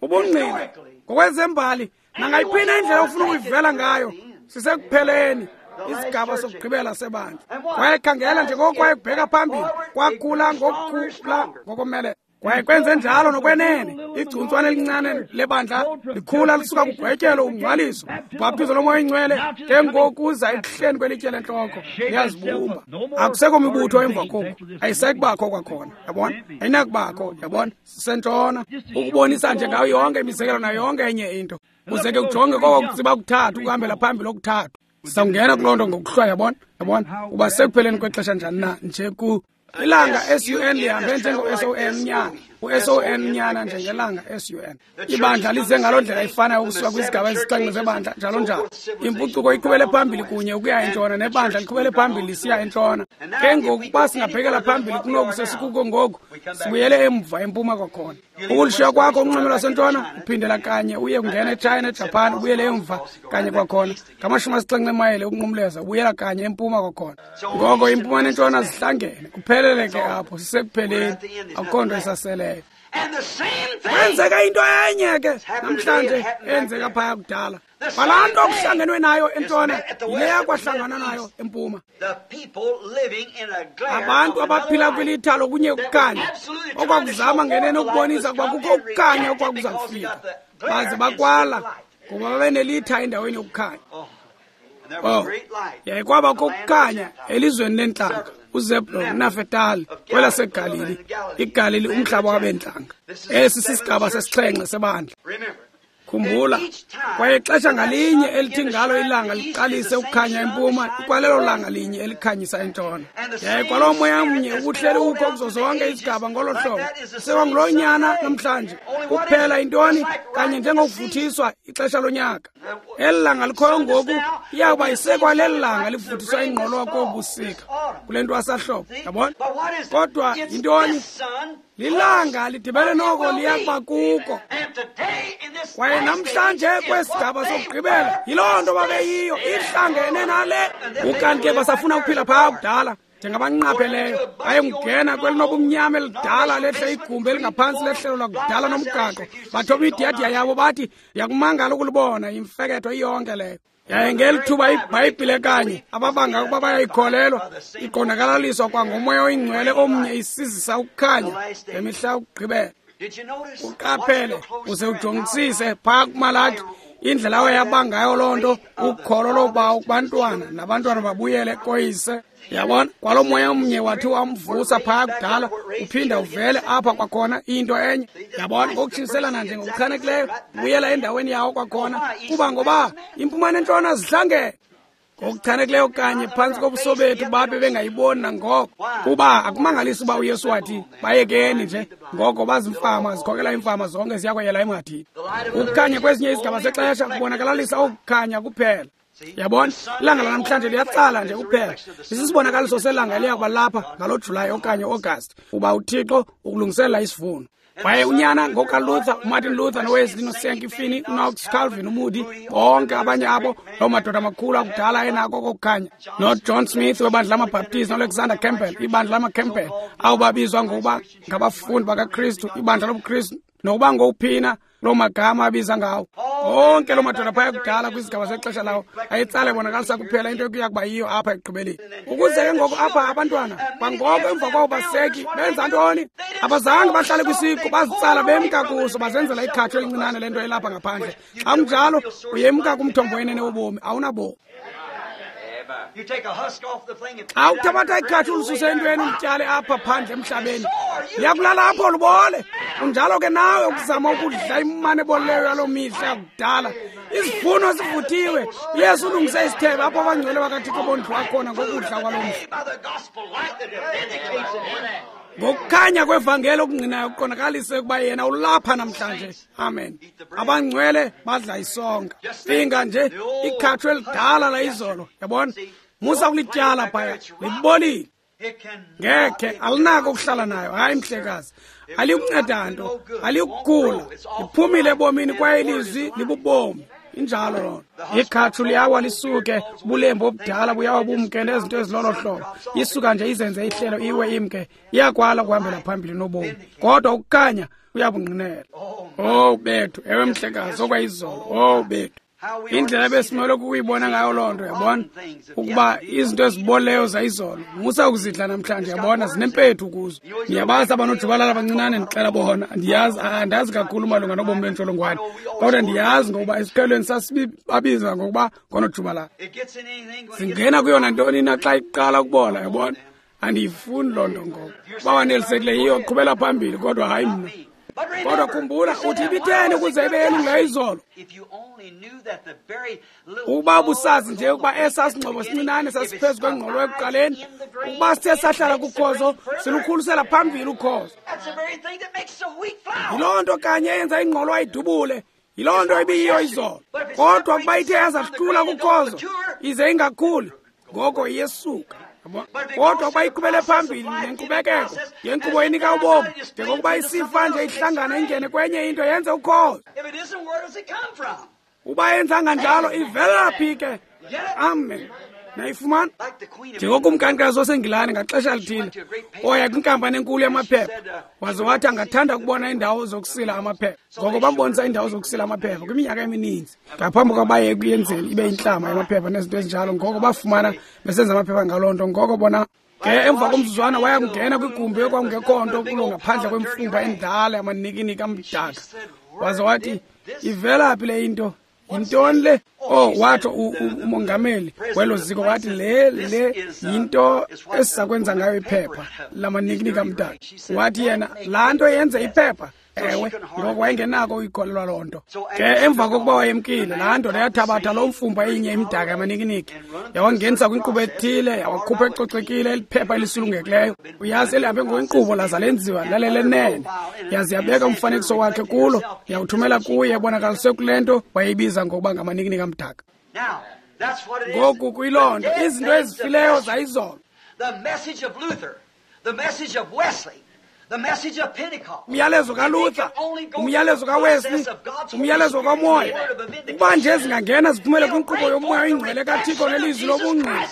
ubungqina ngokwezembali, nangayiphina indlela ofuna ukuyivela ngayo, sisekupheleni isigaba sokugqibela sebandla. Kwaye khangela njengoko kwaye kubheka phambili, kwakhula ngokukhula ngokomelela. Kwaye kwenze njalo nokwenene, igcuntswana elincane lebandla likhula lisuka kugwetyelo, ungcwaliso, ubhaptizo loMoya oyiNgcwele, ke ngoku uza ekuhleni kwelitye lentloko, liyazibumba. Akusekho mibutho emva koku, ayisekubakho kwakhona, yabona, ayinakubakho, yabona, sisentshona. Ukubonisa nje ngayo yonke imizekelo nayo yonke enye into. Uze ke ujonge koko kutsiba kuthathu, ukuhambela phambili okuthathu. Sizawungena kuloo nto ngokuhlwa, yabona, yabona, uba sekupheleni kwexesha njani na nje ku ilanga SUN lihambe njengo-SON nyana, u-SON nyana njengelanga SUN. Ibandla lize ngaloo ndlela ifanayo ukusuka kwizigaba ezisixhenxe zebandla njalo njalo. Impucuko iqhubele phambili kunye ukuya entshona, nebandla liqhubele phambili lisiya entshona. Ke ngoku uba singabhekela phambili kunoku sesikuko ngoku, sibuyele emva empuma kwakhona. Ukulishiya kwakho unxweme lwasentshona, uphindela kanye uye kungena eChina, eJapan, ubuyele emva kanye kwakhona. Ngama-70 emayile ukunqumleza, ubuyela kanye empuma kwakhona. Ngoko impuma nentshona zihlangene, kuphelele ke apho, sisekupheleni, akukho nto isaseleyo. Kwenzeka into enye ke namhlanje eyenzeka phaya kudala. Kwalaa nto kuhlangenwe nayo entshona yileya kwahlangana nayo empuma. Abantu abaphila kwilitha lokunye ukukhanya okwakuzama ngenene ukubonisa ukuba kukho ukukhanya okwakuza kufika, baze bakwala ngoba babenelitha endaweni yokukhanya. Oh, yaye kwabakho ukukhanya elizweni lentlanga, uZebulon uNafetali kwelaseGalili, iGalili umhlaba wabentlanga. Esi sisigaba sesixhenxe sebandla. Khumbula, kwaye ixesha ngalinye elithi ngalo ilanga liqalise ukukhanya empuma, ikwalelo langa linye elikhanyisa entshona. Yaye kwaloo moya mnye ubuhleli ukho kuzo zonke izigaba ngolo hlobo. Sekwanguloo nyana namhlanje. Kuphela intoni kanye njengokuvuthiswa ixesha lonyaka. Eli langa likhoyo ngoku iyawuba isekwaleli langa livuthiswa ingqolowa kobusika kule ntwasahlobo, yabona? Kodwa yintoni? Lilanga lidibene noko liyakuba kuko. Kwaye Kwaye namhlanje kwesigaba sokugqibela yiloo nto babeyiyo, ihlangene nale. Ukanti ke basafuna ukuphila phaa kudala njengabanqapheleyo, bayengena kwelinobumnyama elidala lehle igumbi elingaphantsi lehlelo lakudala nomgaqo, bathoba idiyadiya yabo bathi ndiyakumangala ukulibona imfeketho iyonke leyo. Yaye ngeli thuba iBhayibhile kanye ababanga ukuba bayayikholelwa iqondakalaliswa kwangomoya oyingcwele omnye isizisa ukukhanya ngemihla yokugqibela. Uqaphele uze ujongisise phaa kuMalaki indlela awayabangayo loo nto, ukholo lobawo kubantwana nabantwana babuyele koyise. Yabona, kwalo moya omnye wathi wamvusa phaa kudala uphinda uvele apha kwakhona into enye. Yabona, ngokutshintshiselana nje ngokuchanekileyo buyela endaweni yawo kwakhona, kuba ngoba impuma nentshona zihlangene ngokuchanekileyo kanye phantsi kobuso bethu babe bengayiboni nangoko. Kuba akumangalisi uba uYesu wathi bayekeni nje, ngoko bazimfama zikhokela iimfama zonke ziyakweyela emhadini. Ukukhanya kwezinye izigaba zexesha kubonakalalisa ukukhanya kuphela. Yabona, ilanga lanamhlanje liyatsala nje kuphela. Lisisibonakaliso selanga eliya kuba lapha ngalo Julayi okanye August, uba uThixo ukulungiselela isivuno. Kwaye unyana ngokaLuther, uMartin Luther noWesley noSankey Finney, uKnox, Calvin, uMoody, bonke abanye abo loo madoda amakhulu akudala enako kokukhanya, noJohn Smith webandla lamaBaptist noAlexander Campbell, ibandla lamaCampbell, abo babizwa ngokuba ngabafundi bakaKristu, ibandla lobuKristu, nokuba ngowuphina loo magama abiza ngawo. Onke loo madoda phaya kudala kwizigaba zexesha lawo ayetsala ebonakalisa kuphela into ekuya kuba yiyo apha ekugqibeleni. Ukuze ke ngoku apha abantwana kwangoko emva kwabo baseki benza ntoni? Abazange bahlale kwisiqu, bazitsala bemka kuso, bazenzela ikhatsho elincinane lento elapha ngaphandle. Xa kunjalo uyemka kumthombo wenene wobomi, awunabomi. Xa uthabatha ikhatsho ulisuse entweni ulityale apha phandle emhlabeni, liyakulala apho lubole. Unjalo ke nawe ukuzama ukudla imane ebolileyo yaloo mihla yakudala. Izivuno zivuthiwe. uYesu ulungise isithebe apho abangcwele bakaThixo bondliwa khona ngokudla kwaloo mhla. Ngokukhanya kwevangeli okungqinayo kuqondakalise ukuba yena ulapha namhlanje. Amen. Abangcwele badla isonka. Cinga nje ikhatsho elidala la izolo, yabona? Musa ukulityala phaya, libolile. Ngekhe alinako ukuhlala nayo. Hayi mhlekazi, alikunceda nto, alikukhula, liphumile ebomini kwaye ilizwi libubomi. Injalo loo nto. Ikhatshu liyawa lisuke, ubulembu obudala buyawa bumke nezinto ezilolo hlobo. Isuka nje izenze ihlelo iwe imke, iyakwala ukuhambela phambili nobomi. Kodwa ukukhanya kuyabungqinela. Oh bethu, ewe mhlekazi, okwayizolo. Oh bethu. Indlela ebesimele ukuyibona ngayo loo nto, yabona, ukuba izinto ezibolileyo zayizolo musa ukuzidla namhlanje, yabona, zinempethu kuzo. Ndiyabazi abanojubalala abancinane, ndixela bona. Ndiyazi, andazi kakhulu malunga nobomi bentsholongwane, kodwa ndiyazi ngokuba esiqhelweni sasibabiza ngokuba ngonojubalala. Zingena kuyona ntoni na xa iqala ukubola, yabona. Andiyifuni loo nto ngoku. Uba wanelisekile yiyo, qhubela phambili, kodwa hayi mna. Kodwa khumbula, uthi ibitheni ukuze ibe yelungileyo izolo? Ukuba ubusazi nje ukuba esaa singxobo sincinane sasiphezu kwengqolo ekuqaleni, ukuba sithe sahlala kukhozo, silukhulisela phambili ukhozo. Yiloo nto kanye eyenza ingqolo ayidubule, yiloo nto ibiyiyo izolo. Kodwa ukuba ithe yazahlula kukhozo, ize ingakhuli, ngoko iyesuka. Kodwa ukuba iqhubele phambili nenkqubekeko yenkqubo enika ubomi, njengokuba isifa nje ihlangana ingene kwenye into yenze ukhozo. Uba yenzanga njalo, ivela phi ke? Amen. Nayifumana? Njengokumkanikazi waseNgilani ngaxesha lithile oya kwinkampani enkulu yamaphepha, waze wathi angathanda ukubona iindawo zokusila amaphepha. Ngoko bambonisa iindawo zokusila amaphepha kwiminyaka emininzi ngaphambi kokuba baye ekuyenzeni ibe intlama yamaphepha nezinto ezinjalo. Ngoko bafumana besenza amaphepha ngaloo nto. Ngoko bona ke emva komzuzwana waya kungena kwigumbi ekwakungekho nto kulo ngaphandle kwemfumba endala yamanikiniki amdaka. Waze wathi, ivela phi le into? Yintoni le? Oh, watsho umongameli welo ziko wathi le yinto esizakwenza ngayo iphepha lamanikiniki amdaka. Wathi yena, laa nto yenze iphepha. Ewe, ngoko wayengenako uyikholelwa loo nto. Ke emva kokuba wayemkile, laa ndoda yathabatha loo mfumba inye imdaka yamanikiniki, yawangenisa kwinkqubo ethile, yawakhupha ecocekile eliphepha elisulungekileyo. Uyazi, elihambe ngokwenkqubo laza lenziwa lalelenene. Yaze yabeka umfanekiso wakhe kulo, yawuthumela kuye ebonakaliswe kule nto wayeyibiza ngokuba ngamanikiniki amdaka. Ngoku kuyiloo nto, izinto ezifileyo zayizolo. The message of Luther, the message of Wesley, Umyalezo kaLuther, umyalezo kaWesley, umyalezo kaMoya, ukuba nje zingangena ziphumele kwinkqubo yoMoya oyiNgcwele kaThixo nelizwi lobungqina,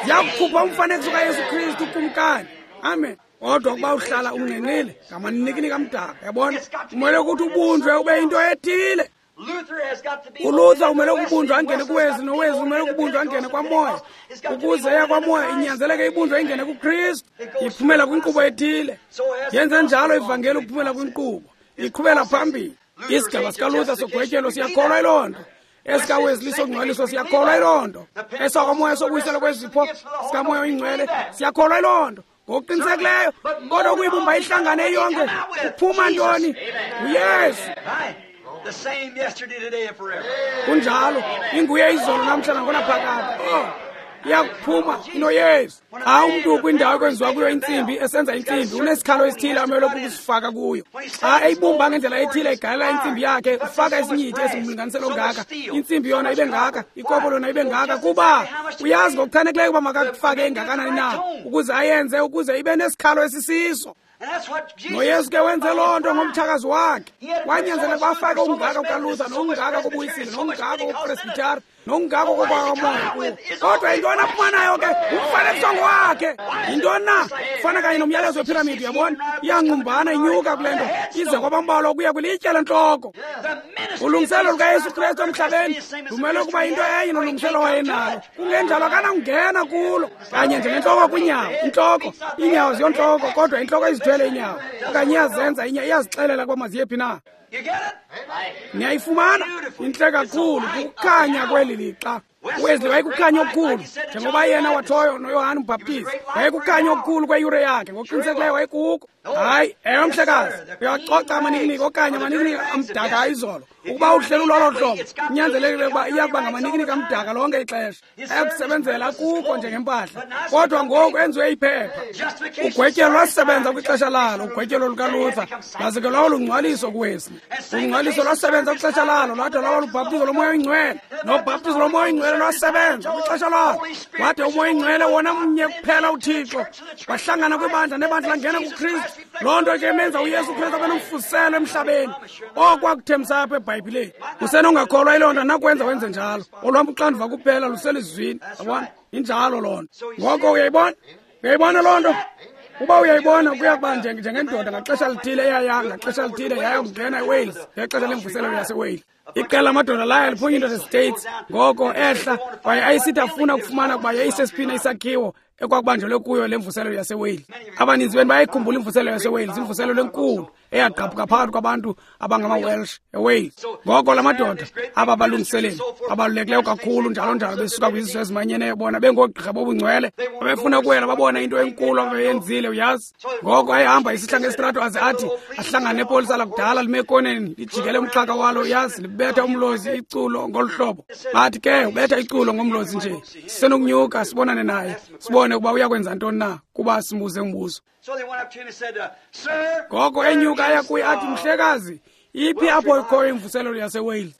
ziyakukhupha umfanekiso kaYesu Kristu uKumkani. Amen. Kodwa ukuba uhlala ungqinqile ngamanikiniki amdaka, yabona, umele ukuthi ubunjwe ube yinto ethile. ULuther umele ukubunjwa angene kuWesley, noWesley umele ukubunjwa angene kwaMoya. Ukuze eya kwaMoya inyanzeleke ibunjwe ingene kuKristu, iphumela kwinkqubo ethile. Yenze njalo ivangeli ukuphumela kwinkqubo, iqhubela phambili. Isigaba sikaLuther sogwetyelo siyakholwa yiloo nto. EsikaWesley sokungcwaliswa siyakholwa yiloo nto. EsakwaMoya sokubuyiselwa kwezipho sikaMoya oyiNgcwele siyakholwa yiloo nto. Ngokuqinisekileyo, kodwa ukuyibumba ihlangane yonke kuphuma ntoni? UYesu. Kunjalo, inguye izolo namhla nangonaphakade. Oh, iyakuphuma inoYesu. Xa umntu kwindawo ekwenziwa kuyo intsimbi, esenza intsimbi, unesikhalo esithile amele ukusifaka kuyo. Xa eyibumba ngendlela ethile, egalela intsimbi yakhe, ufaka isinyithi esingumlinganiselo ongaka, intsimbi yona ibe ngaka, ikopo lona ibe ngaka, kuba uyazi ngokuchanekileyo ukuba makakufake engakanani na ukuze ayenze ukuze ibe nesikhalo esisiso. NoYesu ke wenze loo nto ngomtshakazi wakhe. Wanyanzeleka bafake ungaka kukaLuther, nongaka kubuyisile, nongaka kupresbyteri, nongaka kokwakamoya kuwo. Kodwa yintoni aphuma nayo ke? Umfanekiso ngowakhe. Yintoni na? Ufana kanye nomyalezo wephiramidi, uyabona? Iyanqumbana inyuka kule nto, ize kwabambalwa ukuya kwilitye lentloko. Ulungiselelo lukaYesu Kristu emhlabeni lumele ukuba yinto enye nolungiselelo wayenalo. Kungenjalo akanakungena kulo. Kanye njengentloko kwinyawo, intloko, iinyawo ziyontloko, kodwa intloko izithwele inyawo. Okanye iyazenza inyawo, iyazixelela ukuba maziyephi na. Niyayifumana? Intle kakhulu, kukukhanya kweli lixa. uWesley wayekukhanya okukhulu, njengoba yena wathoyo noYohane uMbhaptizi wayekukhanya okukhulu kweyure yakhe. Ngokuqinisekileyo wayekuko. Hayi, ewe mhlekazi, uyacoca amanikiniki okanye amanikiniki amdaka ayizolo. Ukuba uhleli ulolo hlobo, kunyanzelekile ukuba iya kuba ngamanikiniki amdaka lonke ixesha. Ayakusebenzela kuko njengempahla, kodwa ngoku enziwe iphepha. Ugwetyelo lwasebenza kwixesha lalo, ugwetyelo lukaLuther, laze ke lwaba lungcwaliso kuWesley. Ungcwaliso lwasebenza kwixesha lalo, lwade lwaba lubhaptizo loMoya oyiNgcwele. Nobhaptizo loMoya oyiNgcwele lwasebenza kwixesha lalo. Wade uMoya oyiNgcwele wona mnye kuphela uThixo wahlangana kwibandla, nebandla langena kuKristu. Loo nto ke imenza uYesu Kristu abe nomfuziselo emhlabeni. Okwakuthembisa apha eBhayibhileni. Usenongakholwa yiloo nto, nakwenza wenze njalo. Olwam uxanduva kuphela luselizwini. Yabona? Injalo loo nto. Ngoko uyayibona? Uyayibona loo nto? Uba uyayibona, kuya kuba njengendoda ngaxesha lithile eyaya ngaxesha lithile yaya kungena eWales ngexesha lemvuselelo yaseWales. Iqela lamadoda laya liphuma into States, ngoko ehla kwaye ayisithi afuna ukufumana ukuba yayisesiphina isakhiwo ekwakubanjelwe kuyo le mvuselelo yaseWales. Abaninzi benu bayayikhumbula imvuselelo yaseWales, imvuselelo enkulu eyagqabhuka phakathi kwabantu abangamaWelsh eWales. Ngoko la madoda aba balungiseleli abalulekileyo kakhulu njalo njalo besuka kwizizwe ezimanyeneyo, bona bengoogqirha bobungcwele, babefuna ukuwela babona into enkulu ababeyenzile, uyazi. Ngoko ayehamba isihla ngesitrato aze athi ahlangane nepolisa lakudala lime ekoneni lijikele umxhaka walo, uyazi, libetha umlozi iculo ngolu hlobo. Bathi ke ubetha iculo ngomlozi nje, sisenokunyuka sibonane naye, sibone ukuba uyakwenza ntoni na, kuba simbuze umbuzo. Ngoko enyuka aya kuye athi, mhlekazi, iphi apho ikhoyo imvuselelo yaseWales?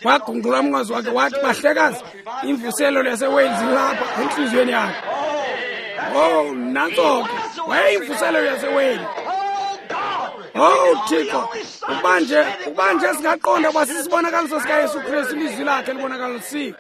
Wagungqula umnqwazi wakhe wathi, bahlekazi, imvuselelo yaseWales ilapha entliziyweni yakhe. Oh, nantso ke, wayeyimvuselelo yaseWales. Oh Thixo, ukuba nje singaqonda ukuba sisibonakaliso sikaYesu Kristu, ilizwi lakhe libonakalisiwe.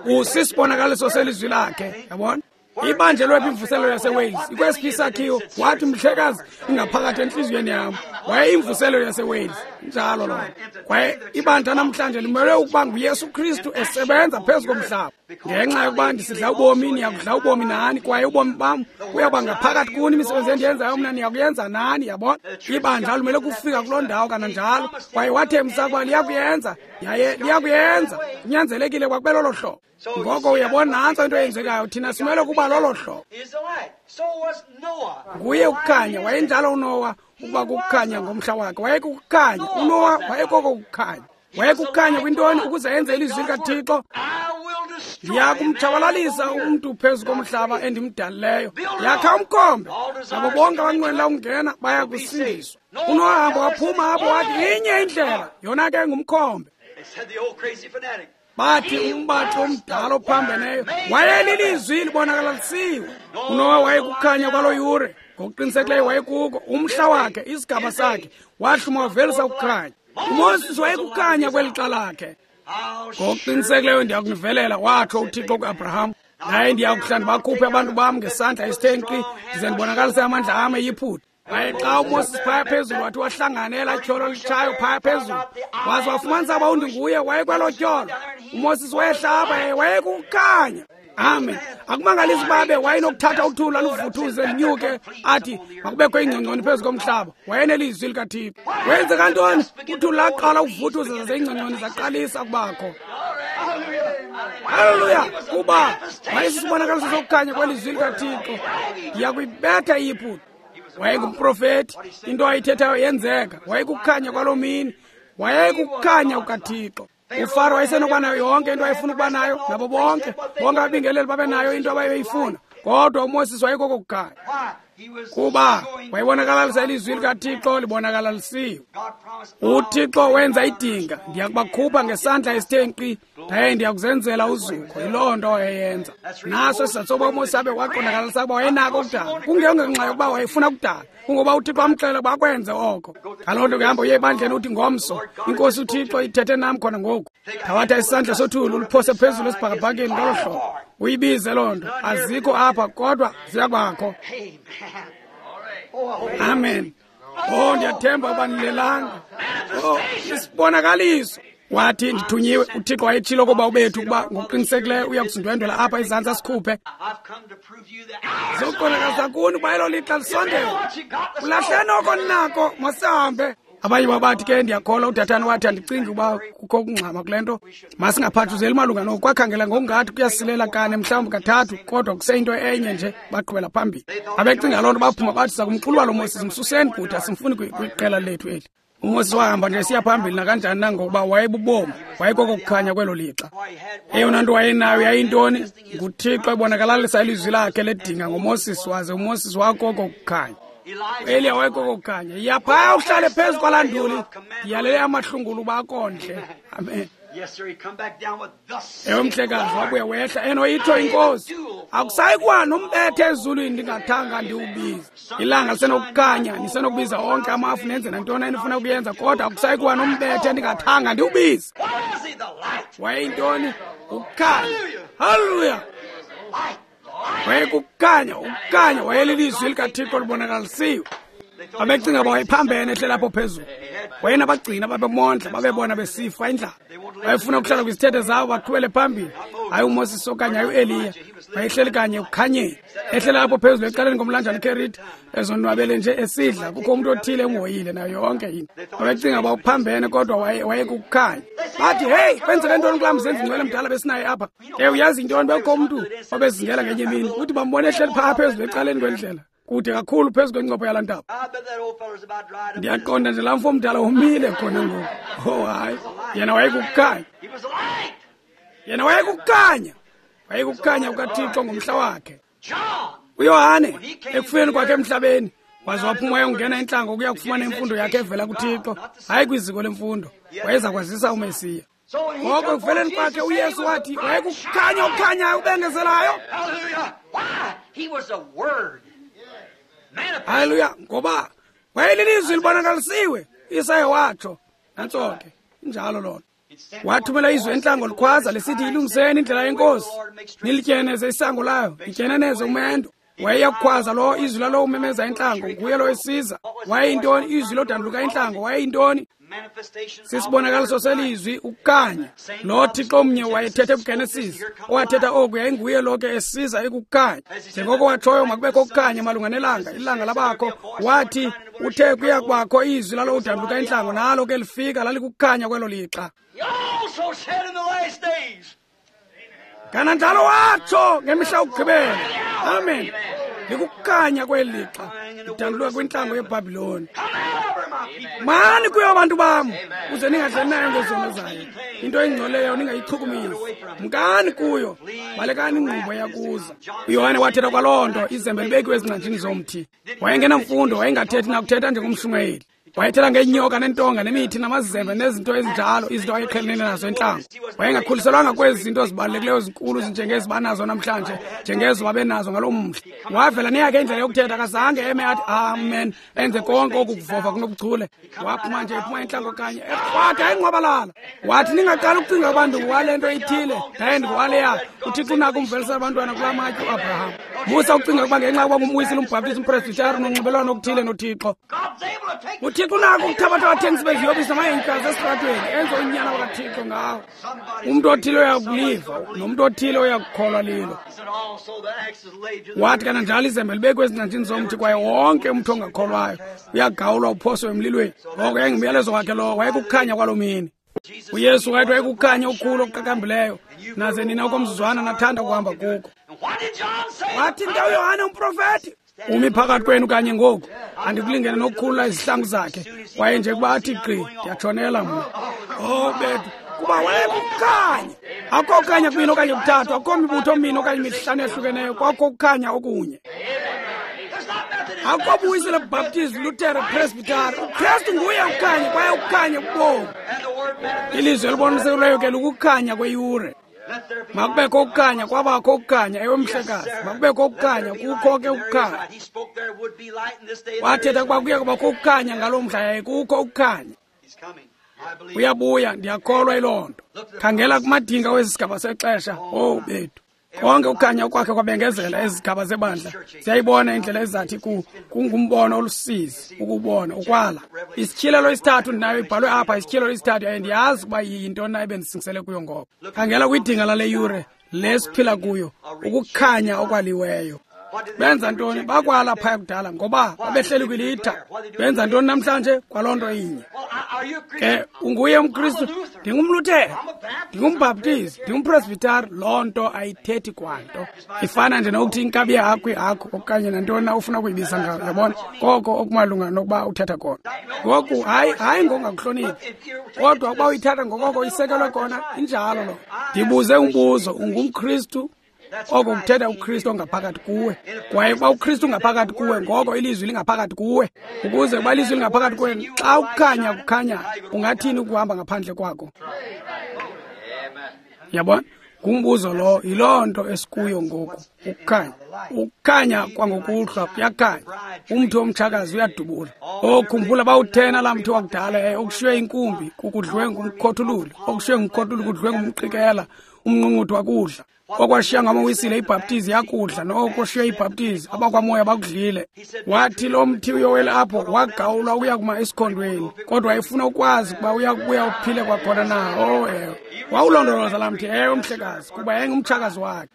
Usisibonakaliso selizwi lakhe, yabona? Ibanjelwe phi imvuselelo yaseWales? Ikwesiphi isakhiwo? Wathi, mhlekazi, ingaphakathi entliziyweni yam. Wayeyimvuselelo yaseWales. Njalo loo nto. Kwaye ibandla namhlanje limele ukuba nguYesu Kristu esebenza phezu komhlaba. Ngenxa yokuba ndisidla ubomi, niyakudla ubomi nani, kwaye ubomi bam buyakuba ngaphakathi kuni. Imisebenzi endiyenzayo mna niyakuyenza nani, yabona? Ibandla limele kufika kuloo ndawo kananjalo. Kwaye wathembisa ukuba liyakuyenza, yaye liyakuyenza. Kunyanzelekile kwakube lolo hlobo. Ngoko uyabona, nantso into eyenzekayo. Thina simele ukuba lolo hlobo. Nguye ukukhanya. Wayenjalo uNowa ukuba kukukhanya ngomhla wakhe. Wayekukukhanya. uNowa wayekoko kukhanya. Wayekukhanya kwintoni? Ukuze enze ilizwi likaThixo. Ndiyakumtshabalalisa umntu phezu komhlaba endimdalileyo. Yakha umkhombe, nabo bonke abanqwenela ukungena baya kusindiswa. uNowa hamba waphuma apho wathi, inye indlela, yona ke ngumkhombe. Bathi umbathi omdala ophambeneyo wayelilizwi libonakalalisiwe. uNowa wayekukhanya kwaloo yure. Ngokuqinisekileyo wayekuko umhla wakhe, isigaba sakhe, wahluma wavelisa ukukhanya. UMoses wayekukhanya kweli xa lakhe. Ngokuqinisekileyo ndiyakunivelela, watsho uThixo kuAbraham. Naye ndiyakuhla ndibakhuphe abantu bam ngesandla esithe nkqi, ndize ndibonakalise amandla am eYiputa. Waye xa uMoses phaya phezulu wathi wahlangana elaa tyholo litshayo phaya phezulu, waze wafumanisa uba undinguye wayekwelo tyholo. UMoses wayehlaba yaye wayekukhanya. Amen. Akumangalisi babe wayenokuthatha uthuli aluvuthuze linyuke athi makubekho ingcongconi phezu komhlaba. Wayenelizwi likaThixo. Wenzeka ntoni? Uthuli laqala ukuvuthuza zaze iingcongconi zaqalisa kubakho. Haleluya! Kuba wayesisibonakaliso sokukhanya kwelizwi likaThixo. Ndiyakuyibetha iYiputa. Wayengumprofeti, into ayithethayo yenzeka. Wayekukhanya kwaloo mini. Wayekukhanya kukaThixo. UFaro wayesenokuba nayo yonke into ayefuna ukuba nayo, nabo bonke ababingeleli babe nayo into abayeyifuna. Kodwa uMoses wayekoko kukhanya. Kuba wayebonakalisa ilizwi likaThixo libonakalalisiwe. UThixo wenza idinga, ndiyakubakhupha ngesandla esithe nkqi, ndaye ndiyakuzenzela uzuko. Yiloo nto wayeyenza. Naso isizathu sokuba uMoses abe waqondakalalisa ukuba wayenako ukudala, kungengenxa yokuba wayefuna ukudala, kungoba uThixo amxelela ukuba akwenze oko. Ngaloo nto kuhamba uye ebandleni uthi ngomso, iNkosi uThixo ithethe nam khona ngoku. Thabatha isandla sothuli uliphose phezulu esibhakabhakeni ngolo hlobo. Uyibize loo nto. Azikho apha kodwa ziyakubakho. Amen. Oh, ndiyathemba uba nilelanga. Oh, isibonakaliso. Wathi ndithunyiwe, uThixo wayetshilo koba ubethu ukuba ngokuqinisekileyo uya kusindwendwela apha ezantsi asikhuphe. Zokuqondakalisa kuni uba elo lixa lisondele. Ulahleni oko ninako, masihambe. Abanye babathi ke ndiyakholwa uDathani wathi andicingi uba kukho ukungxama kule nto. Masingaphathuzeli malunga noku, kwakhangela ngokungathi kuyasilela kane mhlawumbi kathathu, kodwa kuseyinto enye nje, baqhubela phambili. Abecinga loo nto baphuma bathi sakumxuluba lo Moses, msuseni kude, asimfuni kwiqela lethu eli. UMoses wahamba nje esiya phambili nakanjani na ngokuba wayebubomi, wayekoko kukhanya kwelo lixa. Eyona nto wayenayo yayintoni? NguThixo ebonakalalisa ilizwi lakhe ledinga ngoMoses, waze uMoses wakoko kukhanya. Eliya wayekoko kukhanya. Yiya phaya uhlale phezu kwalaa nduli, ndiyalele amahlungulu uba akondle. Amen. Ewe mhlekazi, wabuya wehla enoyitsho inkosi, akusayi kuwa nombethe ezulwini ndingathanga ndiwubize. Ilanga lisenokukhanya, nisenokubiza onke amafu nenze nantoni enifuna ukuyenza, kodwa akusayi kuwa nombethe ndingathanga ndiwubize. Wayeyintoni? Ukukhanya. Haleluya! Wayekukhanya, ukukhanya, wayelilizwi likaThixo libonakalisiwe. Babecinga uba wayephambene ehlela apho phezulu. Wayenabagcina babemondla, babebona besifa indlala. Wayefuna ukuhlala kwizithethe zabo baqhubele phambili. Hayi uMoses okanye hayi uEliya. Wayehleli kanye ekukhanyeni. Ehlela apho phezulu ecaleni komlanjana iKeriti, ezonwabele nje esidla. Kukho umntu othile emhoyile nayo yonke into. Babecinga uba uphambene kodwa wayekukhanya. Bathi, hey, kwenzeke ntoni kulaa mzenzi ngcwele mdala besinaye apha? Ewe, uyazi intoni, bekukho umntu obezingela ngenye imini. Uthi bambone ehleli phaa phezulu ecaleni kwendlela, kude kakhulu phezu kwencopho yalaa ntaba. Ndiyaqonda nje laa mfo mdala umile khona ngoku. Oh hayi, yena wayekukhanya. Yena wayekukhanya. Wayekukhanya kukaThixo ngomhla wakhe. UYohane ekufeni kwakhe emhlabeni, waze waphuma wayongena entlango ukuya kufumana imfundo yakhe evela kuThixo, hayi kwiziko lemfundo. Wayeza kwazisa uMesiya. Ngoko ekufeleni kwakhe uYesu wathi wayekukhanya okukhanyayo ubengezelayo. Haleluya, ngoba wayelilizwi libonakalisiwe. Isaya watsho. Nantso ke, injalo loo nto. Wathumela izwi entlango likhwaza lisithi, ilungiseni indlela yenkosi, nilityeneze isango layo, lityeneneze umendo. Wayeyakukhwaza lo izwi lalo umemeza entlango, nguye lo esiza. Wayeyintoni? Izwi lodanduluka entlango. Wayeyintoni? Sisibonakaliso selizwi, ukukhanya. Lo Thixo mnye wayethethe kuGenesis, owathetha oku yayinguye lo ke esiza ekukhanya. Njengoko watshoyo makubekho ukukhanya malunga nelanga, ilanga labakho. Wathi uthe kuya kubakho izwi lalo udanduluka entlango, nalo ke lifika lalikukhanya kwelo lixa. Kananjalo watsho ngemihla yokugqibela. Amen. Likukhanya kweli lixa lidanduluka kwintlango yeBhabhiloni. Mani kuyo abantu bam, uze ningadlali nayo ngezono zayo. Into engcoleyo ningayichukumisi. Mkani kuyo, balekani ingqumbo yakuza. UYohane wathetha kwaloo nto, izembe libekiwe ezingcanjini zomthi. Wayengenamfundo, wayengathethi nakuthetha njengomshumayeli. Wayethetha ngeenyoka neentonga nemithi namazembe nezinto ezinjalo, izinto ayeqhelene nazo entlango. Wayengakhuliselwanga kwezi zinto zibalulekileyo zinkulu zinjengezi banazo namhlanje, njengezo babenazo ngaloo mhla. Wavela neyakhe indlela yokuthetha, akazange eme athi amen, enze konke oku kuvova kunobuchule. Waphuma nje ephuma entlango kanye, ekrwada engqwabalala. Wathi ningaqali ukucinga ukuba ndingowale nto ithile, ndaye ndingowaleya. UThixo unako umvelisela abantwana kulaa matye uAbraham. Musa ukucinga ukuba ngenxa yokuba ngumwisile, umbhaptizi, umpresbhitari, nonxibelelwano okuthile noThixo. UThixo unako ukuthabatha abathengisi beziyobisi namahenyukazi esitratweni, enze unyana wakaThixo ngawo. Umntu othile uyakuliva, nomntu othile uyakukholwa lilo. Wathi kananjalo izembe libekwe ezingcanjini zomthi, kwaye wonke umntu ongakholwayo uyagawulwa uphoswe emlilweni. Ngoko yayingumyalezo wakhe lowo, wayekukhanya kwaloo mini. UYesu wayethi wayekukhanya okukhulu okuqaqambileyo, naze nina okomzuzwana nathanda ukuhamba kuko. Wathi nto uYohane umprofeti, umi phakathi kwenu kanye ngoku, andikulingene nokukhulula izihlangu zakhe, kwaye nje kuba athi gqi, ndiyatshonela mna. Oh bethu, kuba wayekukhanya. Akukho kukhanya kubini okanye kuthathu, akukho mibutho mine okanye mihlanu ehlukeneyo, kwakho kukhanya okunye. Akukho buyisele Baptist, Luther, Presbytery. UKristu nguye ukukhanya, kwaye ukukhanya kubomi. Ilizwi elibonisekileyo ke lukukhanya kweyure. Makubekho ukukhanya, kwabakho ukukhanya, ewe mhlekazi. Makubekho ukukhanya, kukho ke ukukhanya. Wathetha ukuba kuya kubakho ukukhanya ngaloo mhla, yaye kukho ukukhanya. Uyabuya, ndiyakholwa yiloo nto. Khangela kumadinga wesi sigaba sexesha, owu bethu. Konke ukukhanya kwakhe kwabengezela ezigaba zebandla. Siyayibona indlela ezathi kungumbono olusizi ukubona ukwala. Isityhilelo isithathu ndinayo ibhalwe apha, isityhilelo isithathu, yaye ndiyazi ukuba yintoni na ebendisingisele kuyo ngoko. Khangela kwidinga lale yure le siphila kuyo, ukukhanya okwaliweyo. Benza ntoni? Bakwala phaya kudala ngoba babehleli kwilitha. Benza ntoni namhlanje? Kwaloo nto inye. Ke unguye umKristu, ndingumLuthere, ndingumbhaptizi, ndingumpresbhitari, loo nto ayithethi kwanto. Ifana nje nokuthi inkabi yakho ihakho okanye nantoni na ufuna ukuyibiza ngayo, yabona? Koko okumalunga nokuba uthetha kona. Ngoku hayi ngokungakuhloniphi, kodwa ukuba uyithatha ngokoko isekelwe kona, injalo loo. Ndibuze umbuzo, ungumKristu? Oko kuthetha uKristu ongaphakathi kuwe. Kwaye ukuba uKristu ungaphakathi kuwe, ngoko ilizwi lingaphakathi kuwe. Ukuze ukuba ilizwi lingaphakathi kuwe, xa ukukhanya kukhanya, ungathini ukuhamba ngaphandle kwako? Yabona? Ngumbuzo lo, yiloo nto esikuyo ngoku, ukukhanya. Ukukhanya kwangokuhlwa kuyakhanya. Umthi womtshakazi uyadubula. Okhumbula bawuthena laa mthi wakudala, okushiywe inkumbi, kukudliwe ngumkhothululi, okushiywe ngumkhothululi kudliwe ngumqikela, umnqunquthu wakudla. Okwashiya ngamawisile ibhaptizi yakudla, noko shiywe ibhaptizi abakwamoya bakudlile. Wathi lo mthi uyowela apho, wagawulwa ukuya kuma esikhondweni, kodwa wayefuna ukwazi ukuba uya kubuya uphile kwakhona na. Oh ewe, wawulondoloza laa mthi, ewe mhlekazi, kuba yayingumtshakazi wakhe.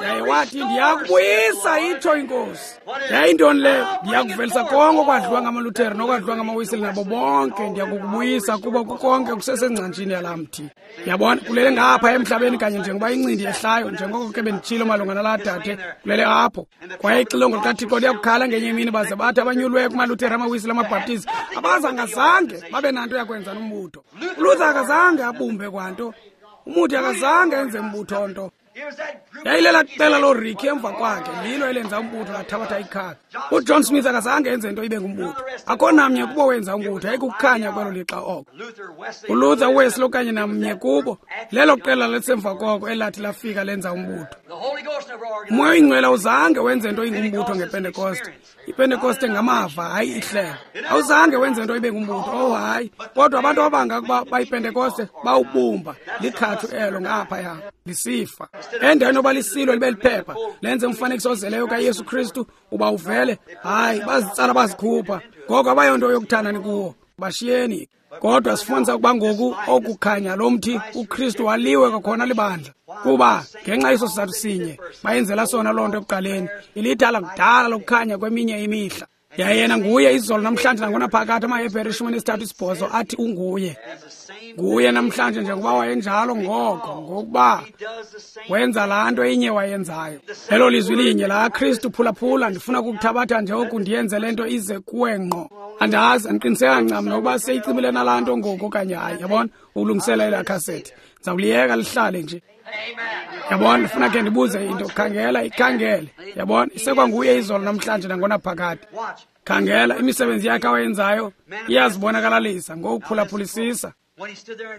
Yaye wathi ndiyakubuyisa, itsho iNkosi. Yayintoni leyo? Ndiyakuvelisa konke okwadliwa ngamaLuthere nokwadliwa ngamaWisile nabo bonke, ndiyakukubuyisa kuba kukonke kusesengcanjini yalaa mthi. Yabona, kulele ngapha emhlabeni kanye njengoba incindi yehlayo, njengoko ke benditshilo malunga nalaa dade, kulele apho. Kwaye ixilongo likaThixo liyakukhala ngenye imini, baze bathi abanyulweyo kumaLuthere, amaWisile, amaBhaptizi, abazangazange babe nanto yakwenza nombutho. ULuther akazange abumbe kwanto, umuthi akazange enze mbutho nto. Yayilela qela looRicky emva kwakhe, lilo elenza umbutho lathabatha ikhaka. UJohn Smith akazange enze nto ibe ngumbutho. Akho namnye kubo wenza umbutho, yayikukukhanya kwelo lixa oko. ULuther, uWesley okanye namnye kubo, lelo qela lisemva koko elathi lafika lenza umbutho. Umoya oyingcwele awuzange wenze nto ingumbutho ngePentekoste. IPentekoste ngamava, hayi ihlelo. Awuzange wenze nto ibe ngumbutho, oh hayi. Kodwa abantu abanga ukuba bayiPentekoste bawubumba, likhathu elo ngaphaya, lisifa. Endaweni yoba lisilo libe liphepha, lenze umfanekiso ozeleyo kaYesu Kristu uba uvele, hayi, bazitsala bazikhupha. Ngoko abayonto yokuthandani kuwo, bashiyeni. Kodwa sifumanisa ukuba ngoku okukhanya lo mthi uKristu waliwe kwakhona libandla, kuba ngenxa yeso sizathu sinye bayenzela sona loo nto ekuqaleni, ilitha lakudala lokukhanya kweminye imihla. Yaye yena nguye izolo, namhlanje, nangonaphakade. AmaHebhere 38 athi unguye. Nguye namhlanje njengoba wayenjalo ngoko, ngokuba wenza laa nto inye wayenzayo. Elo lizwi linye laa Kristu, phulaphula, ndifuna ukukuthabatha nje oku ndiyenze le nto ize kuwe ngqo. Andazi, andiqiniseka ncam nokuba seyicimile nalaa nto ngoku okanye hayi, yabona, ukulungisela elaa khasethi. Ndizawuliyeka lihlale nje. Yabona, ndifuna ke ndibuze into, khangela, ikhangele. Yabona, isekwanguye izolo, namhlanje, nangonaphakade. Khangela imisebenzi yakhe awayenzayo iyazibonakalalisa ngokuphulaphulisisa.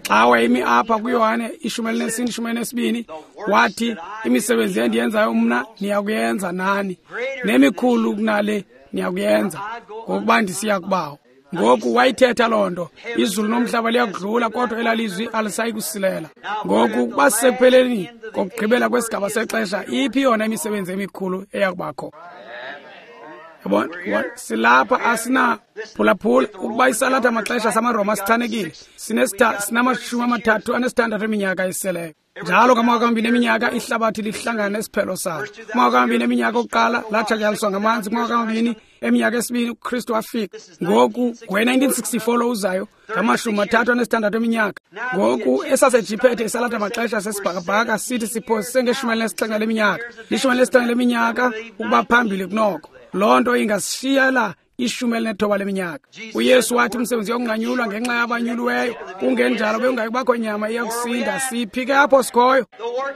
Xa wayemi apha kuYohane 14:12 wathi, imisebenzi endiyenzayo mna niyakuyenza nani, nemikhulu kunale niyakuyenza, ngokuba ndisiya kuBawo. Ngoku wayithetha loo nto. Izulu nomhlaba liyakudlula, kodwa elalizwi alisayi kusilela. Ngoku basekupheleni kokugqibela kwesigaba sexesha, iphi yona imisebenzi emikhulu eyakubakho? Yabona, silapha asina phulaphula ukuba isalatha amaxesha samaRoma sichanekile. Sinama-36 eminyaka eseleyo. Njalo ngamawaka amabini eminyaka ihlabathi lihlangana nesiphelo salo. Kumawaka amabini eminyaka okuqala latshatyalaliswa ngamanzi. Kumawaka amabini eminyaka esibini uKristu wafika. Ngoku ngowe-1964 lo uzayo ngama-36 eminyaka. Ngoku esaseJiphethe isalatha amaxesha sesibhakabhaka sithi siphosise nge-17 leminyaka. 17 leminyaka ukuba phambili kunoko. Loo nto ingasishiyela 19 leminyaka. uYesu wathi umsebenzi yokunqanyulwa ngenxa yabanyuliweyo, kungenjalo bekungayikubakho nyama iyakusinda. Siphi ke apho sikhoyo?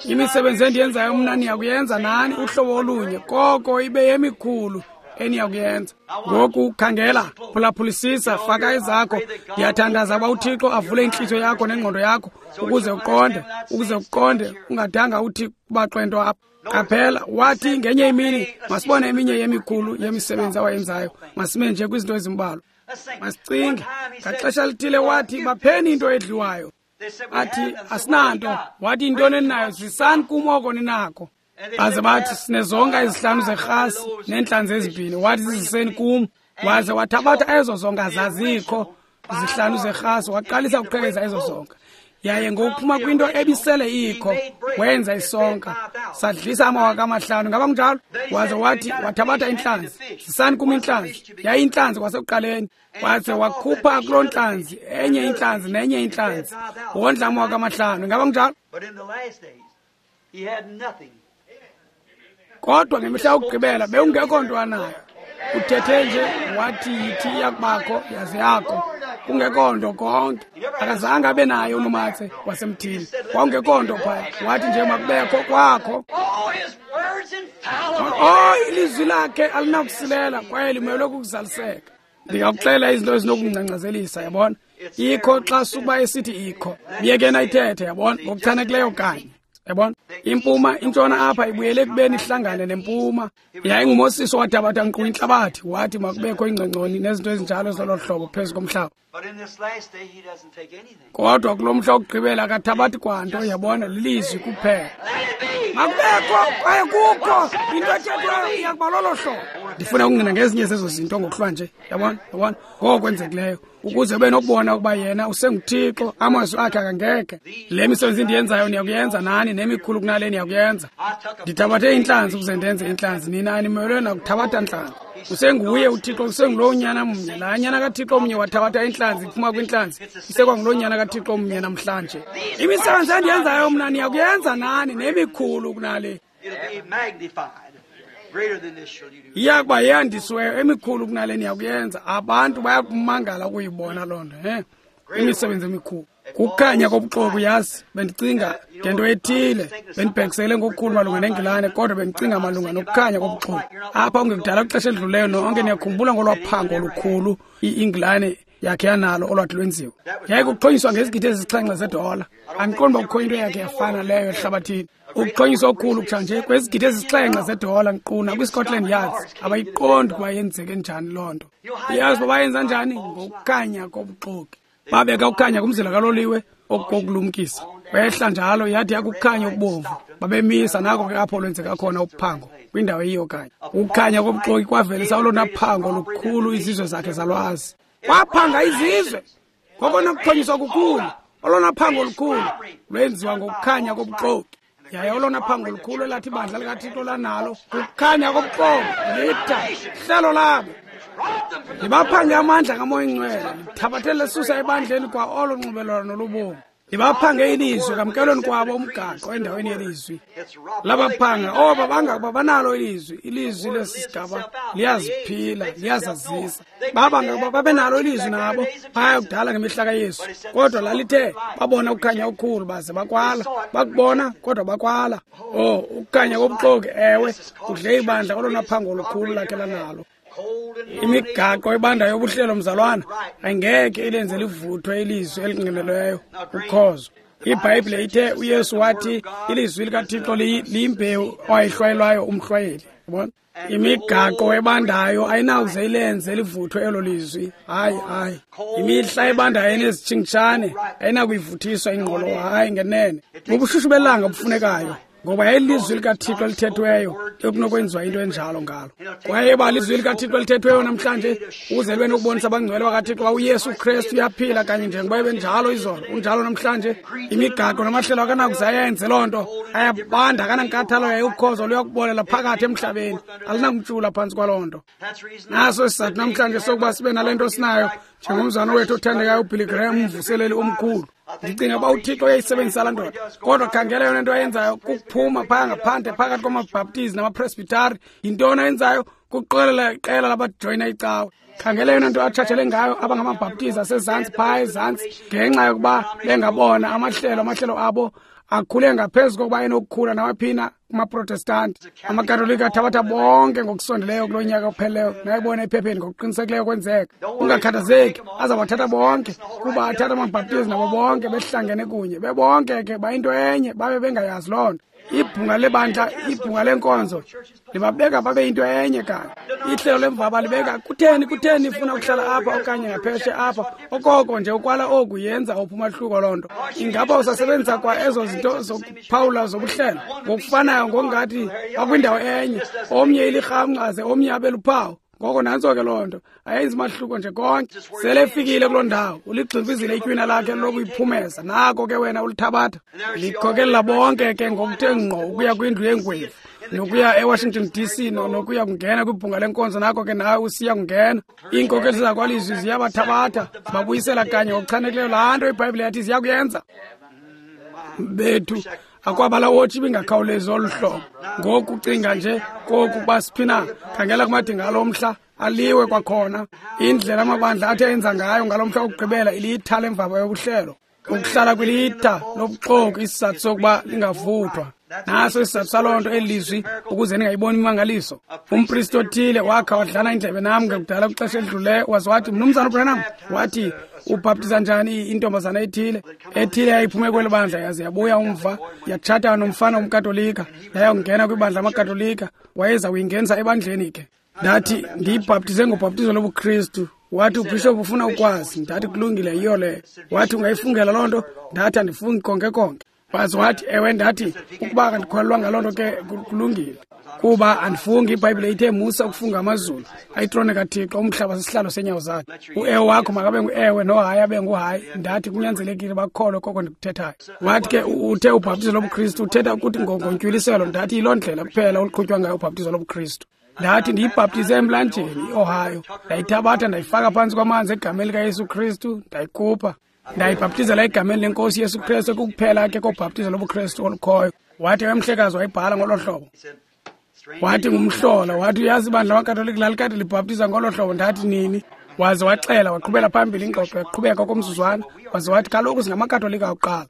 Imisebenzi endiyenzayo mna niyakuyenza nani, uhlobo olunye, koko ibe yemikhulu eniyakuyenza. Ngoku khangela, phulaphulisisa, faka ezakho. Ndiyathandaza uba uThixo avule intliziyo yakho nengqondo yakho ukuze uqonde, ungadanga uthi kubaxwe nto apha. Qaphela, wathi ngenye imini masibone eminye yemikhulu yemisebenzi awayenzayo. Masime nje kwizinto ezimbalwa. Masicinge. Ngaxesha lithile wathi, bapheni into edliwayo. Athi, asinanto. Wathi, intoni eninayo? Zisani kum oko ninako. Baze bathi, sinezonka ezihlanu zerhasi neentlanzi ezibini. Wathi, ziziseni kum. Waze wathabatha ezo zonka zazikho zihlanu zerhasi, waqalisa ukuqhekeza ezo zonka. Yaye ngokuphuma kwinto ebisele ikho wenza isonka, sadlisa 5,000. Ngaba kunjalo? Waze wathi, wathabatha intlanzi, zisani kum intlanzi. Yaye intlanzi kwasekuqaleni. Waze wakhupha kuloo ntlanzi enye intlanzi nenye intlanzi, wondla 5,000. Ngaba kunjalo? Kodwa ngemihla yokugqibela bewungekho nto anayo. Uthethe nje wathi yithi iyakubakho, yaze yakho. Kungekho nto konke. Akazange abe naye unomatse wasemthini. Kwakungekho nto phaya. Wathi nje makubekho kwakho. Oh, ilizwi lakhe alinakusilela kwaye limelwe kukuzaliseka. Ndingakuxelela izinto ezinokungcangcazelisa, yabona. Ikho xa sukuba esithi ikho. Myekeni ayithethe, yabona, ngokuchanekileyo kanye. Yabona, impuma intshona apha ibuyele ekubeni ihlangane nempuma. YayinguMosisi owathabatha nkqu intlabathi, wathi makubekho ingcongconi nezinto ezinjalo zolo hlobo phezu komhlaba. Kodwa kulo mhla wokugqibela akathabathi kwanto, yabona, lilizwi kuphela. Makubekho kwaye kukho into ethethwayo iyakuba lolo hlobo. Ndifuna ukungqina ngezinye zezo zinto ngokuhlwa nje, yabona, yabona, ngokwenzekileyo, ukuze ube nokubona ukuba yena usenguThixo, amazwi akhe akangekhe. Le misebenzi ndiyenzayo niyakuyenza nani, nemikhulu kunale niyakuyenza. Ndithabathe intlanzi ukuze ndenze intlanzi, nina animelwe nakuthabatha ntlanzi. Usenguye uThixo, usengulowo nyana mnye. Laa nyana kaThixo mnye wathabatha intlanzi iphuma kwintlanzi, isekwanguloo nyana kaThixo mnye namhlanje. Imisebenzi endiyenzayo mna niyakuyenza nani, nemikhulu kunale. Iyakuba yeyandisiweyo, emikhulu kunale niyakuyenza. Abantu bayakumangala ukuyibona loo nto, imisebenzi emikhulu. Kukhanya kobuxoki, yazi, bendicinga ngento ethile, bendibhekisele ngokukhulu malunga neNgilane, kodwa bendicinga malunga nokukhanya kobuxoki. Apha kungekudala kwixesha elidluleyo nonke niyakhumbula ngolwaphango olukhulu iNgilane yakhe yanalo olwathi lwenziwa. Yaye kuxhonyiswa ngezigidi ezisixhenxe zedola. Andiqondi uba kukho into yakhe yafana leyo ehlabathini. Ukuxhonyiswa okukhulu kutshanje kwezigidi ezisixhenxe zedola nkqu nakwiScotland Yard abayiqondi ukuba yenzeke njani loo nto. Uyazi uba bayenza njani? Ngokukhanya kobuxoki. Babeka ukukhanya kumzila kaloliwe okokulumkisa. Wehla njalo yathi yakukhanya okubomvu. Babemisa nako ke apho lwenzeka khona uphango kwindawo eyiyo kanye. Ukukhanya kobuxoki kwavelisa olona phango lukhulu izizwe zakhe zalwazi. Waphanga izizwe ngokona kuxhonyiswa kukhulu, olona phango lukhulu lwenziwa ngokukhanya kobuxoki. Yaye olona phango lukhulu elathi ibandla likaThixo lanalo kukukhanya kobuxoki, litha hlelo labo. Libaphange amandla kaMoya Ingcwele, lithabathele lesusa ebandleni kwa olo nxibelelwano lobomi. Libaphange ilizwi kamkelweni kwabo umgaqo endaweni yelizwi. Labaphanga oba bangakuba banalo ilizwi, ilizwi lesi sigaba liyaziphila, liyazazisa. Baba ngakuba babenalo ilizwi nabo phaya kudala ngemihla kaYesu, kodwa lalithe babona ukukhanya okukhulu baze bakwala. Bakubona kodwa bakwala. Oh, ukukhanya kobuxoki, ewe, kudle ibandla olona phango olukhulu lakhe lanalo. Imigaqo ebandayo yobuhlelo, mzalwana, ayingeke ilenze livuthwe ilizwi elingqinelweyo ukhozo. IBhayibhile ithe uYesu wathi ilizwi likaThixo liyimbewu owayihlwayelwayo umhlwayeli. Yabona? Imigaqo ebandayo ayinawuze ilenze livuthwe elo lizwi. Hayi, hayi. Imihla ebandayo enezitshingitshane ayinakuyivuthiswa ingqolowa. Hayi, ngenene. Bubushushu belanga bufunekayo, ngoba yayilizwi likaThixo elithethweyo ekunokwenziwa into enjalo ngalo. Kwaye iba lizwi likaThixo elithethweyo namhlanje ukuze libe nokubonisa abangcwele bakaThixo uba uYesu Kristu uyaphila kanye njengoba ebenjalo izolo, unjalo namhlanje. Imigaqo namahlelo akanakuze ayenze loo nto. Ayabanda, akanankathalo, yaye ukhozo luyakubolela phakathi emhlabeni. Alinakumtshula phantsi kwaloo nto. Naso isizathu namhlanje sokuba sibe nale nto sinayo, njengomzana wethu othandekayo uBilly Graham, umvuseleli omkhulu. Ndicinga uba uThixo uyayisebenzisa laa ndoda, kodwa khangela yona nto ayenzayo kukuphuma phaya ngaphandle phakathi kwamabhaptizi namapresbitari. Yintoni ayenzayo? Kuqokelela iqela labajoyina icawe. Khangela yona nto atshatshele ngayo abangamabhaptizi asezantsi phaya ezantsi, ngenxa yokuba bengabona amahlelo abo akhule ngaphezu kokuba enokukhula nawaphina kumaprotestanti. AmaKatolika athabatha bonke ngokusondeleyo kulo nyaka upheleyo, nayibona ephepheni ngokuqinisekileyo kwenzeka. Ungakhathazeki, azawathatha bonke, kuba athatha amabhaptizi nabo bonke behlangene kunye, bebonke ke bayinto enye, babe bengayazi loo nto. Ibhunga lebandla, ibhunga lenkonzo libabeka babe yinto enye kanye. Ihlelo lemvaba libeka, kutheni ifuna ukuhlala apha okanye ngapheshe apha? Okoko nje ukwala oku yenza ophi umahluko loo nto. Ingaba usasebenzisa kwa ezo zinto zokuphawula zobuhlelo ngokufanayo, ngokungathi bakwindawo enye, omnye ilirhamncwa aze omnye abe luphawu. Ngoko nantso ke loo nto, ayenzi mahluko nje konke. Sele efikile kuloo ndawo, uligximfizile itywina lakhe lokuyiphumeza. Nako ke wena ulithabatha, likhokelela bonke ke ngokuthe ngqo ukuya kwindlu yengwevu, nokuya eWashington DC, nokuya kungena kwibhunga lenkonzo. Nako ke nawe usiya kungena. Iinkokeli zakwalizwi ziyabathabatha, zibabuyisela kanye ngokuchanekileyo laa nto iBhayibhile yathi ziya kuyenza. Bethu, akwaba laa wotshi ibingakhawulezi olu hlobo. Ngoku cinga nje koku kuba siphi na. Khangela kumadinga alo mhla, aliwe kwakhona. Indlela amabandla athe enza ngayo ngalo mhla wokugqibela ilitha lemvaba yobuhlelo. Ukuhlala kwilitha lobuxoki, isizathu sokuba lingavuthwa. Naso isizathu saloo nto eli lizwi, ukuze ningayiboni imimangaliso. Umpristi othile wakha wadlana indlebe nam ngekudala kwixesha elidluleyo, waze wathi, Mnumzana uBranham, wathi, ubhaptiza njani intombazana ethile? Ethile yayiphume kweli bandla yaze yabuya umva, yatshata nomfana womKatolika, yayakungena kwibandla lamaKatolika, wayeza kuyingenisa ebandleni ke. Ndathi, ndiyibhaptize ngobhaptizo lobuKristu. Wathi, ubhishophu ufuna ukwazi. Ndathi, kulungile, yiyo leyo. Wathi, ungayifungela loo nto? Ndathi, andifungi konke konke. Waze wathi, ewe. Ndathi, ukuba akandikholelwa ngaloo nto ke kulungile, kuba andifungi. IBhayibhile ithe musa ukufunga amazulu, ayitrone kaThixo, umhlaba sisihlalo senyawo zakhe. Uewe wakho makabe nguewe, nohayi abe nguhayi. Ndathi, kunyanzelekile bakholwe koko ndikuthethayo. Wathi ke, uthe ubhaptizo lobuKristu uthetha ukuthi ngontywiliselo. Ndathi, yiloo ndlela kuphela oluqhutywa ngayo ubhaptizo lobuKristu. Ndathi, ndiyibhaptize emlanjeni iOhio, ndayithabatha ndayifaka phantsi kwamanzi egameni likaYesu Kristu, ndayikhupha, ndayibhaptizela egameni lenkosi Yesu Kristu, ekukuphela ke kobhaptizo lobuKristu olukhoyo. Wathi, emhlekazi wayibhala ngolo hlobo. Wathi, ngumhlola. Wathi, uyazi ibandla lamaKatolika lalikade libhaptiza ngolo hlobo. Ndathi, nini? Waze waxela, waqhubela phambili ingxoxo, yaqhubeka okomzuzwana. Waze wathi, kaloku singamaKatolika akuqala.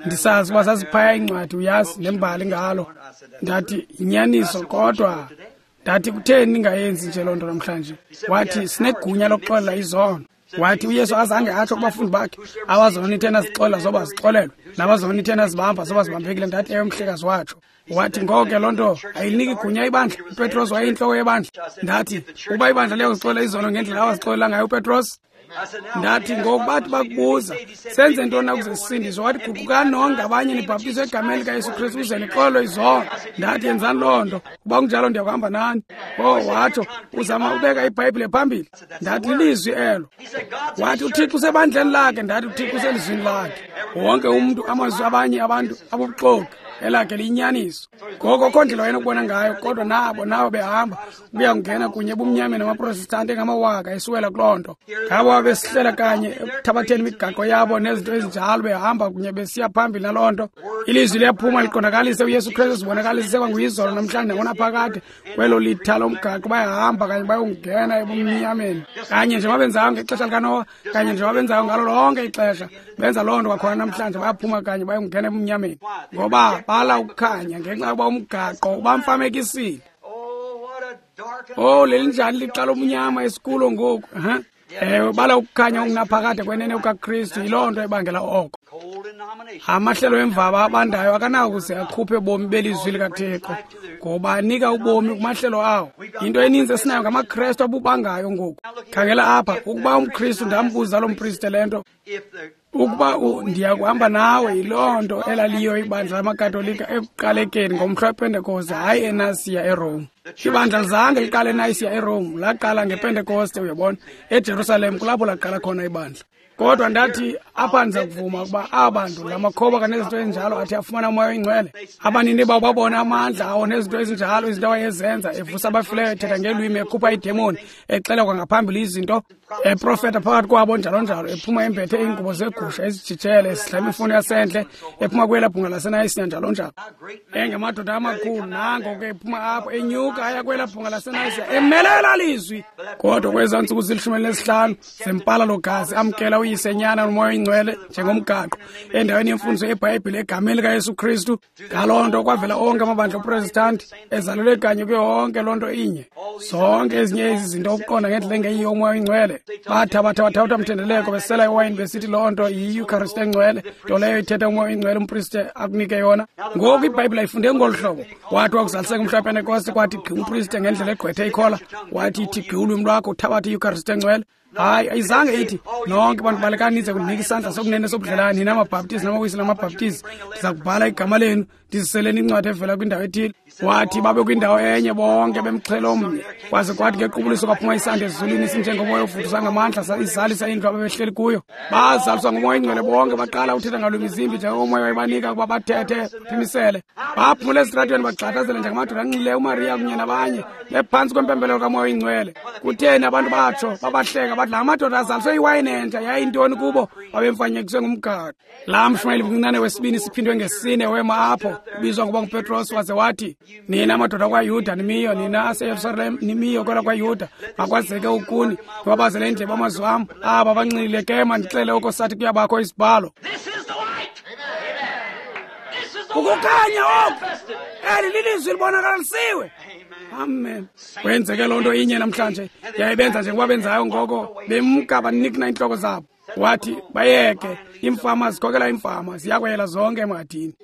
Ndisazi uba zaziphaya iincwadi, uyazi, nembali ngalo. Ndathi, yinyaniso, kodwa ndathi, kutheni ningayenzi nje loo nto namhlanje? Wathi, sinegunya lokuxolela izono. Wathi, uYesu azange atsho kubafundi bakhe, abazona ithe nazixolela zoba zixolelwe, nabazona ithe nazibamba zoba zibambekile. Ndathi, ewe mhlekazi, watsho. Wathi, ngoko ke loo nto ayiniki gunya ibandla. UPetros wayeyintloko yebandla. Ndathi, ukuba ibandla liyakuzixolela izono ngendlela awazixolela ngayo uPetros. Ndathi, ngoku bathi bakubuza, senze ntoni na ukuze sisindiswe? Wathi, guqukani nonke ngabanye nibhaptizwe egameni likaYesu Kristu ukuze nixolelwe izono. Ndathi, yenzani loo nto, kuba kunjalo ndiyakuhamba nani. Oh, watsho, uzama ubeka iBhayibhile phambili. Ndathi, lilizwi elo. Wathi, uThixo usebandleni lakhe. Ndathi, uThixo uselizwini lakhe. Wonke umntu, amazwi abanye abantu abubuxoki, elakhe liyinyaniso. Ngoko akho ndlela wayenokubona ngayo, kodwa nabo behamba ukuya kungena kunye ebumnyameni namaProtestanti engamawaka esiwela kuloo nto. Ngabo babesihlela kanye ekuthabatheni imigaqo yabo nezinto ezinjalo, behamba kunye besiya phambili naloo nto. Ilizwi liyaphuma liqondakalise uYesu Kristu, zibonakalise kwanguyizolo namhlanje nangonaphakade. Kwelo litha lomgaqo bayahamba kanye bayongena ebumnyameni, kanye njengoba benzayo ngexesha likaNowa, kanye njengoba benzayo ngalo lonke ixesha. Benza loo nto kwakhona namhlanje, bayaphuma kanye bayongena ebumnyameni, ngoba bala ukukhanya ngenxa yokuba umgaqo ubamfamekisile. Oh, lelinjani lixa lomnyama esikulo ngoku. Ewe, bala ukukhanya okungaphakade kwenene kukaKristu, yiloo nto ebangela oko. Amahlelo emvaba abandayo akanakuze akhuphe bomi belizwi likaThixo, ngoba anika ubomi kumahlelo awo. Into eninzi esinayo ngamaKrestu abubangayo ngoku. Khangela apha, ukuba umKristu, ndambuza lo mpriste le nto, ukuba ndiya kuhamba nawe, yiloo nto elaliyo ibandla lamaKatolika ekuqalekeni ngomhla wePentekoste, hayi eNasiya eRome. Ibandla lizange liqale eNayisiya eRome, laqala ngePentekoste, uyabona, eJerusalem kulapho laqala khona ibandla. Kodwa ndathi apha ndiza kuvuma ukuba aba bantu la makhoboka nezinto ezinjalo athi afumana umoya oyingcwele. Abanini babo babona amandla awo nezinto ezinjalo, izinto awayezenza, evusa abafileyo, ethetha ngeelwimi, ekhupha iidemoni, exela kwangaphambili izinto, eprofeta phakathi kwabo, njalo njalo, ephuma embethe iingubo zegusha ezijijele, esidla imifuno yasendle, ephuma kwelaa bhunga laseNayisiya, njalo njalo. Engamadoda amakhulu, nango ke ephuma apho, enyuka aya kwelaa bhunga laseNayisiya, emelela lizwi. Kodwa kwezaa ntsuku zili-15 zempala logazi, amkela uYise, Nyana noMoya oyiNgcwele njengomgaqo endaweni yemfundiso yeBhayibhile egameni likaYesu Kristu. Ngaloo nto kwavela onke amabandla oProtestanti ezalelwe kanye kuyo yonke loo nto inye. Zonke ezinye ezi zinto ukuqonda ngendlela engeyiyo uMoya oyiNgcwele. Bathabatha bathabatha mthendeleko besela iwayini besithi loo nto yiYucharist engcwele, nto leyo ithetha uMoya oyiNgcwele umpriste akunike yona. Ngoku iBhayibhile ayifunde ngolu hlobo. Wathi wakuzaliseka umhla wePentekoste, kwathi gqi umpriste ngendlela egqwethe ikhola, wathi ithi gqi ulwimi lwakho uthabathe iYucharist engcwele. Hayi, ayizange ithi nonke bantu balekani nize kundinika isandla sokunene sobudlelane, nina amaBhaptizi namawisi namabhaptizi, ndiza kubhala igama lenu ndiziseleni incwadi evela kwindawo ethile. Wathi babe kwindawo enye bonke bemxhelo omnye, kwaze kwathi ngequbuliso kwaphuma isandi ezulwini sinjengomoya ovuthuza ngamandla, izalisa indlu ababehleli kuyo. Bazaliswa nguMoya oyingcwele bonke, baqala uthetha ngalwimi zimbi njengomoya wayebanika ukuba bathethe phimisele. Baphumela esitratweni bagxathazele njengamadoda anxileyo, uMariya kunye nabanye, bephantsi kwempembelelo kaMoya oyingcwele. Kutheni abantu batsho babahleka bathi la madoda azaliswe iwayini entsha? Yayintoni kubo? Babemfanyekiswe ngumgaqo. Laa mshumayeli mncinane wesibini siphindwe ngesine wema apho, ubizwa ngokuba nguPetros, waze wathi, nina madoda kwaYuda nimiyo, nina aseYerusalem nimiyo kwela kwaYuda, makwazeke ukuni niwabazele indlebe amazwi am. Aba banxilile ke, mandixele oko sathi kuyabakho isibhalo. Ukukhanya oku, eli lilizwi libonakalisiwe. Amen. Kwenzeke loo nto inye namhlanje, yayibenza njengoba benzayo ngoko, bemka banikina iintloko zabo. Wathi bayeke, iimfama zikhokela iimfama, ziyakweyela zonke emhadini.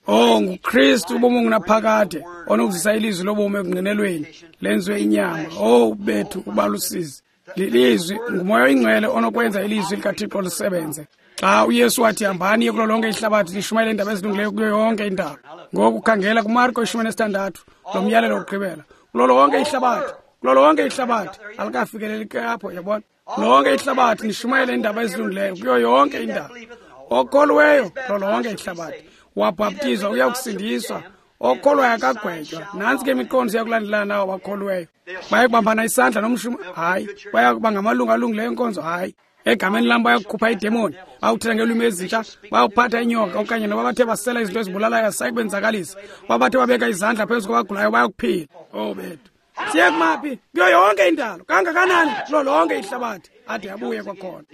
Oh, nguKristu ubomi ongunaphakade onokuzisa ilizwi lobomi ekungqinelweni lenziwe inyama. Oh, bethu ubalusizi. Lilizwi, nguMoya oyingcwele onokwenza ilizwi likaThixo lisebenze. Xa uYesu wathi hambani kulo lonke ihlabathi lishumayele iindaba ezilungileyo kuyo yonke indawo. Ngoku khangela kuMarko 16, lo myalelo wokugqibela. Kulo lonke ihlabathi, kulo lonke ihlabathi, alikafikeleli ke apho, yabona. Lonke ihlabathi nishumayele iindaba ezilungileyo kuyo yonke indawo. Okholweyo kulo lonke ihlabathi wabhaptizwa uya kusindiswa, okholwayo akagwetywa. Nantsi ke imiqondiso yakulandelana nawo bakholweyo. Baya kubambana isandla nomshuma, hayi. Baya kuba ngamalungu alungileyo enkonzo, hayi. Egameni lam bayakukhupha iidemoni, bayakuthetha ngeelwimi ezintsha, bayakuphatha inyoka, okanye noba bathe basela izinto ezibulalayo azisayi kubenzakalisa. Uba bathe babeka izandla phezu kwabagulayo bayakuphila. Oh bethu, siye kumaphi? Kuyo yonke indalo, kangakanani? Kulo lonke ihlabathi, ade abuye kwakhona.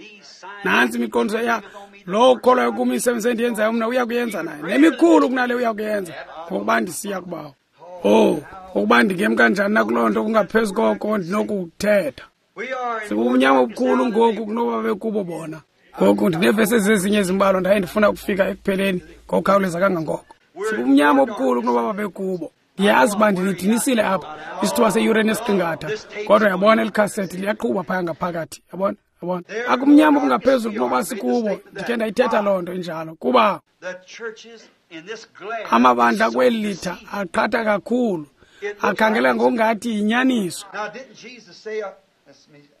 Nantsi imiqondiso ya lowo ukholwayo kum, imisebenzi endiyenzayo mna uya kuyenza naye, nemikhulu kunale uya kuyenza, ngokuba ndisiya kubawo. Oh, ukuba ndingem kanjani nakuloo nto kungaphezu koko ndinokuthetha. Sikubumnyama obukhulu ngoku kunoba bekubo bona. Ngoku ndineevesi ezezinye ezimbalwa, ndaye ndifuna ukufika ekupheleni ngokukhawuleza kangangoko. Sikubumnyama obukhulu kunoba babekubo. Ndiyazi uba ndinidinisile apha isithuba seyure nesiqingatha, kodwa yabona eli khasethi liyaqhuba phaya ngaphakathi, yabona, yabona. Akumnyama okungaphezulu kunoba sikubo, ndikhe ndayithetha loo nto injalo, kuba amabandla kweli litha aqhatha kakhulu, akhangela ngokungathi yinyaniso.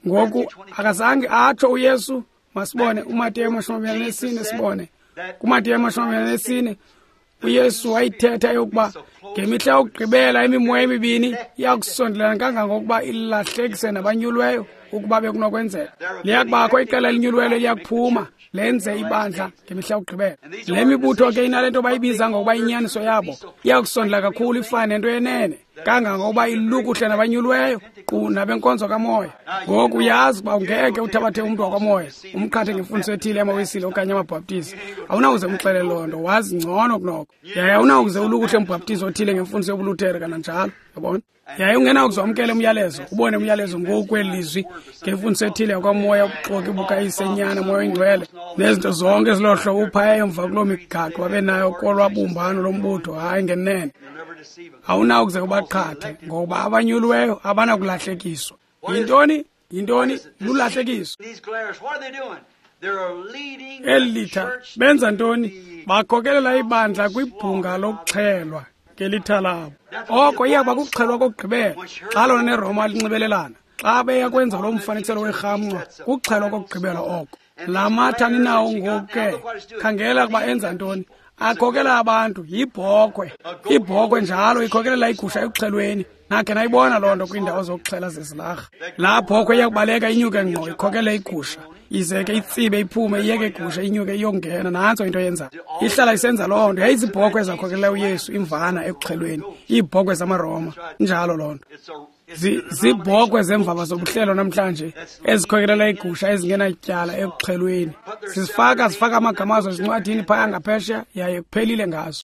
Ngoku akazange atsho uYesu, masibone uMateyu 24, sibone kuMateyu 24, uYesu wayithetha yokuba ngemihla yokugqibela imimoya emibini iyakusondelana kangangokuba ilahlekise nabanyulweyo ukuba bekunokwenzeka. Liyakubakho iqela elinyulweyo eliyakuphuma lenze ibandla ngemihla yokugqibela. Le mibutho ke inale nto bayibiza ngokuba inyaniso yabo iyakusondela kakhulu ifane nento yenene. Kangangokuba ilukuhle nabanyulweyo qu nabenkonzo kamoya. Ngoku uyazi uba ungeke uthabathe umntu wakwamoya umqhathe ngemfundiso ethile yamaWisile okanye amaBhaptizi. Awunawuze umxelele loo nto, wazi ngcono kunoko. Yaye awunawuze ulukuhle umbhaptizi othile ngemfundiso yobuLuthere kananjalo, yabona. Yaye ungenawuze wamkele umyalezo, ubone umyalezo ngoku kweli lizwi ngemfundiso ethile yakwamoya, ubuxoki bukayise, Nyana, Moya oyiNgcwele, nezinto zonke eziloo hlobo uphaya emva kuloo migaqo babenayo kolwabumbano lombutho. Hayi ngenene, awunawukuze ubaqhathe, ngoba abanyulweyo abanakulahlekiswa. Yintoni? Yintoni? Lulahlekiso. Eli litha benza ntoni? Bakhokelela ibandla kwibhunga lokuxhelwa ngelitha labo. Oko iyakuba kukuxhelwa kokugqibela xa lona neRoma linxibelelana. Xa beya kwenza lo mfanekiselo werhamncwa, kukuxhelwa kokugqibela oko. La matha ninawo ngoku ke, khangela ukuba enza ntoni. Akhokela abantu yibhokhwe. Ibhokhwe njalo ikhokelela igusha ekuxhelweni. Nakhe nayibona loo nto kwiindawo zokuxhela zezilarha. Laa bhokhwe iyakubaleka inyuke ngqo ikhokele igusha, ize ke itsibe iphume iyeke igusha inyuke iyongena. Nantso into yenzayo, ihlala isenza loo nto. Yayizibhokhwe ezakhokelela uYesu imvana ekuxhelweni, iibhokhwe zamaRoma. Njalo loo nto. Ziibhokhwe zemvaba zobuhlelo namhlanje ezikhokelela igusha ezingenatyala ekuxhelweni. Zifaka amagama azo ezincwadini phaya ngaphesheya, yaye kuphelile ngazo.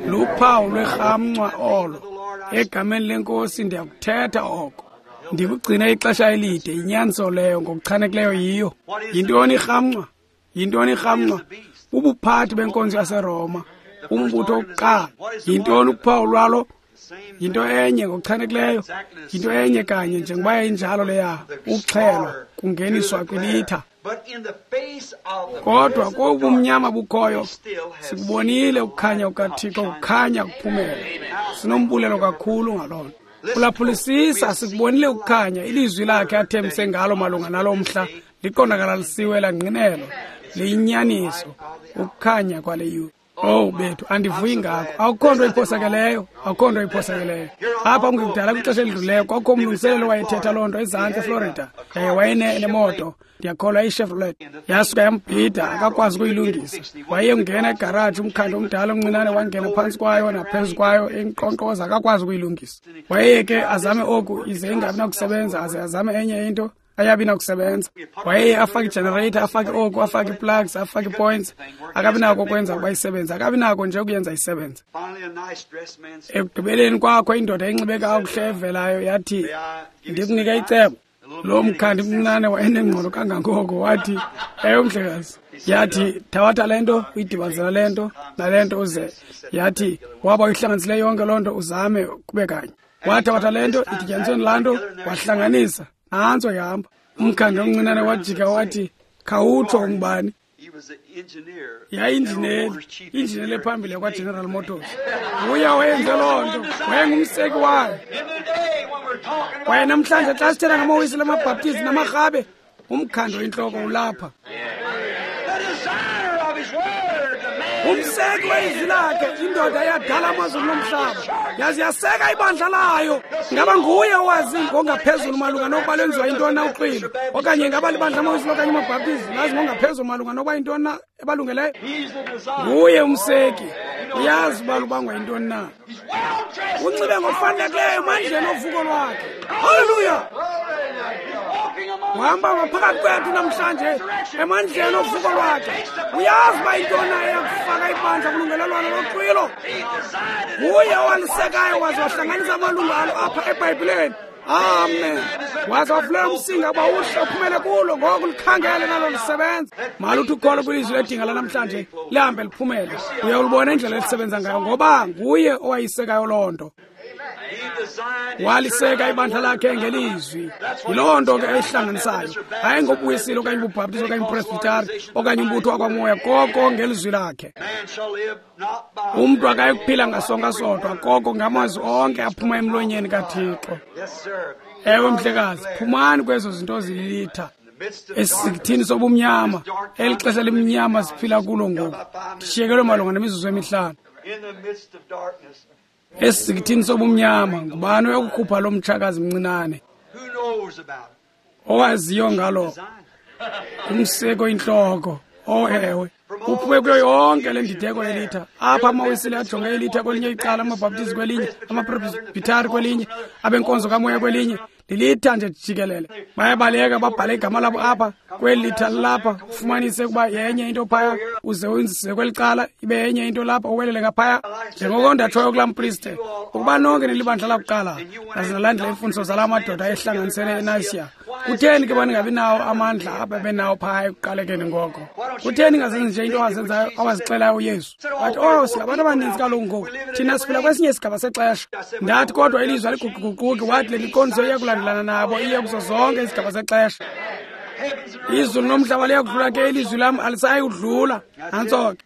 Luphawu lwerhamncwa olo. Egameni leNkosi ndiyakuthetha oko. Ndikugcine ixesha elide, inyaniso leyo ngokuchanekileyo yiyo. Yintoni irhamncwa? Yintoni irhamncwa? Bubuphathi benkonzo yaseRoma, umbutho wokuqala. Yintoni uphawu lwalo? Yinto enye ngokuchanekileyo, yinto enye kanye njengoba yayinjalo leya, ukuxhelwa kungeniswa kwilitha. Kodwa kobumnyama bukhoyo sikubonile ukukhanya kukaThixo kukhanya kuphumela. Sinombulelo kakhulu ngaloo nto. Phulaphulisisa, sikubonile ukukhanya, ilizwi lakhe athembise ngalo malunga nalo mhla liqondakalalisiwe langqinelwa, liyinyaniso, ukukhanya kwale yure. Oh bethu, andivuyi ngako. Akukho nto iphosakeleyo, akukho nto iphosakeleyo. Apha kungekudala kwixesha elidlulileyo kwakukho umlungiseleli wayethetha loo nto ezantsi eFlorida. Yaye wayenemoto, ndiyakholwa iChevrolet. Yasuka yambhida, akakwazi ukuyilungisa. Wayengena egaraji, umkhandi omdala omncinane wangena phantsi kwayo naphezu kwayo, enkqonkqoza, akakwazi ukuyilungisa. Wayeye ke azame oku, ize ingabi nakusebenza, aze azame enye into, ayabi nakusebenza. Wayeye afake igenerator, afake oku, afake plugs, afake points, akabi nako ukwenza ukuba isebenze, akabi nako nje ukuyenza isebenze. Ekugqibeleni kwakho indoda enxibe kakuhle evelayo yathi, ndikunika icebo. Lo mkhandi mncinane wayenengqondo kangangoko, wathi, ewe mhlekazi. Yathi, thabatha le nto, uyidibanise le nto nale nto uze. Yathi, waba uyihlanganisile yonke loo nto, uzame kube kanye. Wathabatha le nto, idityaniswe nalaa nto, wahlanganisa. Nantso ihamba. Umkhandi omncinane wajika wathi, khawutsho ungubani? Yayinjineli, injineli ephambili yakwaGeneral Motors. Uye wayenze loo nto, wayengumseki wayo. Kwaye namhlanje xa sithetha ngamaWisile, amaBhaptizi namaRhabe, umkhandi oyintloko ulapha. Umseki wezwi lakhe, indoda eyadala amazulu nomhlaba, yaze yaseka ibandla layo. Ngaba nguye owazi ngongaphezulu malunga nokuba lwenziwa yintoni na uxwilo, okanye ngaba libandla amaWisile okanye amaBhaptizi lazi ngongaphezulu malunga nokuba yintoni na ebalungeleyo? Nguye umseki, uyazi uba lubangwa yintoni na. Unxibe ngokufanelekileyo emandleni ovuko lwakhe. Haleluya! Uhamba ngaphakathi kwethu namhlanje emandleni ovuko lwakhe. Uyazi uba yintoni na eyakufaka ibandla kulungelelwano loxwilo. Nguye owalisekayo waze wahlanganisa amalungu alo apha eBhayibhileni. Amen. Waze wavulela umsinga uba uhle uphumele kulo, ngoku likhangele nalo lisebenza. Maluthi ukholo kwilizwi ledinga lanamhlanje lihambe liphumele. Uyawulibona indlela elisebenza ngayo, ngoba nguye owayisekayo loo nto. Waliseka ibandla lakhe ngelizwi. Yiloo nto ke eyihlanganisayo, hayi ngobuwisile okanye ububhaptizi okanye upresbitari okanye umbutho wakwamoya, koko ngelizwi lakhe. Umntu akayikuphila ngasonka sodwa, koko ngamazwi onke aphuma emlonyeni kaThixo. Ewe mhlekazi, phumani kwezo zinto zililitha. Esithini sobumnyama, eli xesha limnyama siphila kulo ngoku. Ndishiyekelwe malunga nemizuzu emihlanu. Esithini sobumnyama, ngubani oyokukhupha lo mtshakazi mncinane? Owaziyo ngalo umseko intloko Oh, ewe. Uphume kuyo yonke le ndideko yelitha. Apha amaWisile ajonge ilitha kwelinye icala, amaBhaptizi kwelinye, amaPresbhithari kwelinye, abenkonzo kamoya kwelinye. Lilitha nje jikelele. Bayabaleka babhale igama labo apha kweli litha lilapha, ufumanise ukuba yenye into phaya, uze uyinzise kweli cala ibe yenye into lapha, uwelele ngaphaya. Njengoko ndatshoyo kulaa mpriste, ukuba nonke nilibandla lakuqala naze nalandela iimfundiso zalaa madoda ehlanganisene eNayisiya, kutheni ke baningabi nawo amandla ababenawo phaya ekuqalekeni ngoko? Kutheni ningazenzi nje into awazenzayo awazixelayo uYesu? Wathi, oh, singabantu abaninzi kaloku ngoku, thina siphila kwesinye isigaba sexesha. Ndathi, kodwa ilizwi aliguquguquki. Wathi le miqondiso iya kulandelana nabo iye kuzo zonke izigaba zexesha. Izulu nomhlaba liyakudlula, ke ilizwi lam alisayi kudlula. Nantso ke.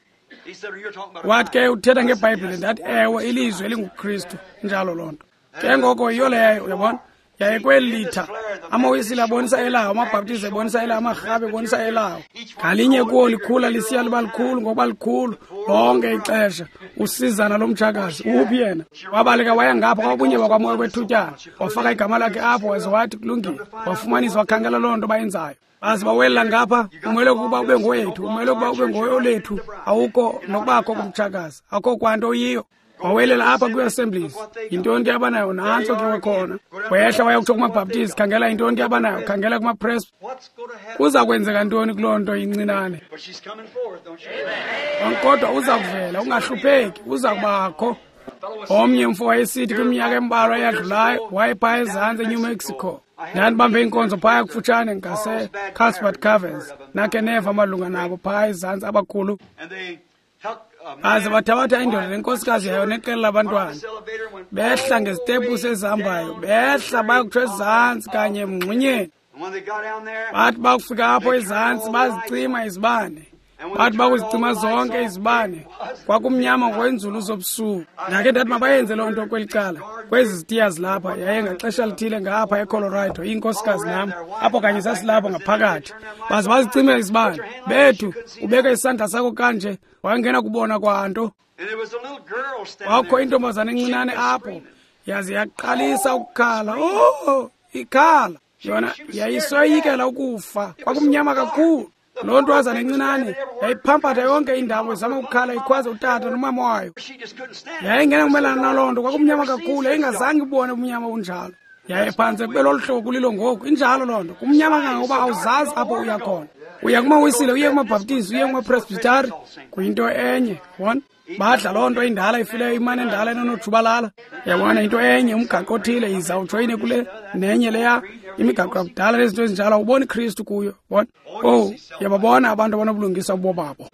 Wathi ke uthetha ngeBhayibhile. Ndathi, ewe, ilizwi elinguKristu. Injalo loo nto. Ke ngoko yiyo leyo, uyabona. Yaye kweli litha amaWisile abonisa elawo, amaBhaptizi ebonisa elawo, amaRhabe ebonisa elawo. Ngalinye kuwo likhula lisiya liba likhulu ngokuba likhulu lonke ixesha. Usizana lomtshakazi uphi yena? Wabaleka waya ngapha kwabunye bakwamoya kwethutyana, wafaka igama lakhe apho, waze wathi kulungile. Wafumanisa, wakhangela loo nto bayenzayo. Baze bawelela ngapha, umele ukuba ube ngowethu, umele ukuba ube ngoyolethu, awukho nokubakho kumtshakazi, akho kwanto yiyo. Wawelela apha kwi-Assemblies, yintoni ke abanayo? Nantso ke wakhona. Wehla waya kutsho kumaBhaptizi, khangela yintoni ke abanayo, khangela kumaPresby. Kuza kwenzeka ntoni kuloo nto incinane? Kodwa uza kuvela, ungahlupheki, uza kubakho. Omnye umfo wayesithi kwiminyaka embalwa eyadlulayo, wayephaa ezantsi eNew Mexico. Ndandibambe inkonzo phaya kufutshane ngase-Carlsbad Caverns. Nakhe neva amalunga nabo phaya ezantsi abakhulu. Baze bathabatha indoda nenkosikazi yayo neqela labantwana, behla ngezitepusi ezihambayo, behla bayokutsho ezantsi kanye emngxunyeni. Bathi bakufika apho ezantsi bazicima izibane. Bathi bakuzicima zonke izibane, kwakumnyama ngokwenzulu zobusuku. Ndakhe ndathi mabayenze loo nto kweli cala, kwezi zitiya zilapha. Yaye ngaxesha lithile ngapha eColorado, inkosikazi nam apho kanye sasilapho ngaphakathi. Baze bazicime izibane. Bethu, ubeke isandla sakho kanje, wangena kubona kwanto. Kwakho intombazana encinane apho, yaze yaqalisa ukukhala. Oh, ikhala. Yona yayisoyikela ukufa, kwakumnyama kakhulu. Loo ntwazana encinane yayiphampatha yonke indawo izama ukukhala, ikhwaza utata nomama wayo. Yayingena kumelana naloo nto, kwakumnyama kakhulu, yayingazange ibone ubumnyama bunjalo. Yaye phantse kube lolu hlobo kulilo ngoku, injalo loo nto. Kumnyama kangangokuba awuzazi apho uya khona. Uya kumaWisile, uye kumaBhaptizi, uye kumaPresbhithari, kuyinto enye, yabona. Badla loo nto indala ifileyo, imane endala enonojubalala. Yabona, into enye, umgaqo othile, yiza ujoyine kule nenye leya, imigaqo yakudala nezinto ezinjalo, awuboni Kristu kuyo, yabona. Oh, yababona abantu abanobulungisa bobabo.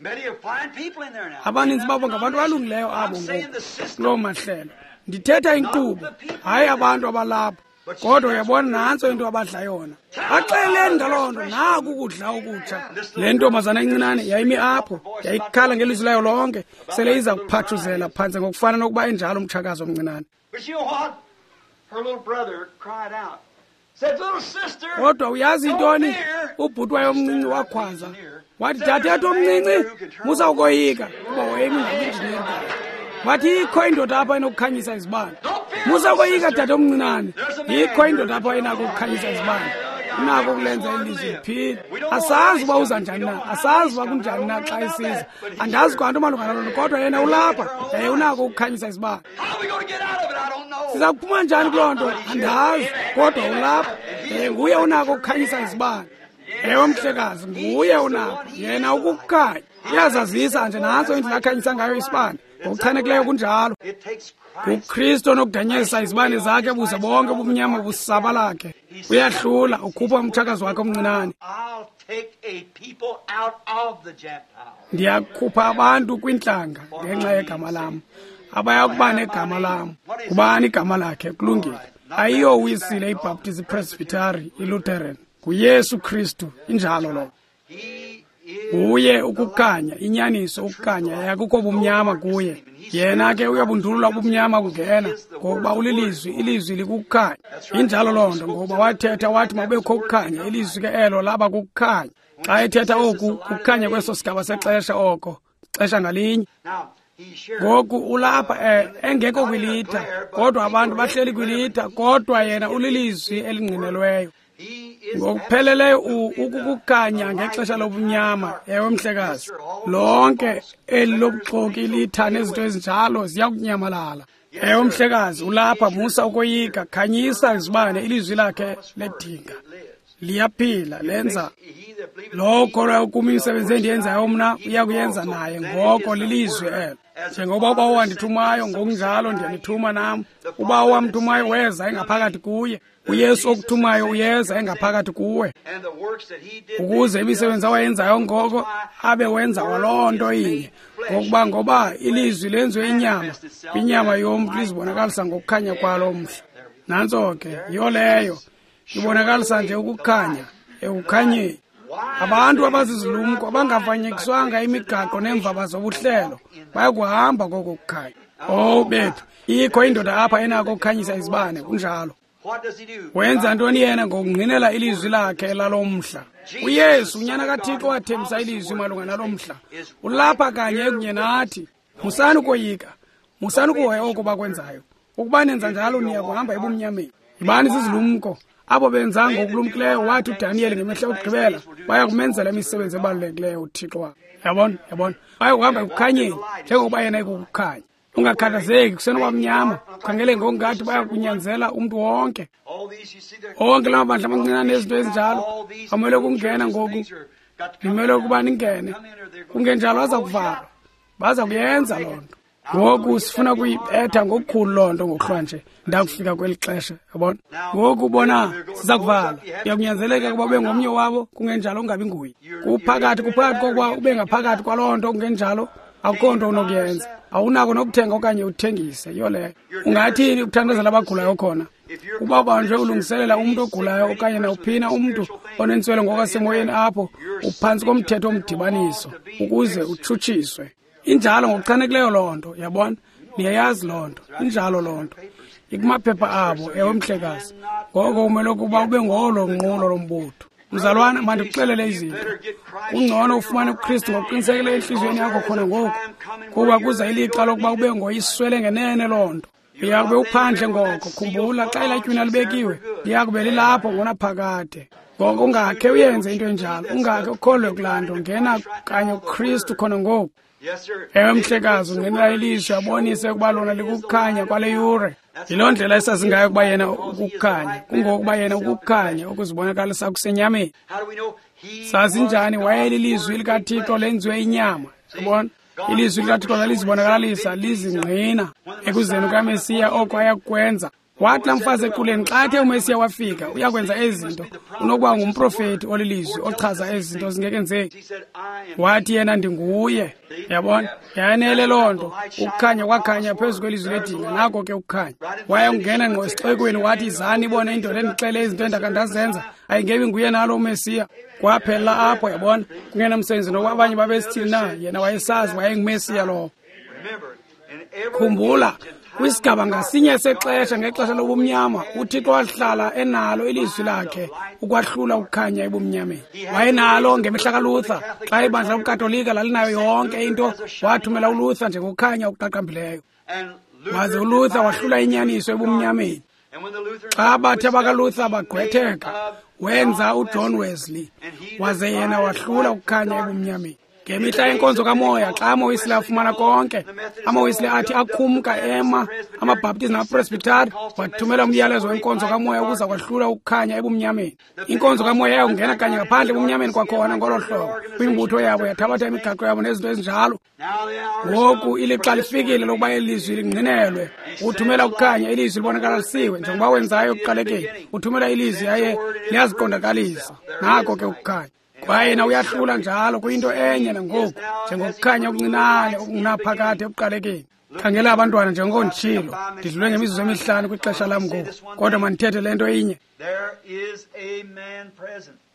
Abaninzi babo ngabantu abalungileyo abo ngoku kuloo mahlelo. Ndithetha inkqubo, hayi abantu abalapho. Kodwa uyabona, nantso into abadla yona. Baxeleni ngaloo nto, naku ukudla okutsha. Le ntombazana encinane yayimi apho, yayikhala ngelizwi layo lonke, sele iza kuphathuzela phantse ngokufana nokuba enjalo umtshakazi omncinane. Kodwa uyazi intoni? Ubhuti wayo omncinci wakhwaza, wathi, dadethu omncinci, musa ukoyika, kuba wayemi ngokwinjineli. Wathi, ikho indoda apha enokukhanyisa izibane. Musa ukoyika, dade omncinane, ikho indoda apha enako ukukhanyisa izibane. Unako ukulenza ilizwi liphile. Asazi uba uza njani na, asazi uba kunjani na xa isiza. Andazi kwanto malunga naloo nto, kodwa yena ulapha, yaye unako ukukhanyisa izibane. Siza kuphuma njani kuloo nto? Andazi, kodwa ulapha, yaye nguye unako ukukhanyisa izibane. Ewe, mhlekazi, nguye unako. Yena ukukukhanya. Uyazazisa nje, nantso indlela akhanyisa ngayo isibane. Ngokuchanekileyo kunjalo. NguKristu onokudanyisa izibane zakhe buze bonke ubumnyama busabalakhe. Uyahlula, ukhupha umtshakazi wakhe omncinane. Ndiyakhupha abantu kwintlanga ngenxa yegama lam, abaya kuba negama lam. Kubani igama lakhe? Kulungile. Ayiyowisile iBhaptizi, iPresbhithari, iLutheran. NguYesu Kristu, injalo loo. Nguye ukukhanya, inyaniso ukukhanya, yakukho bumnyama kuye. Yena ke uyabundulula ubumnyama kungena, ngokuba ulilizwi, ilizwi likukukhanya. Injalo loo nto, ngokuba wathetha wathi makubekho ukukhanya, ilizwi ke elo laba kukukhanya. Xa ethetha oku, kukukhanya kweso sigaba sexesha oko, xesha ngalinye. Ngoku ulapha engekho kwilitha, kodwa abantu bahleli kwilitha, kodwa yena ulilizwi elingqinelweyo. Ngokupheleleyo ukukukhanya ngexesha lobumnyama. Ewe mhlekazi, lonke eli lobuxoki litha nezinto ezinjalo ziyakunyamalala. Ewe mhlekazi, ulapha, musa ukoyika, khanyisa izibane, ilizwi lakhe ledinga liyaphila, lenza lowo ukholwayo kum imisebenzi endiyenzayo mna uyakuyenza naye. Ngoko lilizwi elo. Njengoba uBawo wandithumayo, ngokunjalo ndiyanithuma nam. UBawo wamthumayo weza engaphakathi kuye. uYesu okuthumayo uyeza engaphakathi kuwe, ukuze imisebenzi awayenzayo ngoko abe wenza kwaloo nto inye. Ngokuba ngoba ilizwi lenziwe inyama, kwinyama yomntu lizibonakalisa ngokukhanya kwalo mhla. Nantso ke, yiyo leyo, ibonakalisa nje ukukhanya ekukhanyeni. Abantu abazizilumko abangafanyekiswanga imigaqo neemvaba zobuhlelo bayakuhamba koko kukhanya. Oh bethu, ikho indoda apha enako ukukhanyisa izibane, kunjalo. Wenza ntoni yena ngokungqinela ilizwi lakhe lalo mhla? uYesu, unyana kaThixo, wathembisa ilizwi malunga nalo mhla. Ulapha kanye kunye nathi. Musani ukoyika, musani ukuhoya oko bakwenzayo. Ukuba nenza njalo niya kuhamba ebumnyameni. Yibani zizilumko. Abo benza ngokulumkileyo, wathi uDaniyeli ngemihla yokugqibela, baya kumenzela imisebenzi ebalulekileyo uThixo wakhe. Yabona, yabona, baya kuhamba ekukhanyeni njengokuba yena ekukukhanya. Ungakhathazeki, kusenokuba mnyama, ukhangele ngokungathi baya kunyanzela umntu wonke. Onke la mabandla amancinane nezinto ezinjalo amele ukungena ngoku, nimele ukuba ningene, kungenjalo aza kuvalwa. Baza kuyenza loo nto. Ngoku sifuna kuyibetha ngokukhulu loo nto ngokuhlwa nje ndakufika kweli xesha, yabona. Ngoku bona siza kuvala, uyakunyanzeleka ukuba ube ngomnye wabo, kungenjalo ungabi nguye. Kuphakathi kokuba ube ngaphakathi kwaloo nto, kungenjalo akukho nto unokuyenza. Awunako nokuthenga okanye uthengise, yiyo leyo. Ungathini ukuthandazela abagulayo khona? Uba ubanjwe ulungiselela umntu ogulayo okanye nawuphina umntu onentswelo ngokwasemoyeni apho, uphantsi komthetho womdibaniso ukuze utshutshiswe. Injalo ngokuchanekileyo loo nto, yabona. Niyayazi loo nto, injalo loo nto. Ikumaphepha abo, ewe mhlekazi. Ngoko umele ukuba ube ngolo nqulo lombutho. Mzalwana, mandikuxelele izinto. Kungcono ufumane uKristu ngokuqinisekileyo entliziyweni yakho khona ngoku, kuba kuza ilixa lokuba ube ngoyiswele ngenene loo nto. Uyakube uphandle ngoko. Khumbula, xa elatywina libekiwe, liyakube lilapho ngonaphakade. Ngoko ungakhe uyenze into enjalo, ungakhe ukholwe kulaa nto. Ngena kanye uKristu khona ngoku. Ewe mhlekazi, ungenela ilizwi abonise ukuba lona likukhanya kwale yure. Yiloo ndlela esazingayo ukuba yena ukukhanya, kungokuba yena ukukhanya okuzibonakalisa kusenyameni. Sazi njani? Wayelilizwi likaThixo lenziwe inyama. Yabona, ilizwi likaThixo lalizibonakalisa lizingqina ekuzeni kukaMesiya oko ayakukwenza. Wathi laa mfazi equleni, xa athe uMesiya wafika uyakwenza ezi zinto, unokuba ngumprofethi olilizwi ochaza ezi zinto zingekenzeki. Wathi yena, ndinguye. Yabona, yanele loo nto. Ukukhanya kwakhanya phezu kwelizwi ledinga, nako ke ukukhanya. Wayengena ngqo esixekweni, wathi, izani ibone indoda endixele izinto endakhe ndazenza, ayingebi nguye nalo uMesiya. Kwaphela apho, yabona, kungenamsebenzi nokuba abanye babesithini na, yena wayesazi wayenguMesiya lowo. Khumbula, kwisigaba ngasinye sexesha, ngexesha lobumnyama, uThixo wahlala enalo ilizwi lakhe ukwahlula ukukhanya ebumnyameni. Wayenalo ngemihla kaLuther, xa ibandla lobuKatolika lalinayo yonke into, wathumela uLuther njengokukhanya okuqaqambileyo. Waze uLuther wahlula inyaniso ebumnyameni. Xa bathe abakaLuther bagqwetheka, wenza uJohn Wesley, waze yena wahlula ukukhanya ebumnyameni. Ngemihla yenkonzo kamoya, xa amaWesley afumana konke, amaWesley athi akhumka ema, amaBhaptizi namaPresbyteri wathumela umyalezo wenkonzo kamoya ukuza kwahlula ukukhanya ebumnyameni. Inkonzo kamoya yakungena kanye ngaphandle ebumnyameni kwakhona ngolo hlobo, kwimbutho yabo yathabatha imigaqo yabo nezinto ezinjalo. Ngoku ilixa lifikile lokuba ilizwi lingqinelwe. Uthumela ukukhanya, ilizwi libonakalisiwe njengoba wenzayo ekuqalekeni. Uthumela ilizwi yaye liyaziqondakalisa. Nako ke ukukhanya. Kwaye yena uyahlula njalo kuyinto enye nangoku, njengokukhanya okuncinane okungunaphakade ekuqalekeni. Khangela abantwana, njengoko nditshilo, ndidlule ngemizuzu emihlanu kwixesha lam ngoku, kodwa mandithethe le nto inye.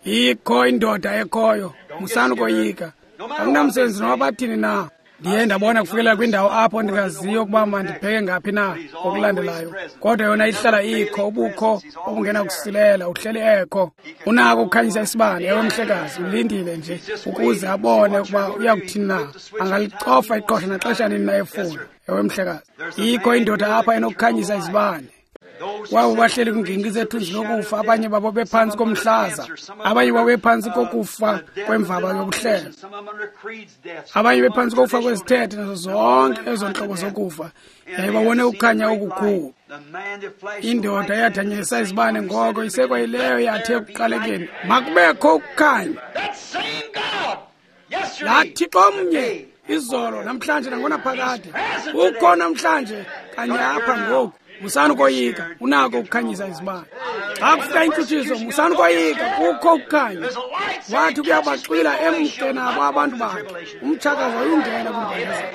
Ikho indoda ekhoyo, musani ukoyika. Akunamsebenzi noba bathini na. Ndiye ndabona kufikelela kwindawo apho ndingaziyo ukuba mandibheke ngaphi na okulandelayo, kodwa yona ihlala ikho, ubukho obungenakusilela, uhleli ekho. Unako ukukhanyisa isibane, ewe mhlekazi, ulindile nje ukuze abone ukuba uyakuthini na. Angalicofa iqosha naxesha nini na efuna, ewe mhlekazi. Ikho indoda apha enokukhanyisa izibane. Kwabo bahleli kwingingqi zethunzi lokufa, abanye babo bephantsi komhlaza, abanye babo bephantsi kokufa kwemvaba yobuhlelo, abanye bephantsi kokufa kwezithethe, nazo zonke ezo ntlobo zokufa, yaye babone ukukhanya okukhulu. Indoda eyathanyelisa izibane ngoko isekwayileyo yathi ekuqalekeni, makubekho ukukhanya. Laa Thixo mnye izolo, namhlanje, nangonaphakade, ukho namhlanje kanye apha ngoku. Musani ukoyika, unako ukukhanyisa izibane. Xa kufika intshutshiso, musani ukoyika, kukho ukukhanya. Wathi kuyabaxwila emke nabo abantu bakhe, umtshakazi wayungena kwimbandezelo.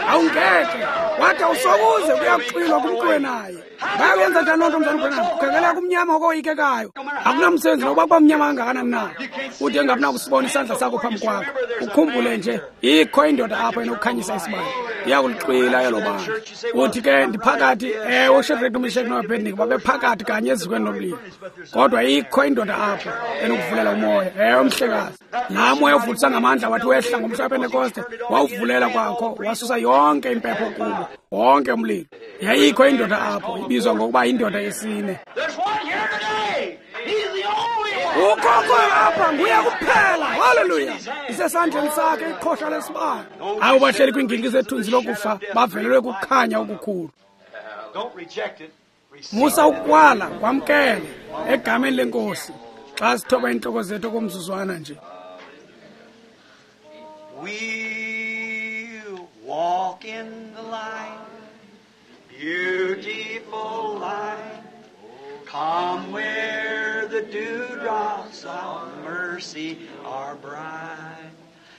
Awungeke, wathi awusokuze kuyakuxwilwa kumxuwe naye. Bayakuyenza njani loo nto, mzalwana uBranham? Kukhangeleka kumnyama okoyikekayo. Akunamsebenzi nokuba kuba mnyama kangakanani na. Ude ungabi nakusibona isandla sakho phambi kwakho. Ukhumbule nje, ikho indoda apho enokukhanyisa isibane. Iyakulixwila elo bandla. Uthi ke ndiphakathi, ewe, uShadrach noMeshach noAbednego babephakathi kanye ezikweni lomlilo. Kodwa ikho indoda apho enokuvulela umoya. Ewe, mhlekazi. Laa moya uvutisa ngamandla wathi wehla ngomhla wePentekoste, wawuvulela kwakho, wasusa yonke impepho kubo, wonke umlilo. Yayikho indoda apho ibizwa ngokuba yindoda yesine. Ukhokho apha nguye kuphela. Haleluya! Isesandleni sakhe iqhosha lesibane. Abo bahleli kwiingingqi zethunzi lokufa bavelelwe kukhanya okukhulu. Musa ukwala, kwamkele egameni lenkosi. Xa sithoba iintloko zethu okomzuzwana nje. We walk in the light, beautiful light. Come where the dewdrops of mercy are bright.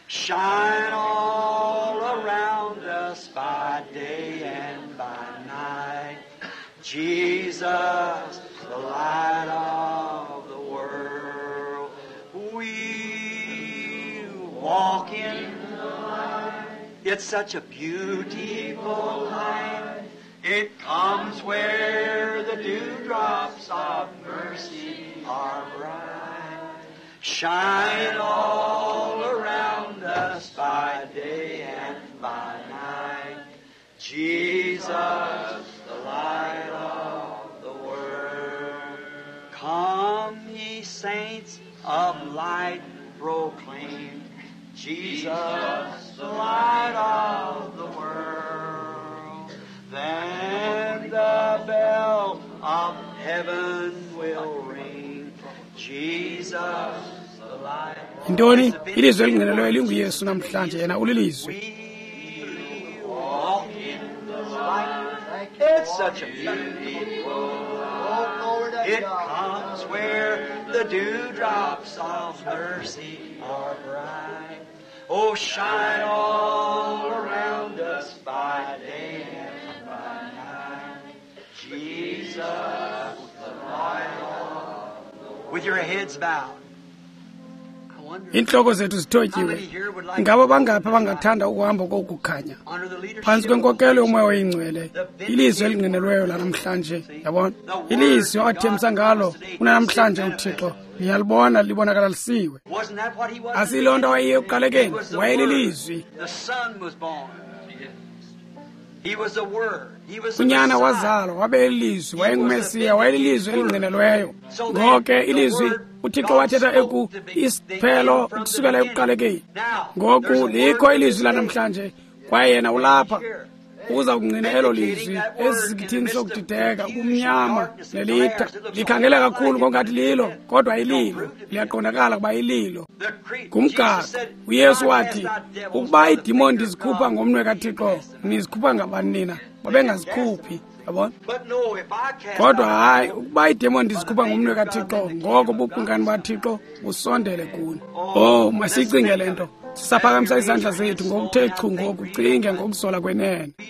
Shine all around us by day and by night. Jesus, the light of the world. We walk in the light. It's such a beautiful light. It comes where the dewdrops of mercy are bright. Shine all around us by day and by night. Jesus, the light of the world. Come, ye saints of light, proclaim Jesus, the light of the world. Then the bell of heaven will ring. Jesus, the light. Yintoni? Ilizwi elingqinelweyo linguYesu namhlanje, yena ulilizwi. We walk in the light. It's such a beautiful light. It comes where the dewdrops of mercy are bright. Oh, shine all around us by day and by night. Jesus, the light of the world. With your heads bowed. I wonder Iintloko zethu zithotyiwe. Ngabo bangaphi abangathanda ukuhamba kokukhanya? under the leadership Phantsi kwenkokelo yomoya oyingcwele, ilizwi elingqinelweyo lanamhlanje, yabona? Ilizwi awathembisa ngalo kunanamhlanje uThixo, niyalibona libonakalisiwe. Wasn't that what he was? Asiyiloo nto wayeyiyo ekuqalekeni, He was the wayelilizwi. Word. The Son was born. He was the Word. He was the Unyana Messiah. wazalwa wabe lilizwi, wayengumesiya, wayelilizwi elingqinelweyo. Ngoko ke ilizwi uThixo wathetha eku isiphelo ukusukela ekuqalekeni. Ngoku likho ilizwi lanamhlanje kwaye yena ulapha uza kungqina elo lizwi esisikithini sokudideka, ubumnyama nelitha. Likhangele kakhulu ngokungathi lilo, kodwa ililo liyaqondakala ukuba ililo. The creed. Ngumgaqo. Jesus said, uYesu "God wathi, cast out devils ukuba by the iidimoni finger of ndizikhupha God." ngomnwe kaThixo, nizikhupha ngabani nina? Babengazikhuphi, yabona? But no, if I cast Kodwa out hayi, devils, ukuba iidemoni ndizikhupha ngomnwe kaThixo, ngoko bukumkani baThixo busondele kuni. Oh, masiyicinge le nto. Sisaphakamisa izandla zethu ngokuthe chu ngoku, cinge ngokuzola kwenene. We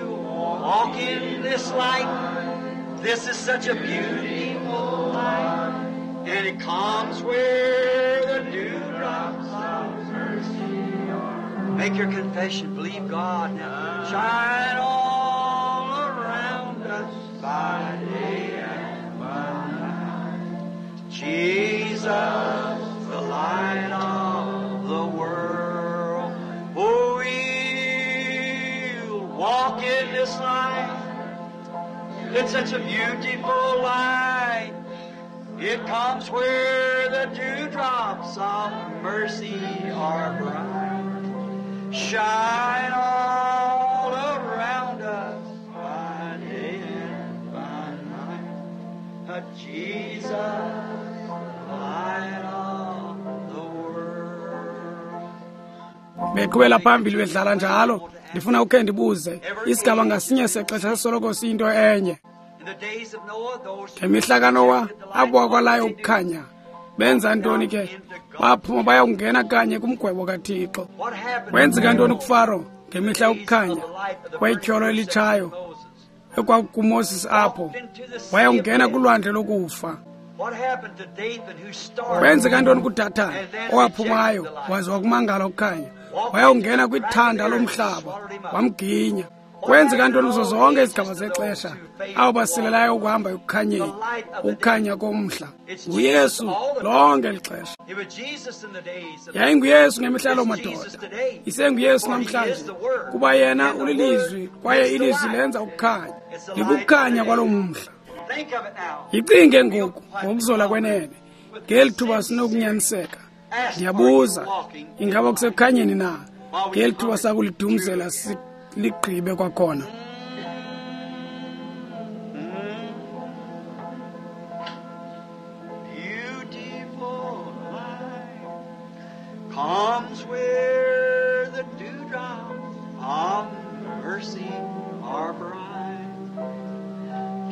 walk in this light. This is such a beautiful light. And it comes where the dewdrops of mercy are. Make your confession. Believe God now. Shine all around us by day and by night. Jesus, the light of the world. Oh, we'll walk in It's such a beautiful light. It comes where the dewdrops of mercy are bright. Shine all around us by day and by night. Jesus, light of the world. Beqhubela phambili bedlala njalo. Ndifuna ukhe ndibuze, isigaba ngasinye sexesha soloko siyinto enye. Ngemihla kaNowa, abo bakwalayo ukukhanya benza ntoni ke? Baphuma bayakungena kanye kumgwebo kaThixo. Kwenzeka ntoni kuFaro ngemihla yokukhanya kwetyholo elitshayo ekwakukuMoses apho? Wayakungena kulwandle lokufa. Kwenzeka ntoni kuDathani owaphumayo waze wakumangala ukukhanya? Wayakungena kwithanda lomhlaba wamginya. Kwenzeka ntoni kuzo zonke izigaba zexesha abo basilelayo ukuhamba ekukhanyeni, ukukhanya komhla? NguYesu lonke eli xesha. YayinguYesu ngemihla yaloo madoda, isenguYesu namhlanje, kuba yena ulilizwi kwaye ilizwi lenza ukukhanya. Likukukhanya kwaloo mhla. Yicinge ngoku ngokuzola kwenene, ngeli thuba sinokunyaniseka. Ndiyabuza, ingaba kusekukhanyeni na ngeli thuba sakulidumzela ligqibe kwakhona? Beautiful light comes where the dewdrops of mercy are bright.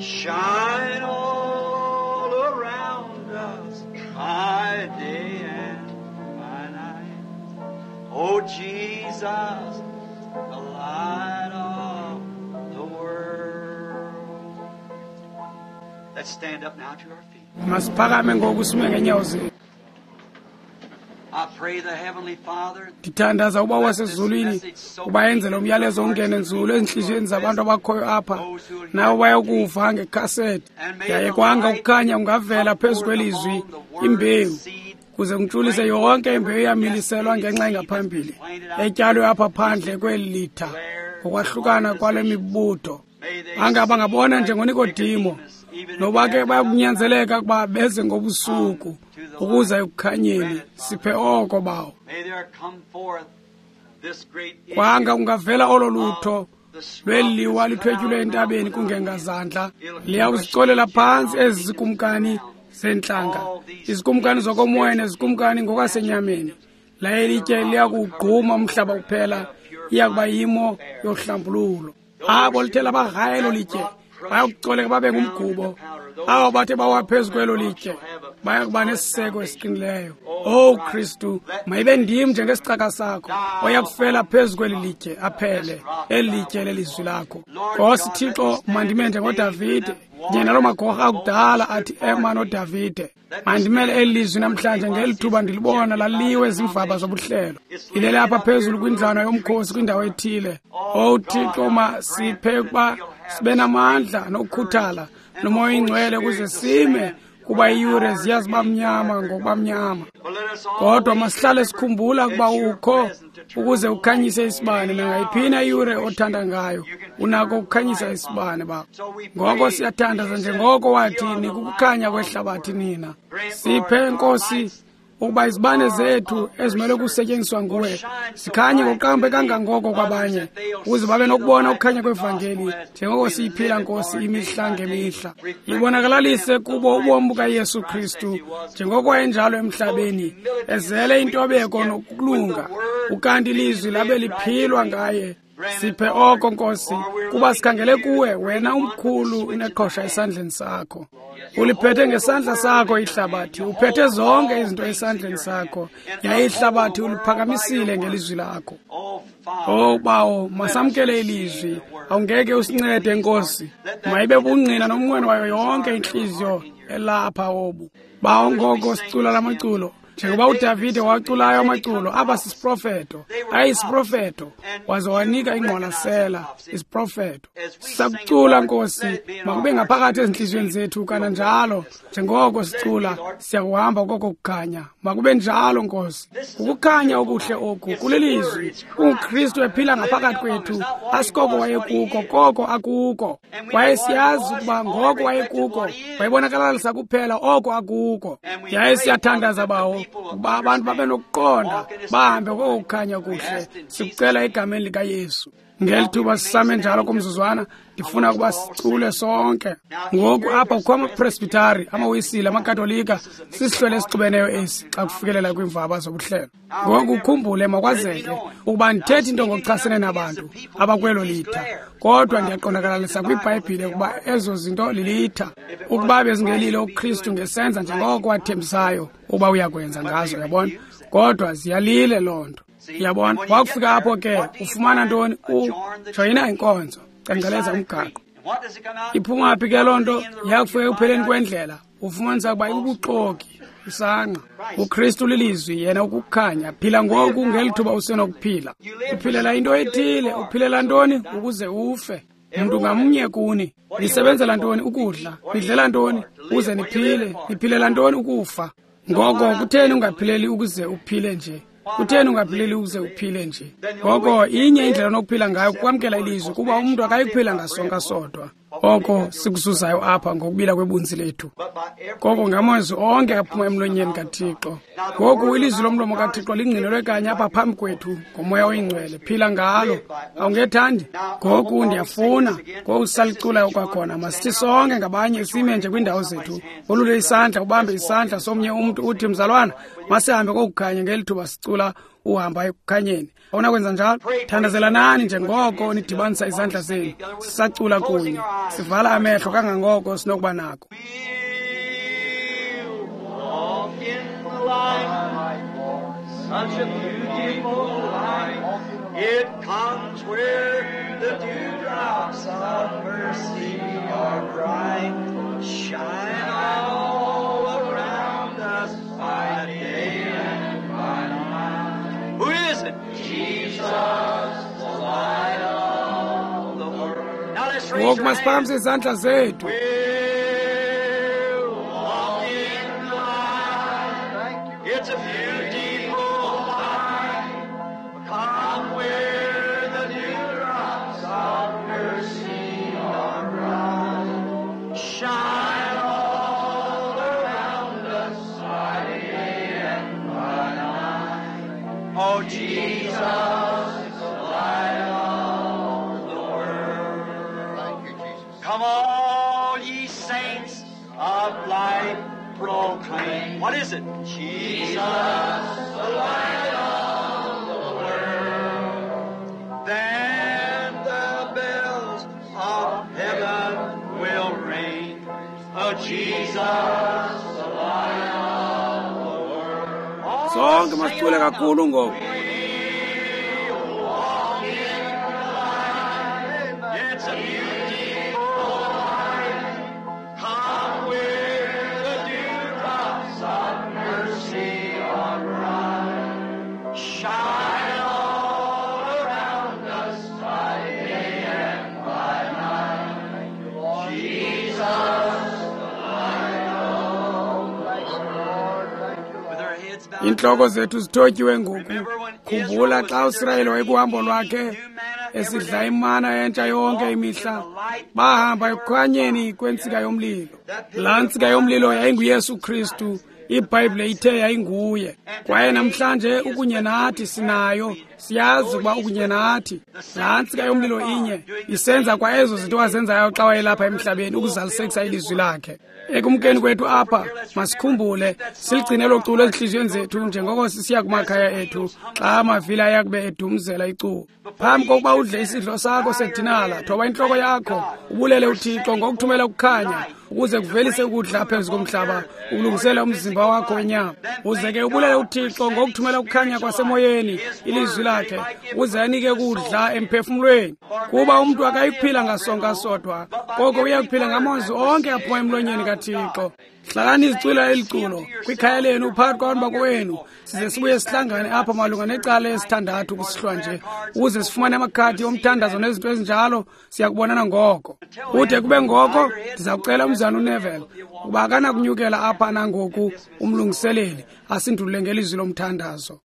Shine all around us by day and by night. Oh, Jesus, the light of the world. Let's stand up now to our feet. Masiphakame ngoku sime ngeenyawo zethu. I pray the Heavenly Father Ndithandaza uBawo wasezulwini uba enze lo myalezo ungene nzulu ezintliziyweni zabantu abakhoyo apha, nabo bayokuva ngekhasethi. Yaye kwanga ukukhanya kungavela phezu kwelizwi imbewu, kuze kuntshulise yonke imbewu eyamiliselwa ngenxa engaphambili etyalwe apha phandle kweli litha ngokwahlukana kwale mibutho. Anga bangabona njengoNikodimo, noba ke bayakunyanzeleka ukuba beze ngobusuku ukuza ekukhanyeni. Siphe oko, Bawo. May there come forth this great Kwanga kungavela olo lutho lweliwa lithwetyulwe entabeni kungengazandla. Liyawuzicolela phantsi ezi zikumkani zeentlanga, izikumkani zokomoya nezikumkani ngokwasenyameni. Laye litye liyakuwugquma umhlaba kuphela, iyakuba yimo yohlambululo. Abo lithe labarhaya elo litye bayakucoleka babe ngumgubo. Abo bathe bawa phezu kwelo litye bayakuba nesiseko esiqinileyo. Owu Kristu, mayibe ndim njengesicaka sakho oyakufela phezu kweli litye aphele, eli litye lelizwi lakho. Nkosi Thixo, mandime njengoDavide, kunye naloo magorha akudala athi ema noDavide. Mandimele eli lizwi namhlanje ngeli thuba ndilibona laliwe ziimvaba zobuhlelo. Ilele apha phezulu kwindlwana yomkhosi kwindawo ethile. Owu Thixo, masiphe ukuba sibe namandla nokukhuthala noMoya oyingcwele ukuze sime, kuba iiyure ziya ziba mnyama ngokuba mnyama. Kodwa masihlale sikhumbula ukuba ukho ukuze ukhanyise isibane nangayiphina iyure othanda ngayo. Unako ukukhanyisa isibane, Baba. Ngoko siyathandaza njengoko wathi, nikukukhanya kwehlabathi nina. Siphe, Nkosi, ukuba izibane zethu ezimele ukusetyenziswa nguwe zikhanye ngokuqambe kangangoko kwabanye, ukuze babe nokubona ukukhanya kwevangeli njengoko siyiphila, Nkosi, imihla ngemihla. Ibonakalalise kubo ubomi bukaYesu Kristu njengoko wayenjalo emhlabeni, ezele intobeko nokulunga, ukanti ilizwi labe liphilwa ngaye. Siphe oko, Nkosi, kuba sikhangele kuwe, wena umkhulu uneqhosha esandleni sakho. Uliphethe ngesandla sakho ihlabathi, uphethe zonke izinto esandleni sakho, yaye ihlabathi uliphakamisile ngelizwi lakho. Oh, Oh Bawo, masamkele ilizwi. Awungeke usincede, Nkosi. Mayibe bungqina nomnqweno wayo yonke intliziyo elapha obu. Bawo, ngoko sicula lamaculo. Njengoba uDavide waculayo amaculo, aba sisiprofeto, ayisiprofeto, waze wanika ingqwalasela isiprofeto. Sisakucula, Nkosi, makube ngaphakathi ezintliziyweni zethu kananjalo. Njengoko sicula, siyakuhamba koko kukhanya. Makube njalo, Nkosi. Ukukhanya okuhle oku kulilizwi, kunguKristu ephila ngaphakathi kwethu. Asikoko wayekuko, koko akuko. Kwaye siyazi ukuba ngoko wayekuko, wayebonakalisa kuphela oko akuko. Yaye siyathandaza, Bawo, ukuba abantu babe nokuqonda, bahambe koko kukhanya kuhle. Sikucela egameni likaYesu. Ngeli thuba sisame njalo kumzuzwana, ndifuna ukuba sicule sonke. Ngoku apha kukho amapresbitari, amawisile, amakatolika, sisihlwele esixubeneyo esi xa kufikelela kwiimvaba zobuhlelo. Ngoku ukhumbule, makwazeke ukuba ndithethi into ngokuchasene nabantu abakwelo litha, kodwa ndiyaqondakalalisa kwiBhayibhile ukuba ezo zinto lilitha. Ukuba bezingelilo uKristu ngesenza njengoko wathembisayo ukuba uyakwenza ngazo, yabona? Kodwa ziyalile loo nto. Yabona, wakufika apho ke ufumana ntoni? Ujoyina inkonzo, cengceleza umgaqo. Iphuma phi ke loo nto? Yakufika ekupheleni kwendlela, ufumanisa ukuba ibubuxoki, isangqa. uKristu lilizwi, yena ukukhanya. Phila ngoku ngeli thuba usenokuphila. Uphilela into ethile, uphilela ntoni? Ukuze ufe. Mntu ngamnye kuni, nisebenzela ntoni? Ukudla. Nidlela ntoni? Ukuze niphile. Niphilela ntoni? Ukufa. Ngoko kutheni ungaphileli ukuze uphile nje? Kutheni ungaphileli ukuze uphile nje? Ngoko inye indlela onokuphila ngayo kukwamkela ilizwi, kuba umntu akayikuphila ngasonka sodwa. Oko sikuzuzayo apha ngokubila kwebunzi lethu, koko ngamazwi onke aphuma emlonyeni kaThixo. Ngoku ilizwi lomlomo kaThixo lingqinelwe kanye apha phambi kwethu ngoMoya oyiNgcwele. Phila ngalo, awungethandi? Ngoku ndiyafuna, ngoku sisaliculayo kwakhona, masithi sonke ngabanye sime nje kwiindawo zethu. Wolule isandla, ubambe isandla somnye umntu, uthi, mzalwana, masihambe kokukhanya ngeli thuba sicula uhamba ekukhanyeni. Awunakwenza njalo? Thandazelanani njengoko nidibanisa izandla zenu, sisacula kunye, sivala amehlo kangangoko sinokuba nako. Walk in the light, such a beautiful light. It comes where the dewdrops of mercy are bright, shine all around us by day and by night. Who is it? Jesus, the light of the world. Now let's raise Ngoku your masiphakamise hands. izandla zethu. We'll walk in the light. It's a beautiful light. Come where the dewdrops of mercy are bright. Shine all around us by day and by night. Oh, Jesus, the light of the world. Thank you, Jesus. Come all ye saints of light, proclaim. What is it? Jesus, the light of the world. Then the bells of heaven will ring. Oh, Jesus, the light of the world. All Sonke sing masicule it out now. kakhulu ngoku. Walk in the light. It's a beautiful light. Come where the dewdrops of mercy are bright. Shine all around us by day and by night. Jesus, the light of the world. With our heads bowed. Iintloko zethu zithotyiwe ngoku. Khumbula xa uSirayeli wayekuhambo lwakhe esidla imana entsha yonke imihla, bahamba ekukhanyeni kwentsika yomlilo. Laa ntsika yomlilo yayinguYesu Kristu. IBhayibhile ithe yayinguye. Kwaye namhlanje ukunye nathi, sinayo, siyazi ukuba ukunye nathi. Laa ntsika yomlilo inye isenza kwa ezo zinto wazenzayo xa wayelapha emhlabeni ukuzalisekisa ilizwi lakhe. Ekumkeni kwethu apha, masikhumbule siligcine elo culo ezintliziyweni zethu njengoko sisiya kumakhaya ethu xa amavili ayakube edumzela iculo. Phambi kokuba udle isidlo sakho sedinala, thoba intloko yakho, ubulele uThixo ngokuthumela ukukhanya ukuze kuvelise ukudla phezu komhlaba, ukulungisela umzimba wakho wenyama. Uze ke ubulele uThixo ngokuthumela ukukhanya kwasemoyeni, ilizwi lakhe uze anike kudla emphefumlweni. Kuba umntu akayikuphila ngasonka sodwa, koko uya kuphila ngamazwi onke aphuma emlonyeni kaThixo. Hlalani izicula eli culo kwikhaya lenu phakathi kwabantu bakowenu, size sibuye sihlangane apha malunga necala esithandathu kusihlwa nje, ukuze sifumane amakhadi omthandazo nezinto ezinjalo. Siyakubonana ngoko. Kude kube ngoko, ndiza kucela umzana uNeville ukuba akanakunyukela apha nangoku umlungiseleli asindulule ngelizwi lomthandazo.